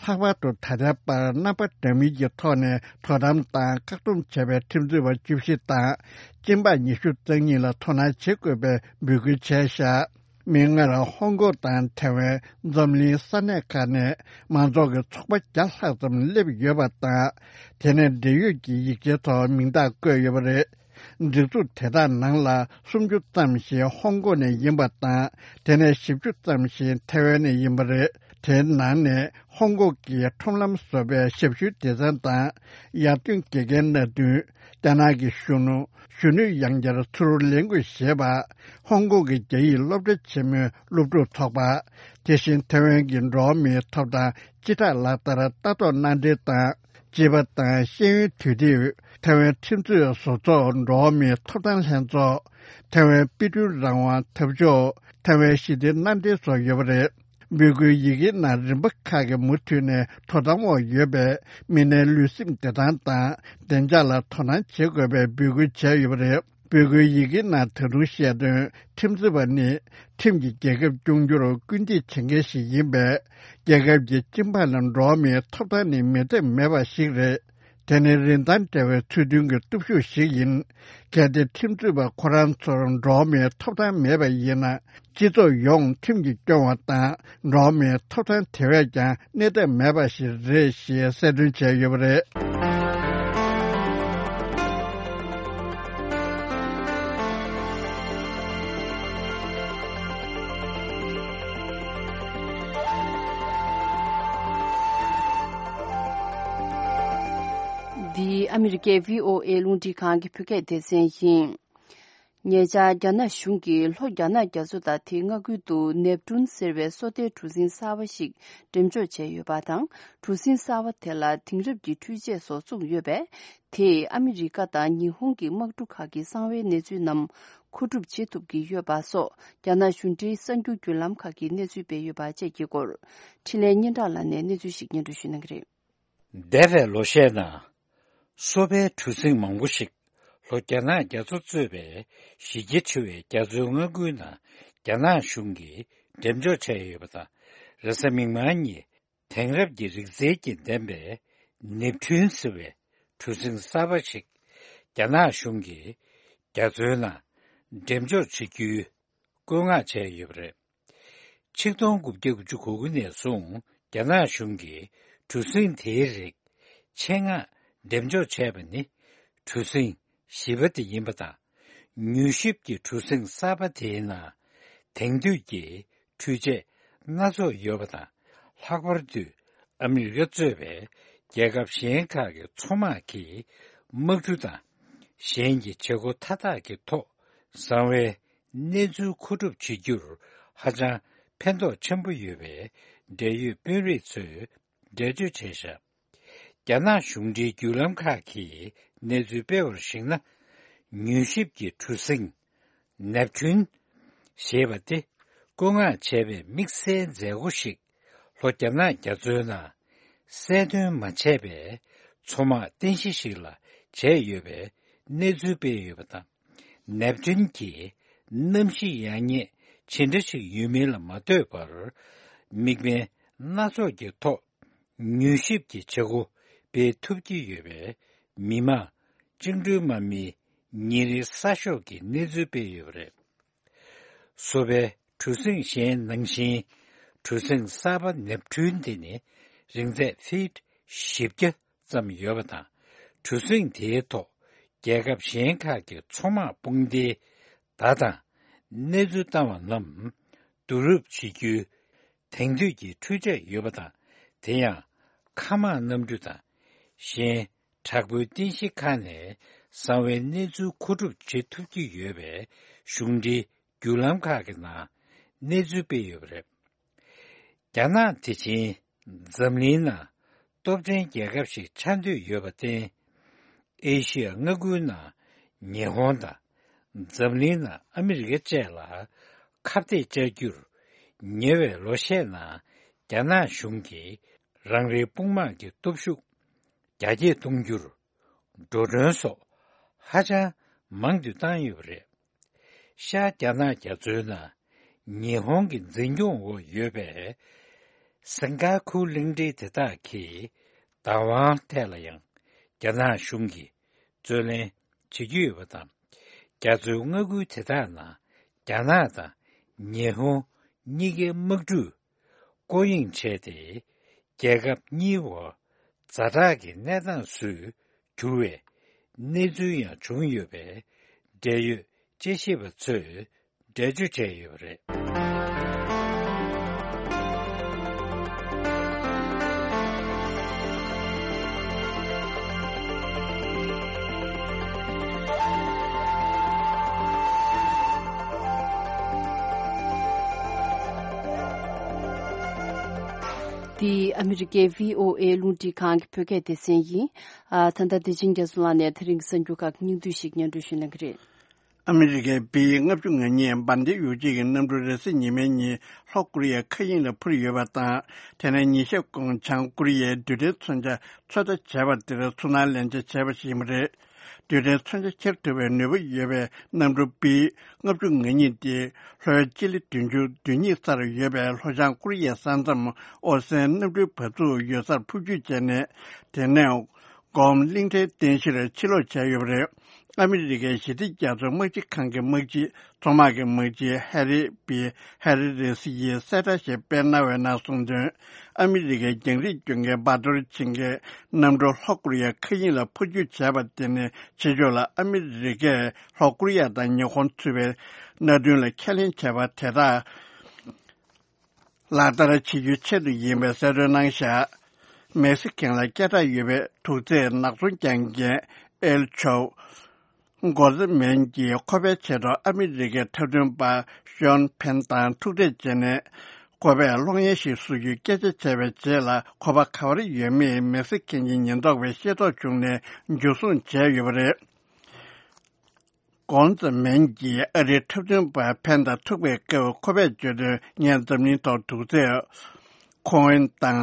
ལྷག་པར་དུ་ད་ལྟའི་བར་རྣམ་པ་འདྲ་མིན་གྱི་ཐོག་ནས་དོ་དམ་དང་བཀག་སྡོམ་བྱས་པའི་ཁྲིམས་རྩོད་པ་བཅུ་བཞི་དང་། སྦྱིན་པ་ཉི་ཤུ་རྩ་གཉིས་ལ་དོ་སྣང་བྱེད་དགོས་པའི་འབོད་སྐུལ་བྱས་བཞག་མིག་སྔར་ཧོང་ཀོང་དང་ཐེ་ཝན། འཛམ་གླིང་ས་གནས་ཁག་ནས་མང་ཚོགས་ཀྱི་ཚོགས་པ་བརྒྱ་ལྷག་ཙམ་སླེབས་ཡོད་པ་དང་། དེ་ནས་འབྲེལ་ཡོད་ཀྱི་ཡིག་ཆའི་ཐོག་མིང་རྟགས་བཀོད་ཡོད་པ་རེད། སྒྲིག་འཛུགས་དེ་དག་ནང་ལ་སུམ་ཅུ་ཙམ་ཞིག་ཧོང་ཀོང་ནས་ཡིན་པ་དང་། དེ་ནས་བཞི་བཅུ་ཙམ་ཞིག་ཐེ་ཝན་ནས་ཡིན་པ་རེད། དེའི་ནང་ནས་ཧོང་ཀོང་གི་ཁྲོམ་ལམ་བཟོ་བའི་ཞབས་ཞུའི་སྡེ་ཚན་དང་། ཡར་ཐོན་དགེ་རྒན་སྣ་བདུན། རྒྱ་ནག་གི་གཞོན་ནུ། གཞོན་ནུ་ཡང་བསྐྱར་ཚུར་ལེན་དགོས་ཞེས་པ། ཧོང་ཀོང་གི་རྒྱ་ཡིག་སློབ་གྲྭ་ཆེན་མོའི་སློབ་ཕྲུག་ཚོགས་པ། དེ་བཞིན་ཐེ་ཝན་གྱི་འགྲོ་བ་མིའི་ཐོབ་ཐང་སྤྱི་བསྒྲགས་ལག་བསྟར་ལྟ་རྟོག་མནའ་འབྲེལ་དང་། ཅེས་པ་དང་ཤེས་ཡོན་དུས་དེབ། ཐེ་ཝན་ཁྲིམས་རྩོད་བཟོ་ཚོགས། འགྲོ་བ་མིའི་ཐོབ་ཐང་ལྷན་ཚོགས། ཐེ་ཝན་དཔེ་སྐྲུན་རང་དབང་འཐབ་ཕྱོགས། ཐེ་ཝན་ཞི་བདེའི་མནའ་འབྲེལ་སོགས་ཡོད་པ་རེད། འབོད་སྐུལ་ཡི་གེའི་ནང་རིམ་པ་ཁག་གིས་མུ་མཐུད་ནས་དོ་དམ་འོག་ཡོད་པའི་མི་སྣའི་ལུས་སེམས་བདེ་ཐང་དང་བདེ་འཇགས་ལ་དོ་སྣང་བྱེད་དགོས་པའི་འབོད་སྐུལ་བྱས་ཡོད་པ་རེད། འབོད་སྐུལ་ཡི་གེའི་ནང་ད་དུང་བཤད་དོན། ཁྲིམས་རྩོད་པ་ནི་ཁྲིམས་ཀྱིས་རྒྱལ་ཁབ་སྐྱོང་རྒྱུར་སྐུལ་འདེད་བྱེད་མཁན་ཞིག་ཡིན་པས། རྒྱལ་ཁབ་ཀྱི་སྤྱི་འབངས་ལ་འགྲོ་བ་མིའི་ཐོབ་ཐང་ནི་མེད་ཐབས་མེད་པ་ཞིག་རེད། དེ་ནི་རིན་ཐང་བྲལ་བའི་ཚུལ་མཐུན་གྱི་སྟོབས་ཤུགས་ཤིག་ཡིན། གལ་ཏེ་ཁྲིམས་རྩོད་པ་ཁོ་རང་ཚོར་འགྲོ་བ་མིའི་ཐོབ་ཐང་མེད་པ་ཡིན་ན། སྤྱི་ཚོགས་ཡོངས་ཁྲིམས་ཀྱིས་སྐྱོང་བ་དང་། འགྲོ་བ་མིའི་ཐོབ་ཐང་དེ་བས་ཀྱང་གནས་ཐབས་མེད་པ་ཞིག་རེད་ཞེས་གསལ་སྟོན་བྱས་ཡོད་པ་རེད། འདི་ཨ་མི་རི་ཀའི་བྷི་ཨོ་ཨེ་རླུང་འཕྲིན་ཁང་གི་བོད་སྐད་སྡེ་ཚན་ཡིན། ཉེ་ཆར་རྒྱ་ནག་གཞུང་གིས་ལྷོ་རྒྱ་ནག་རྒྱ་མཚོ་དང་དེའི་མངའ་ཁུལ་དུ་ནེབ་ཀྲུན་ཟེར་བའི་སོ་ལྟའི་གྲུ་གཟིངས་གསར་པ་ཞིག་འགྲེམས་འཇོག་བྱས་ཡོད་པ་དང་། གྲུ་གཟིངས་གསར་པ་དེ་ལ་དེང་རབས་ཀྱི་འཕྲུལ་ཆས་སོགས་བཙུགས་ཡོད་པས། དེས་ཨ་མི་རི་ཀ་དང་ཉི་ཧོང་གི་དམག་གྲུ་ཁག་གི་གསང་བའི་གནས་ཚུལ་རྣམས་མཁོ་སྒྲུབ་བྱེད་ཐུབ་ཀྱི་ཡོད་པ་སོགས། རྒྱ་ནག་གཞུང་འབྲེལ་གསར་འགྱུར་བརྒྱུད་ལམ་ཁག་གིས་གནས་ཚུལ་སྤེལ་ཡོད་པ་བཅས་ཀྱི་སྐོར། འཕྲིན་ལས་སྙན་གྲགས་ལགས་ནས་གནས་ཚུལ་ཞིག་སྙན་སྒྲོན་ཞུ་གནང་གི་རེད། འདས་པའི་ལོ་ཤས་ནང་། སོ་པའི་གྲུ་གཟིངས་མང་པོ་ཞིག་ལྷོ་རྒྱ་ནག་རྒྱ་མཚོ་གཙོས་པའི་གཞི་རྒྱ་ཆེ་བའི་རྒྱ་མཚོའི་མངའ་ཁུལ་ནང་རྒྱ་ནག་གཞུང་གིས་འགྲེམས་འཇོག་བྱས་ཡོད་པ་དང་། རེས་གཟའ་མིག་དམར་ཉིན། དེང་རབས་ཀྱི་རིག་རྩལ་གྱིས་ལྡན་པའི་ནེབ་ཐུན་ཟེར་བའི་གྲུ་གཟིངས་གསར་པ་ཞིག་རྒྱ་ནག་གཞུང་གིས་རྒྱ་མཚོའི་ནང་འགྲེམས་འཇོག་བྱེད་རྒྱུའི་བཀོད་མངགས་བྱས་ཡོད་པ་རེད། ཆིག་སྟོང་དགུ་བརྒྱ་དགུ་བཅུ་གོ་དགུ་ནས་བཟུང་རྒྱ་ནག་གཞུང་གིས་གྲུ་གཟིངས་དེའི་རིགས་ཆེད་མངགས་འགྲེམས་འཇོག་བྱས་པ་ནི་གྲུ་གཟིངས་བཞི་པ་དེ་ཡིན་པ་དང་། མྱུལ་ཞིབ་ཀྱི་གྲུ་གཟིངས་གསར་པ་དེའི་ནང་དེང་དུས་ཀྱི་འཕྲུལ་ཆས་སྣ་ཚོགས་ཡོད་པ་དང་། ལྷག་པར་དུ་ཨ་མི་རི་ཀ་གཙོས་པའི་རྒྱལ་ཁབ་གཞན་ཁག་གི་མཚོ་དམག་གི་དམག་གྲུ་དང་གཞན་གྱི་བྱེད་སྒོ་མཐའ་དག་གི་ཐོག་གསང་བའི་གནས་ཚུལ་མཁོ་སྒྲུབ་བྱེད་རྒྱུར་ཧ་ཅང་ཕན་ཐོགས་ཆེན་པོ་ཡོད་པའི་འབྲེལ་ཡོད་དཔོན་རིགས་ཚོས་འགྲེལ་བརྗོད་བྱས་བཞག་རྒྱ་ནག་གཞུང་འབྲེལ་བརྒྱུད་ལམ་ཁག་གིས་གནས་ཚུལ་སྤེལ་བར་གཞིགས་ན། མྱུལ་ཞིབ་ཀྱི་གྲུ་གཟིངས་ནེབ་ཐུན་ཞེས་པ་དེ་བཀོད་མངགས་བྱས་པའི་དམིགས་བསལ་མཛད་སྒོ་ཞིག་ལྷོ་རྒྱ་ནག་རྒྱ་མཚོའི་ནང་གསལ་སྟོན་མ་བྱས་པའི་མཚོ་དམག་རྟེན་གཞི་ཞིག་ལ་བྱས་ཡོད་པའི་གནས་ཚུལ་སྤེལ་ཡོད་པ་དང་། ནེབ་ཐུན་གྱི་གནམ་གཤིས་ཡག་ཉེས་ཇི་འདྲ་ཞིག་ཡོད་མིན་ལ་མ་ལྟོས་པར། དམིགས་འབེན་སྣ་ཚོགས་ཀྱི་ཐོག་མྱུལ་ཞིབ་ཀྱི་བྱེད་སྒོ་སྤེལ་ཐུབ་ཀྱི་ཡོད་པས། མི་དམངས་བཅིངས་འགྲོལ་དམག་མིའི་ཉིན་རེའི་གསར་ཤོག་གིས་གནས་ཚུལ་སྤེལ་ཡོད་པ་རེད། སོ་པའི་གྲུ་གཟིངས་གཞན་ནང་བཞིན། གྲུ་གཟིངས་གསར་པ་ནེབ་ཐུན་དེ་ནི་རིང་ཚད་ཕིཊ་བཞི་བརྒྱ་ཙམ་ཡོད་པ་དང་། གྲུ་གཟིངས་དེའི་ཐོག་རྒྱལ་ཁབ་གཞན་ཁག་གི་མཚོ་དམག་དཔུང་སྡེའི་བརྡ་དང་གནས་ཚུལ་བཏང་བ་རྣམས་བསྡུ་རུབ་བྱེད་རྒྱུའི་དེང་དུས་ཀྱི་འཕྲུལ་ཆས་ཡོད་པ་དང་། དེ་ཡང་ མཁའ་དམག་གནམ་གྲུ་དང་། གཞན་དྲག་པོའི་རྟེན་གཞི་ཁག་ནས་གསང་བའི་གནས་ཚུལ་མཁོ་སྒྲུབ་བྱེད་ཐུབ་ཀྱི་ཡོད་པའི་གཞུང་འབྲེལ་བརྒྱུད་ལམ་ཁག་གི་ནང་གནས་ཚུལ་སྤེལ་ཡོད་པ་རེད། རྒྱ་ནག་དེ་བཞིན་འཛམ་གླིང་ནང་སྟོབས་ལྡན་རྒྱལ་ཁབ་ཞིག་ཆགས་འདོད་ཡོད་པར་བརྟེན། ཨེ་ཤི་ཡ་མངའ་ཁུལ་ནང་ཉི་ཧོང་དང་འཛམ་གླིང་ནང་ཨ་མི་རི་ཀ་བཅས་ལ་ཁ་གཏད་བཅག་རྒྱུར། ཉེ་བའི་ལོ་ཤས་ནང་རྒྱ་ནག་གཞུང་གིས་རང་རེའི་དཔུང་དམག་གི་སྟོབས་ཤུགས་རྒྱ་སྐྱེད་གཏོང་རྒྱུར། འགྲོ་གྲོན་སོགས་ཧ་ཅང་མང་དུ་བཏང་ཡོད་པ་རེད། ཤར་རྒྱ་ནག་རྒྱ་མཚོའི་ནང་ཉི་ཧོང་གི་འཛིན་སྐྱོང་འོག་ཡོད་པའི་སེན་ག་ཁུ་གླིང་ཕྲན་དེ་དག་གི་བདག་དབང་ཐད་ལ་ཡང་རྒྱ་ནག་གཞུང་གིས་རྩོད་ལེན་བྱེད་ཀྱི་ཡོད་པ་དང་། རྒྱ་མཚོའི་མངའ་ཁུལ་དེ་དག་ནང་རྒྱ་ནག་དང་ཉི་ཧོང་གཉིས་ཀའི་དམག་གྲུས་བསྐོ་གཡེང་བྱས་ཏེ། རྒྱལ་ཁབ་གཉིས་བར་ཛ་དྲག་གི་གནས་སྟངས་སུ་གྱུར་བའི་གནས་ཚུལ་ཡང་བྱུང་ཡོད་པས། འབྲེལ་ཡོད་དཔྱད་ཞིབ་པ་ཚོས་འགྲེལ་བརྗོད་བྱས་ཡོད་པ་རེད། འདི་ཨ་མི་རི་ཀའི་བྷི་ཨོ་ཨེ་རླུང་འཕྲིན་ཁང་གི་བོད་སྐད་སྡེ་ཚན་ཡིན། ཨ། ད་ལྟ་བདེ་ཆེན་རྒྱ་མཚོ་ལགས་ནས་དེ་རིང་གི་གསར་འགྱུར་ཁག་གི་སྙིང་བསྡུས་ཤིག་སྙན་སྒྲོན་ཞུ་གནང་གི་རེད། ཨ་མི་རི་ཀའི་བྷི་ལྔ་བཅུ་ང་གཉིས་འབར་མདེལ་ཡོ་བྱད་ཀྱི་གནམ་གྲུ་རེས་གཟའ་ཉི་མའི་ཉིན་ལྷོ་ཀོ་རི་ཡའི་མཁའ་དབྱིངས་ལ་འཕུར་ཡོད་པ་དང་། དེ་ནས་ཉིན་ཤས་གོང་བྱང་ཀོ་རི་ཡའི་རྡུལ་ཕྲན་མཚོན་ཆ་ཚོད་ལྟ་བྱས་པ་དེར་ཚོར་སྣང་ལེན་ཆ་བྱས་པ་ཞིག་ཡིན་པ་རེད། རྡུལ་ཕྲན་མཚོན་ཆ་འཁྱེར་ཐུབ་པའི་ནུས་པ་ཡོད་པའི་གནམ་གྲུ་བྷི་ལྔ་བཅུ་ང་གཉིས་དེ། ལྷོའི་སྤྱི་ལེ་བདུན་ཅུ་དོན་གཉིས་སར་ཡོད་པའི་ལྷོ་བྱང་ཀོ་རི་ཡའི་ས་མཚམས་ཨོ་སན་གནམ་གྲུའི་བ་ཕྱུགས་ཡོད་སར་འཕུར་སྐྱོད་བྱས་ནས། དེ་ནས་གོམ་གླིང་ཕྲན་རྟེན་གཞིར་ཕྱིར་ལོག་བྱས་ཡོད་པ་རེད། ཨ་མི་རི་ཀའི་ཞི་བདེ་རྒྱ་མཚོའི་དམག་སྤྱི་ཁང་གི་དམག་སྤྱི། མཚོ་དམག་གི་དམག་སྤྱི་ཧེ་རི་བྷི་ཧེ་རི་རེས་ཡིས་གསལ་བསྒྲགས་ཤིག་སྤེལ་གནང་བའི་ནང་གསུངས་དོན། ཨ་མི་རི་ཀའི་རྒྱང་རིང་སྐྱོད་མཁན་འབར་གཏོར་བྱེད་མཁན་གནམ་གྲུ་ལྷོ་ཀོ་རི་ཡའི་མཁའ་དབྱིངས་ལ་འཕུར་སྐྱོད་བྱས་པ་དེ་ནི། ཕྱི་ཕྱོགས་ལ་ཨ་མི་རི་ཀས་ལྷོ་ཀོ་རི་ཡ་དང་ཉི་ཧོང་ཚུད་པའི་མནའ་མཐུན་ལ་ཁས་ལེན་བྱས་པ་དེ་དག་ལག་བསྟར་བྱེད་རྒྱུའི་ཆེད་དུ་ཡིན་པའི་གསལ་སྟོན་གནང་བཞག་མེག་སི་ཀན་ལ་སྐད་གྲགས་ཡོད་པའི་དུག་རྫས་ནག་ཚོང་རྒྱག་མཁན་ཨེལ་ཆོ་གོ་ཙེ་མན་གྱིས་ཁོ་པའི་ཆེད་དུ་ཨ་མི་རི་ཀའི་འཁྲབ་སྟོན་པ་ཤོན་ཕེན་དང་ཐུག་འཕྲད་བྱས་ནས། ཁོ་པས་གློག་བརྙན་ཞིག་བཟོ་རྒྱུའི་སྐད་ཆ་བྱས་པའི་རྗེས་ལ། ཁོ་པ་ག་པར་ཡོད་མེད་མེག་སི་ཀན་གྱི་ཉེན་རྟོག་པས་ཤེས་རྟོགས་བྱུང་ནས་འཇུ་བཟུང་བྱས་ཡོད་པ་རེད། གོང་ཙེ་མན་གྱིས་ཨ་རིའི་འཁྲབ་སྟོན་པ་ཕན་དང་ཐུག་པའི་སྐབས། ཁོ་པས་བརྗོད་དོན། ངས་འཛམ་གླིང་ཐོག་དུག་རྫས་ཁོ་ཨིན་དང་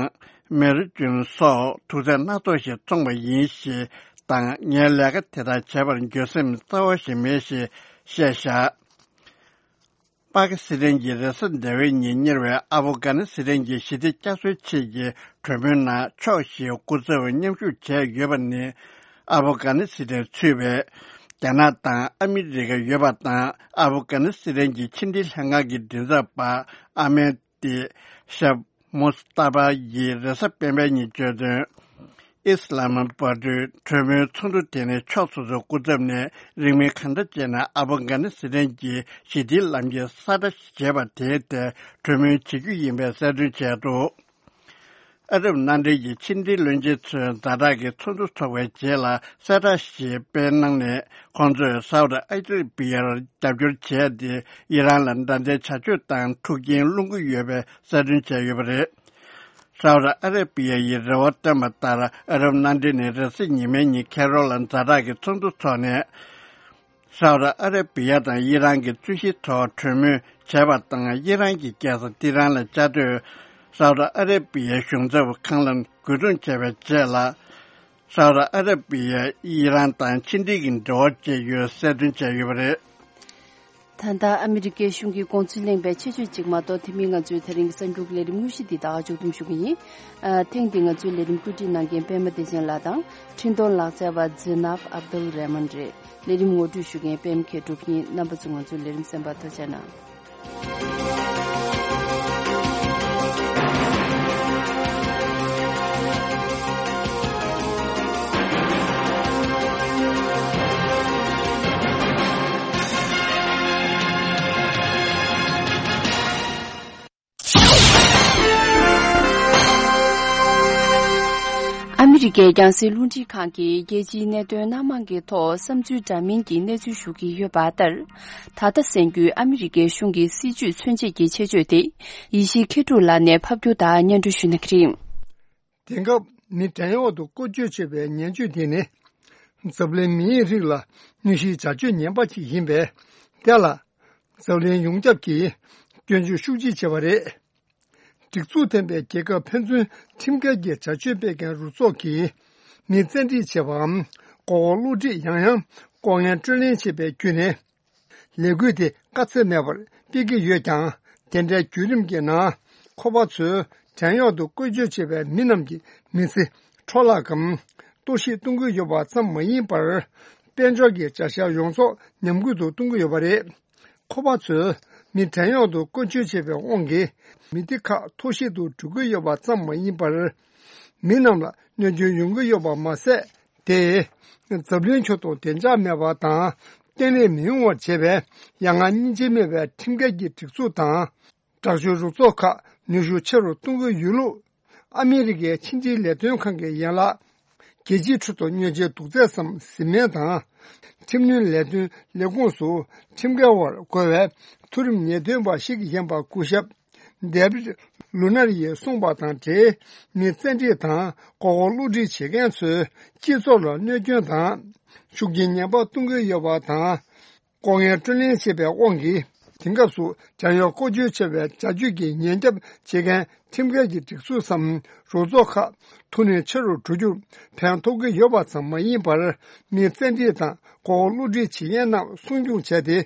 མེ་རོ་ཅུན་སོགས་དུག་རྫས་སྣ་ཚོགས་ཤིག་བཙོངས་པ་ཡིན་ཞེས་དང་། ངའི་ལས་ཀ་དེ་དག་བྱེད་པར་འགྱོད་སེམས་རྩ་བ་ཞིག་མེད་ཞེས་བཤད་བཞག་པ་ཀི་སི་ཐན་གྱིས་རེས་གཟའ་ཟླ་བའི་ཉིན་གཉེར་བའི་ཨ་ཕོ་གྷ་ནི་སི་ཐན་གྱི་ཞི་བདེ་བསྐྱར་གསོའི་ཆེད་ཀྱི་གྲོས་མོལ་ནང་ཕྱོགས་བཞིའི་སྐུ་ཚབ་མཉམ་ཞུགས་བྱས་ཡོད་པ་ནི། ཨ་ཕོ་གྷ་ནི་སི་ཐན་ཚུད་པའི་རྒྱ་ནག་དང་ཨ་མི་རི་ཀ་ཡོད་པ་དང་། ཨ་ཕོ་གྷ་ནི་སི་ཐན་གྱི་ཕྱི་འབྲེལ་ལྷན་ཁང་གི་མགྲིན་ཚབ་པ་ཨ་མེ་ཏི་ཤ་མུ་སྟ་པ་ཡིས་རེས་གཟའ་སྤེན་པའི་ཉིན་བརྗོད་དོན། ཨི་སི་ལ་མ་པ་ཏུའི་གྲོས་མོལ་ཚོགས་འདུ་དེ་ནི་ཕྱོགས་སོ་སོའི་སྐུ་ཚབ་ནས་རིང་མིན་གང་འདྲ་བྱས་ན་ཨ་ཕོ་གྷ་ནི་སི་ཐན་གྱི་ཞི་བདེའི་ལམ་ཁྱེར་གསལ་བསྒྲགས་བྱས་པ་དེའི་ཐད་གྲོས་མོལ་བྱེད་རྒྱུ་ཡིན་པའི་གསལ་སྟོན་བྱས་འདུག་ཨ་རབ་མནའ་འབྲེལ་གྱི་ཕྱི་འབྲེལ་བློན་ཆེན་ཚོས་ཛ་དྲག་གི་ཚོགས་འདུ་འཚོགས་པའི་རྗེས་ལ་གསལ་བསྒྲགས་ཤིག་སྤེལ་གནང་ནས། ཁོང་ཚོས་སའུ་ཏི་ཨ་ར་བི་ཡར་རྒྱབ་སྐྱོར་བྱས་ཏེ། ཨི་རན་ལ་མདའ་མཚོན་བྱ་སྤྱོད་དང་འཁྲུག་རྐྱེན་སློང་གི་ཡོད་པའི་གསལ་སྟོན་བྱས་ཡོད་པ་རེད། སའུ་ཏི་ཨ་ར་བི་ཡ་ཡིས་རེ་བ་བཏོན་པ་ལྟར། ཨ་རབ་མནའ་འབྲེལ་ནས་རེས་གཟའ་ཉི་མའི་ཉིན་ཁེ་རོ་ལ་ཛ་དྲག་གི་ཚོགས་འདུ་འཚོགས་ནས། སའུ་ཏི་ཨ་ར་བི་ཡ་དང་ཨི་རན་གྱི་རྩོད་གཞིའི་ཐོག་གྲོས་མོལ་བྱས་པ་དང་། ཨི་རན་གྱི་རྒྱལ་ས་ཏི་ཧྲན་ལ་བཅའ་སྡོད་སའུ་ཏི་ཨ་ར་བི་ཡའི་གཞུང་ཚབ་ཁང་ལ་རྒོལ་རྡུང་བྱས་པའི་རྗེས་ལ། སའུ་ཏི་ཨ་ར་བི་ཡས་ཨི་རན་དང་ཕྱི་འབྲེལ་གྱི་འབྲེལ་བ་བཅད་ཡོད་གསལ་སྟོན་བྱས་ཡོད་པ་རེད། ད་ལྟ་ཨ་མི་རི་ཀའི་གཞུང་གི་དགོངས་ཚུལ་གླེང་བའི་ཆེད་བརྗོད་ཅིག་མ་གཏོགས། དེ་མིན་ང་ཚོའི་དེ་རིང་གི་གསར་འགྱུར་གྱི་ལས་རིམ་དངོས་གཞི་འདི་ད་ག་མཇུག་བསྡོམས་ཞུ་གི་ཡིན། ཨ། ཐེངས་འདིའི་ང་ཚོའི་ལས་རིམ་བཀོད་སྒྲིག་གནང་མཁན་པད་མ་བདེ་ཆེན་ལགས་དང་། འཕྲིན་གཏོང་ལག་རྩལ་བ་ཛི་ནབ་ཨབ་དུལ་རེ་མན་རེད། ལས་རིམ་ངོ་སྤྲོད་ཞུ་མཁན་པད་མ་མཁས་གྲུབ་ཡིན། རྣམ་པ་ཚོ་ང་ཚོའི་ལས་རིམ་གསན་པར་ཐུགས་རྗེ་གནང་། ཕྱི་རྒྱལ་རྒྱང་སྲིང་རླུང་འཕྲིན་ཁང་གིས་རྒྱལ་སྤྱིའི་གནད་དོན་སྣ་མང་གི་ཐོག་བསམ་ཚུལ་འདྲ་མིན་གྱི་གནས་ཚུལ་ཞུ་གི་ཡོད་པ་ལྟར། ད་ལྟ་གསན་རྒྱུའི་ཨ་མི་རི་ཀའི་གཞུང་གི་སྲིད་ཇུས་མཚོན་བྱེད་ཀྱི་ཆེད་བརྗོད་དེ། ཡེ་ཤེས་མཁས་གྲུབ་ལགས་ནས་ཕབ་སྒྱུར་དང་སྙན་སྒྲོན་ཞུ་གནང་གི་རེད། དེང་སྐབས་མི་བྲན་གཡོག་ཏུ་བཀོལ་སྤྱོད་བྱེད་པའི་ངན་སྤྱོད་དེ་ནི། འཛམ་གླིང་མིའི་རིགས་ལ་གནོད་གཞིའི་བྱ་སྤྱོད་ངན་པ་ཞིག་ཡིན་པས། དེ་ལ་འཛམ་གླིང་ཡོངས་ཁྱབ་ཀྱིས་སྐྱོན་བརྗོད་ཤུགས་ཆེ་བྱས་པ་རེད། སྒྲིག་འཛུགས་ལྡན་པའི་རྒྱལ་ཁབ་ཕན་ཚུན་ཁྲིམས་འགལ་གྱི་བྱ་སྤྱོད་སྤེལ་མཁན་རུ་ཚོགས་ཀྱིས་མི་བཙན་ཁྲིད་བྱེད་པའམ་མགོ་སྐོར་བསླུ་ཁྲིད། ཡང་ཡང་ལྐོག་རྔན་སྤྲོད་ལེན་བྱེད་པའི་བརྒྱུད་ནས། ལས་འགུལ་དེ་དཀའ་ཚེགས་མེད་པར་སྤེལ་གྱི་ཡོད་ཀྱང་། དེ་འདྲའི་བརྒྱུད་རིམ་གྱི་ནང་། ཁོ་པ་ཚོས་བྲན་གཡོག་ཏུ་བཀོལ་སྤྱོད་བྱེད་པའི་མི་རྣམས་ཀྱི་མི་ཚེ་འཕྲོ་བརླག་གམ་གཏོར་བཤིག་གཏོང་གི་ཡོད་པ་ཙམ་མ་ཡིན་པར། དཔལ་འབྱོར་གྱི་བྱ་གཞག་ཡོངས་རྫོགས་ཉམས་རྒུད་དུ་གཏོང་གི་ཡོད་པ་རེད། ཁོ་པ་ཚོས་མི་བྲན་གཡོག་ཏུ་བཀོལ་སྤྱོད་བྱེད་པའི་དབང་གིས་མི་སྡེ་ཁག་འཐོར་བཤིག་ཏུ་འགྲོ་གི་ཡོད་པ་ཙམ་མ་ཡིན་པར། མི་རྣམས་ལ་གནོད་སྐྱོན་ཡོང་གི་ཡོད་པ་མ་ཟད། དེས་འཛམ་གླིང་ཁྱོན་དུ་བདེ་འཇགས་མེད་པ་དང་བརྟན་ལྷིང་མི་ཡོང་བར་བྱེད་པའི་ཡ་ང་སྙིང་རྗེ་མེད་པའི་ཁྲིམས་འགལ་གྱི་སྒྲིག་འཛུགས་དང་། དྲག་སྤྱོད་རུ་ཚོགས་ཁག་ནུས་ཤུགས་ཆེ་རུ་གཏོང་གི་ཡོད་ལུགས། ཨ་མི་རི་ཀའི་ཕྱི་འབྲེལ་ལས་དོན་ཁང་གི་ཡན་ལག་རྒྱལ་སྤྱིའི་ཁྲོད་དུ་གནོད་འཚེའི་དུག་རྫས་སམ་བཟི་སྨན་དང་། ཁྲིམས་གནོན་ལས་དོན་ལས་ཁུངས་སུ་ཁྲིམས་འགལ་བར་རྒོལ་བའི་མཐོ་རིམ་ཉེས་དོན་པ་ཞིག་ཡིན་པ་སྐུ་ཞབས་ཌེ་བིད་ལུ་ནར་ཡིས་གསུངས་པ་དང་འབྲེལ། མི་བཙན་ཁྲིད་དང་མགོ་སྐོར་བསླུ་ཁྲིད་བྱེད་མཁན་ཚོས་སྤྱི་ཚོགས་ལ་གནོད་སྐྱོན་དང་། ཤུགས་རྐྱེན་ངན་པ་གཏོང་གི་ཡོད་པ་དང་། ལྐོག་རྔན་སྤྲོད་ལེན་བྱེད་པའི་དབང་གིས་དེང་སྐབས་སུ་བྲན་གཡོག་བཀོལ་སྤྱོད་བྱེད་པའི་བྱ་སྤྱོད་ཀྱི་ཉེན་སྐྱོབ་བྱེད་མཁན་ཁྲིམས་འགལ་གྱི་སྒྲིག་འཛུགས་སམ་རུ་ཚོགས་ཁག་མཐོ་གནས་ཆེ་རུ་འགྲོ་རྒྱུར་ཕན་ཐོགས་ཀྱི་ཡོད་པ་ཙམ་མ་ཡིན་པར། མི་བཙན་ཁྲིད་དང་མགོ་སྐོར་བསླུ་ཁྲིད་བྱེད་མཁན་རྣམས་སྲུང་སྐྱོང་བྱས་ཏེ།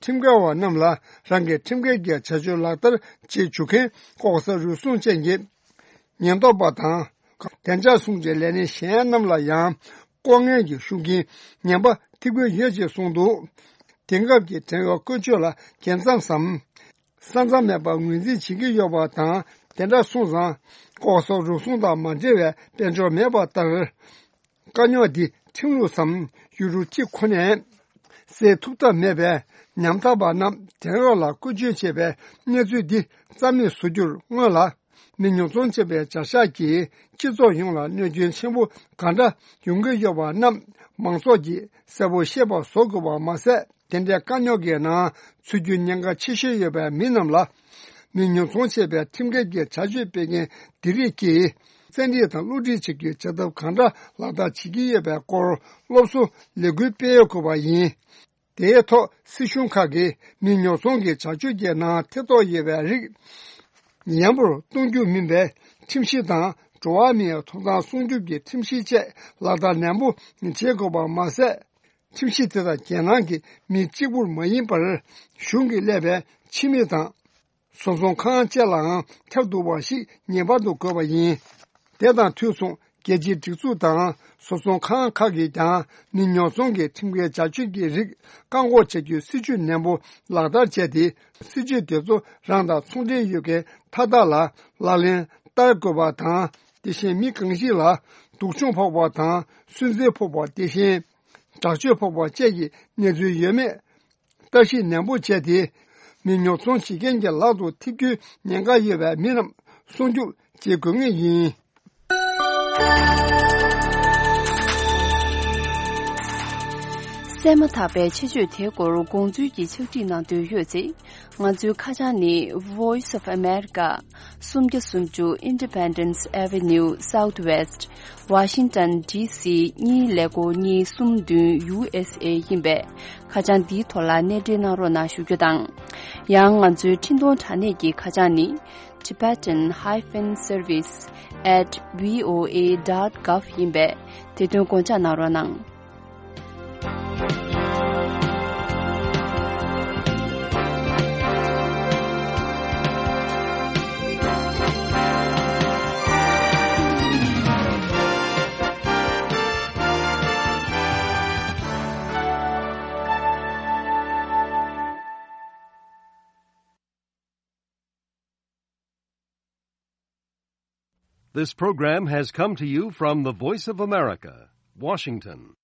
ཁྲིམས་འགལ་བ་རྣམས་ལ་རང་གི་ཁྲིམས་འགལ་གྱི་བྱ་སྤྱོད་ལག་བསྟར་བྱེད་བཅུག་མཁན་ལྐོག་ཟ་རུལ་སུངས་ཅན་གྱི་ཉེན་རྟོག་པ་དང་། བདེ་འཇགས་སྲུང་བའི་ལས་སྣེ་གཞན་རྣམས་ལ་ཡང་ལྐོག་རྔན་གྱི་ཤུགས་རྐྱེན་ངན་པ་ཐེབས་ཀྱི་ཡོད་ཅེས་གསུངས་འདུག་དེང་སྐབས་ཀྱི་བྲན་གཡོག་བཀོལ་སྤྱོད་ལ་རྒྱལ་མཚམས་སམ། ས་མཚམས་མེད་པར་ངོས་འཛིན་བྱེད་ཀྱི་ཡོད་པ་དང་། དེ་འདྲ་སོང་ཙང་ལྐོག་ཟ་རུལ་སུངས་དང་མ་འབྲེལ་བའི་དཔལ་འབྱོར་མེད་པ་ལྟར། དཀའ་རྙོག་འདི་ཁྲིམས་ལུགས་སམ་ཡུལ་གྲུ་གཅིག་ཁོ་ནས་སེལ་ཐུབ་ཐབས་མེད་པས། ཉམ་ཐག་པ་རྣམས་བྲན་གཡོག་ལ་བཀོལ་སྤྱོད་བྱེད་པའི་གནས་ཚུལ་འདི་རྩ་མེད་བཟོ་རྒྱུར་སྔོན་ལ། མི་ཉོ་ཚོང་བྱེད་པའི་བྱ་གཞག་གིས་སྤྱི་ཚོགས་ཡོངས་ལ་གནོད་སྐྱོན་ཆེན་པོ་གང་འདྲ་ཡོང་གི་ཡོད་པ་རྣམས་མང་ཚོགས་ཀྱིས་གསལ་པོ་ཤེས་པ་བཟོ་དགོས་པ་མ་ཟད། དེ་འདྲའི་དཀའ་རྙོག་གི་ནང་ཚུད་རྒྱུའི་ཉེན་ཁ་ཆེ་ཤོས་ཡོད་པའི་མི་རྣམས་ལ། མི་ཉོ་ཚོང་བྱེད་པའི་ཁྲིམས་འགལ་གྱི་བྱ་སྤྱོད་སྤེལ་མཁན་འདི་རིགས་ཀྱིས་བཙན་ཁྲིད་དང་བསླུ་བྲིད་བྱེད་རྒྱུའི་བྱ་ཐབས་གང་འདྲ་ལག་བསྟར་བྱེད་ཀྱི་ཡོད་པའི་སྐོར་སློབ་གསོ་ལས་འགུལ་སྤེལ་དགོས་པ་ཡིན། དེའི་ཐོག་སྲིད་གཞུང་ཁག་གིས་མི་ཉོ་ཚོང་གི་བྱ་སྤྱོད་ཀྱི་ནང་ཐེ་གཏོགས་ཡོད་པའི་རིགས་ཡན་པར་གཏོང་རྒྱུ་མིན་པའི་ཁྲིམས་གཞི་དང་། འགྲོ་བ་མིའི་ཐོབ་ཐང་སྲུང་སྐྱོབ་ཀྱི་ཁྲིམས་གཞི་བཅས་ལག་བསྟར་ནན་པོ་བྱེད་དགོས་པ་མ་ཟད། ཁྲིམས་གཞི་དེ་དག་རྒྱལ་ནང་གི་མི་གཅིག་པུར་མ་ཡིན་པར། གཞུང་གིས་གླས་པའི་ཕྱི་མི་དང་། བཟོ་ཚོང་ཁང་བཅས་ལའང་ཁྱབ་ཐུབ་པ་ཞིག་ངེས་པར་དུ་དགོས་པ་ཡིན། དེ་དང་དུས་མཚུངས། རྒྱལ་སྤྱིའི་སྒྲིག་འཛུགས་དང་བཟོ་ཚོང་ཁང་ཁག་གིས་ཀྱང་མི་ཉོ་ཚོང་གི་ཁྲིམས་འགལ་བྱ་སྤྱོད་ཀྱི་རིགས་བཀག་འགོག་བྱ་རྒྱུའི་སྲིད་ཇུས་ནན་པོ་ལག་བསྟར་བྱས་ཏེ། སྲིད་ཇུས་དེ་ཚོ་རང་དང་ཚོང་འབྲེལ་ཡོད་མཁན་མཐའ་དག་ལ་ལག་ལེན་བསྟར་དགོས་པ་དང་། དེ་བཞིན་མི་གང་ཞིག་ལ་སྡུག་སྦྱོང་ཕོག་པ་དང་། སུན་གཙེར་ཕོག་པ། དེ་བཞིན་དྲག་སྤྱོད་ཕོག་པ་བཅས་ཀྱི་གནས་ཚུལ་ཡོད་མེད་ལྟ་ཞིབ་ནན་པོ་བྱས་ཏེ། མི་ཉོ་ཚོང་བྱེད་མཁན་གྱི་ལག་ཏུ་ཐེབས་རྒྱུའི་ཉེན་ཁ་ཡོད་པའི་མི་རྣམས་སྲུང་སྐྱོབ་བྱེད་དགོས་ངེས་ཡིན། གསན་མ་ཐག་པའི་ཆེད་བརྗོད་དེའི་སྐོར་དགོངས་ཚུལ་གྱི་ཕྱག་བྲིས་གནང་འདོད་ཡོད་ཚེ། ང་ཚོའི་ཁ་བྱང་ནི། Voice of America། སུམ་བརྒྱ་སུམ་ཅུ་Independence Avenue Southwest། Washington D C གཉིས་ཀླད་ཀོར་གཉིས་གསུམ་བདུན། U S A ཡིན་པས། ཁ་བྱང་འདིའི་ཐོག་ལ་གནས་འབྲེལ་གནང་རོགས་གནང་ཞུ་རྒྱུ་དང་། ཡང་ང་ཚོའི་འཕྲིན་གཏོང་དྲ་གནས་ཀྱི་ཁ་བྱང་ནི། Tibetan hyphen service at V O A dot gov ཡིན་པས། དེ་དོན་དགོངས་འཇགས་གནང་རོགས་གནང་། This program has come to you from the Voice of America, Washington.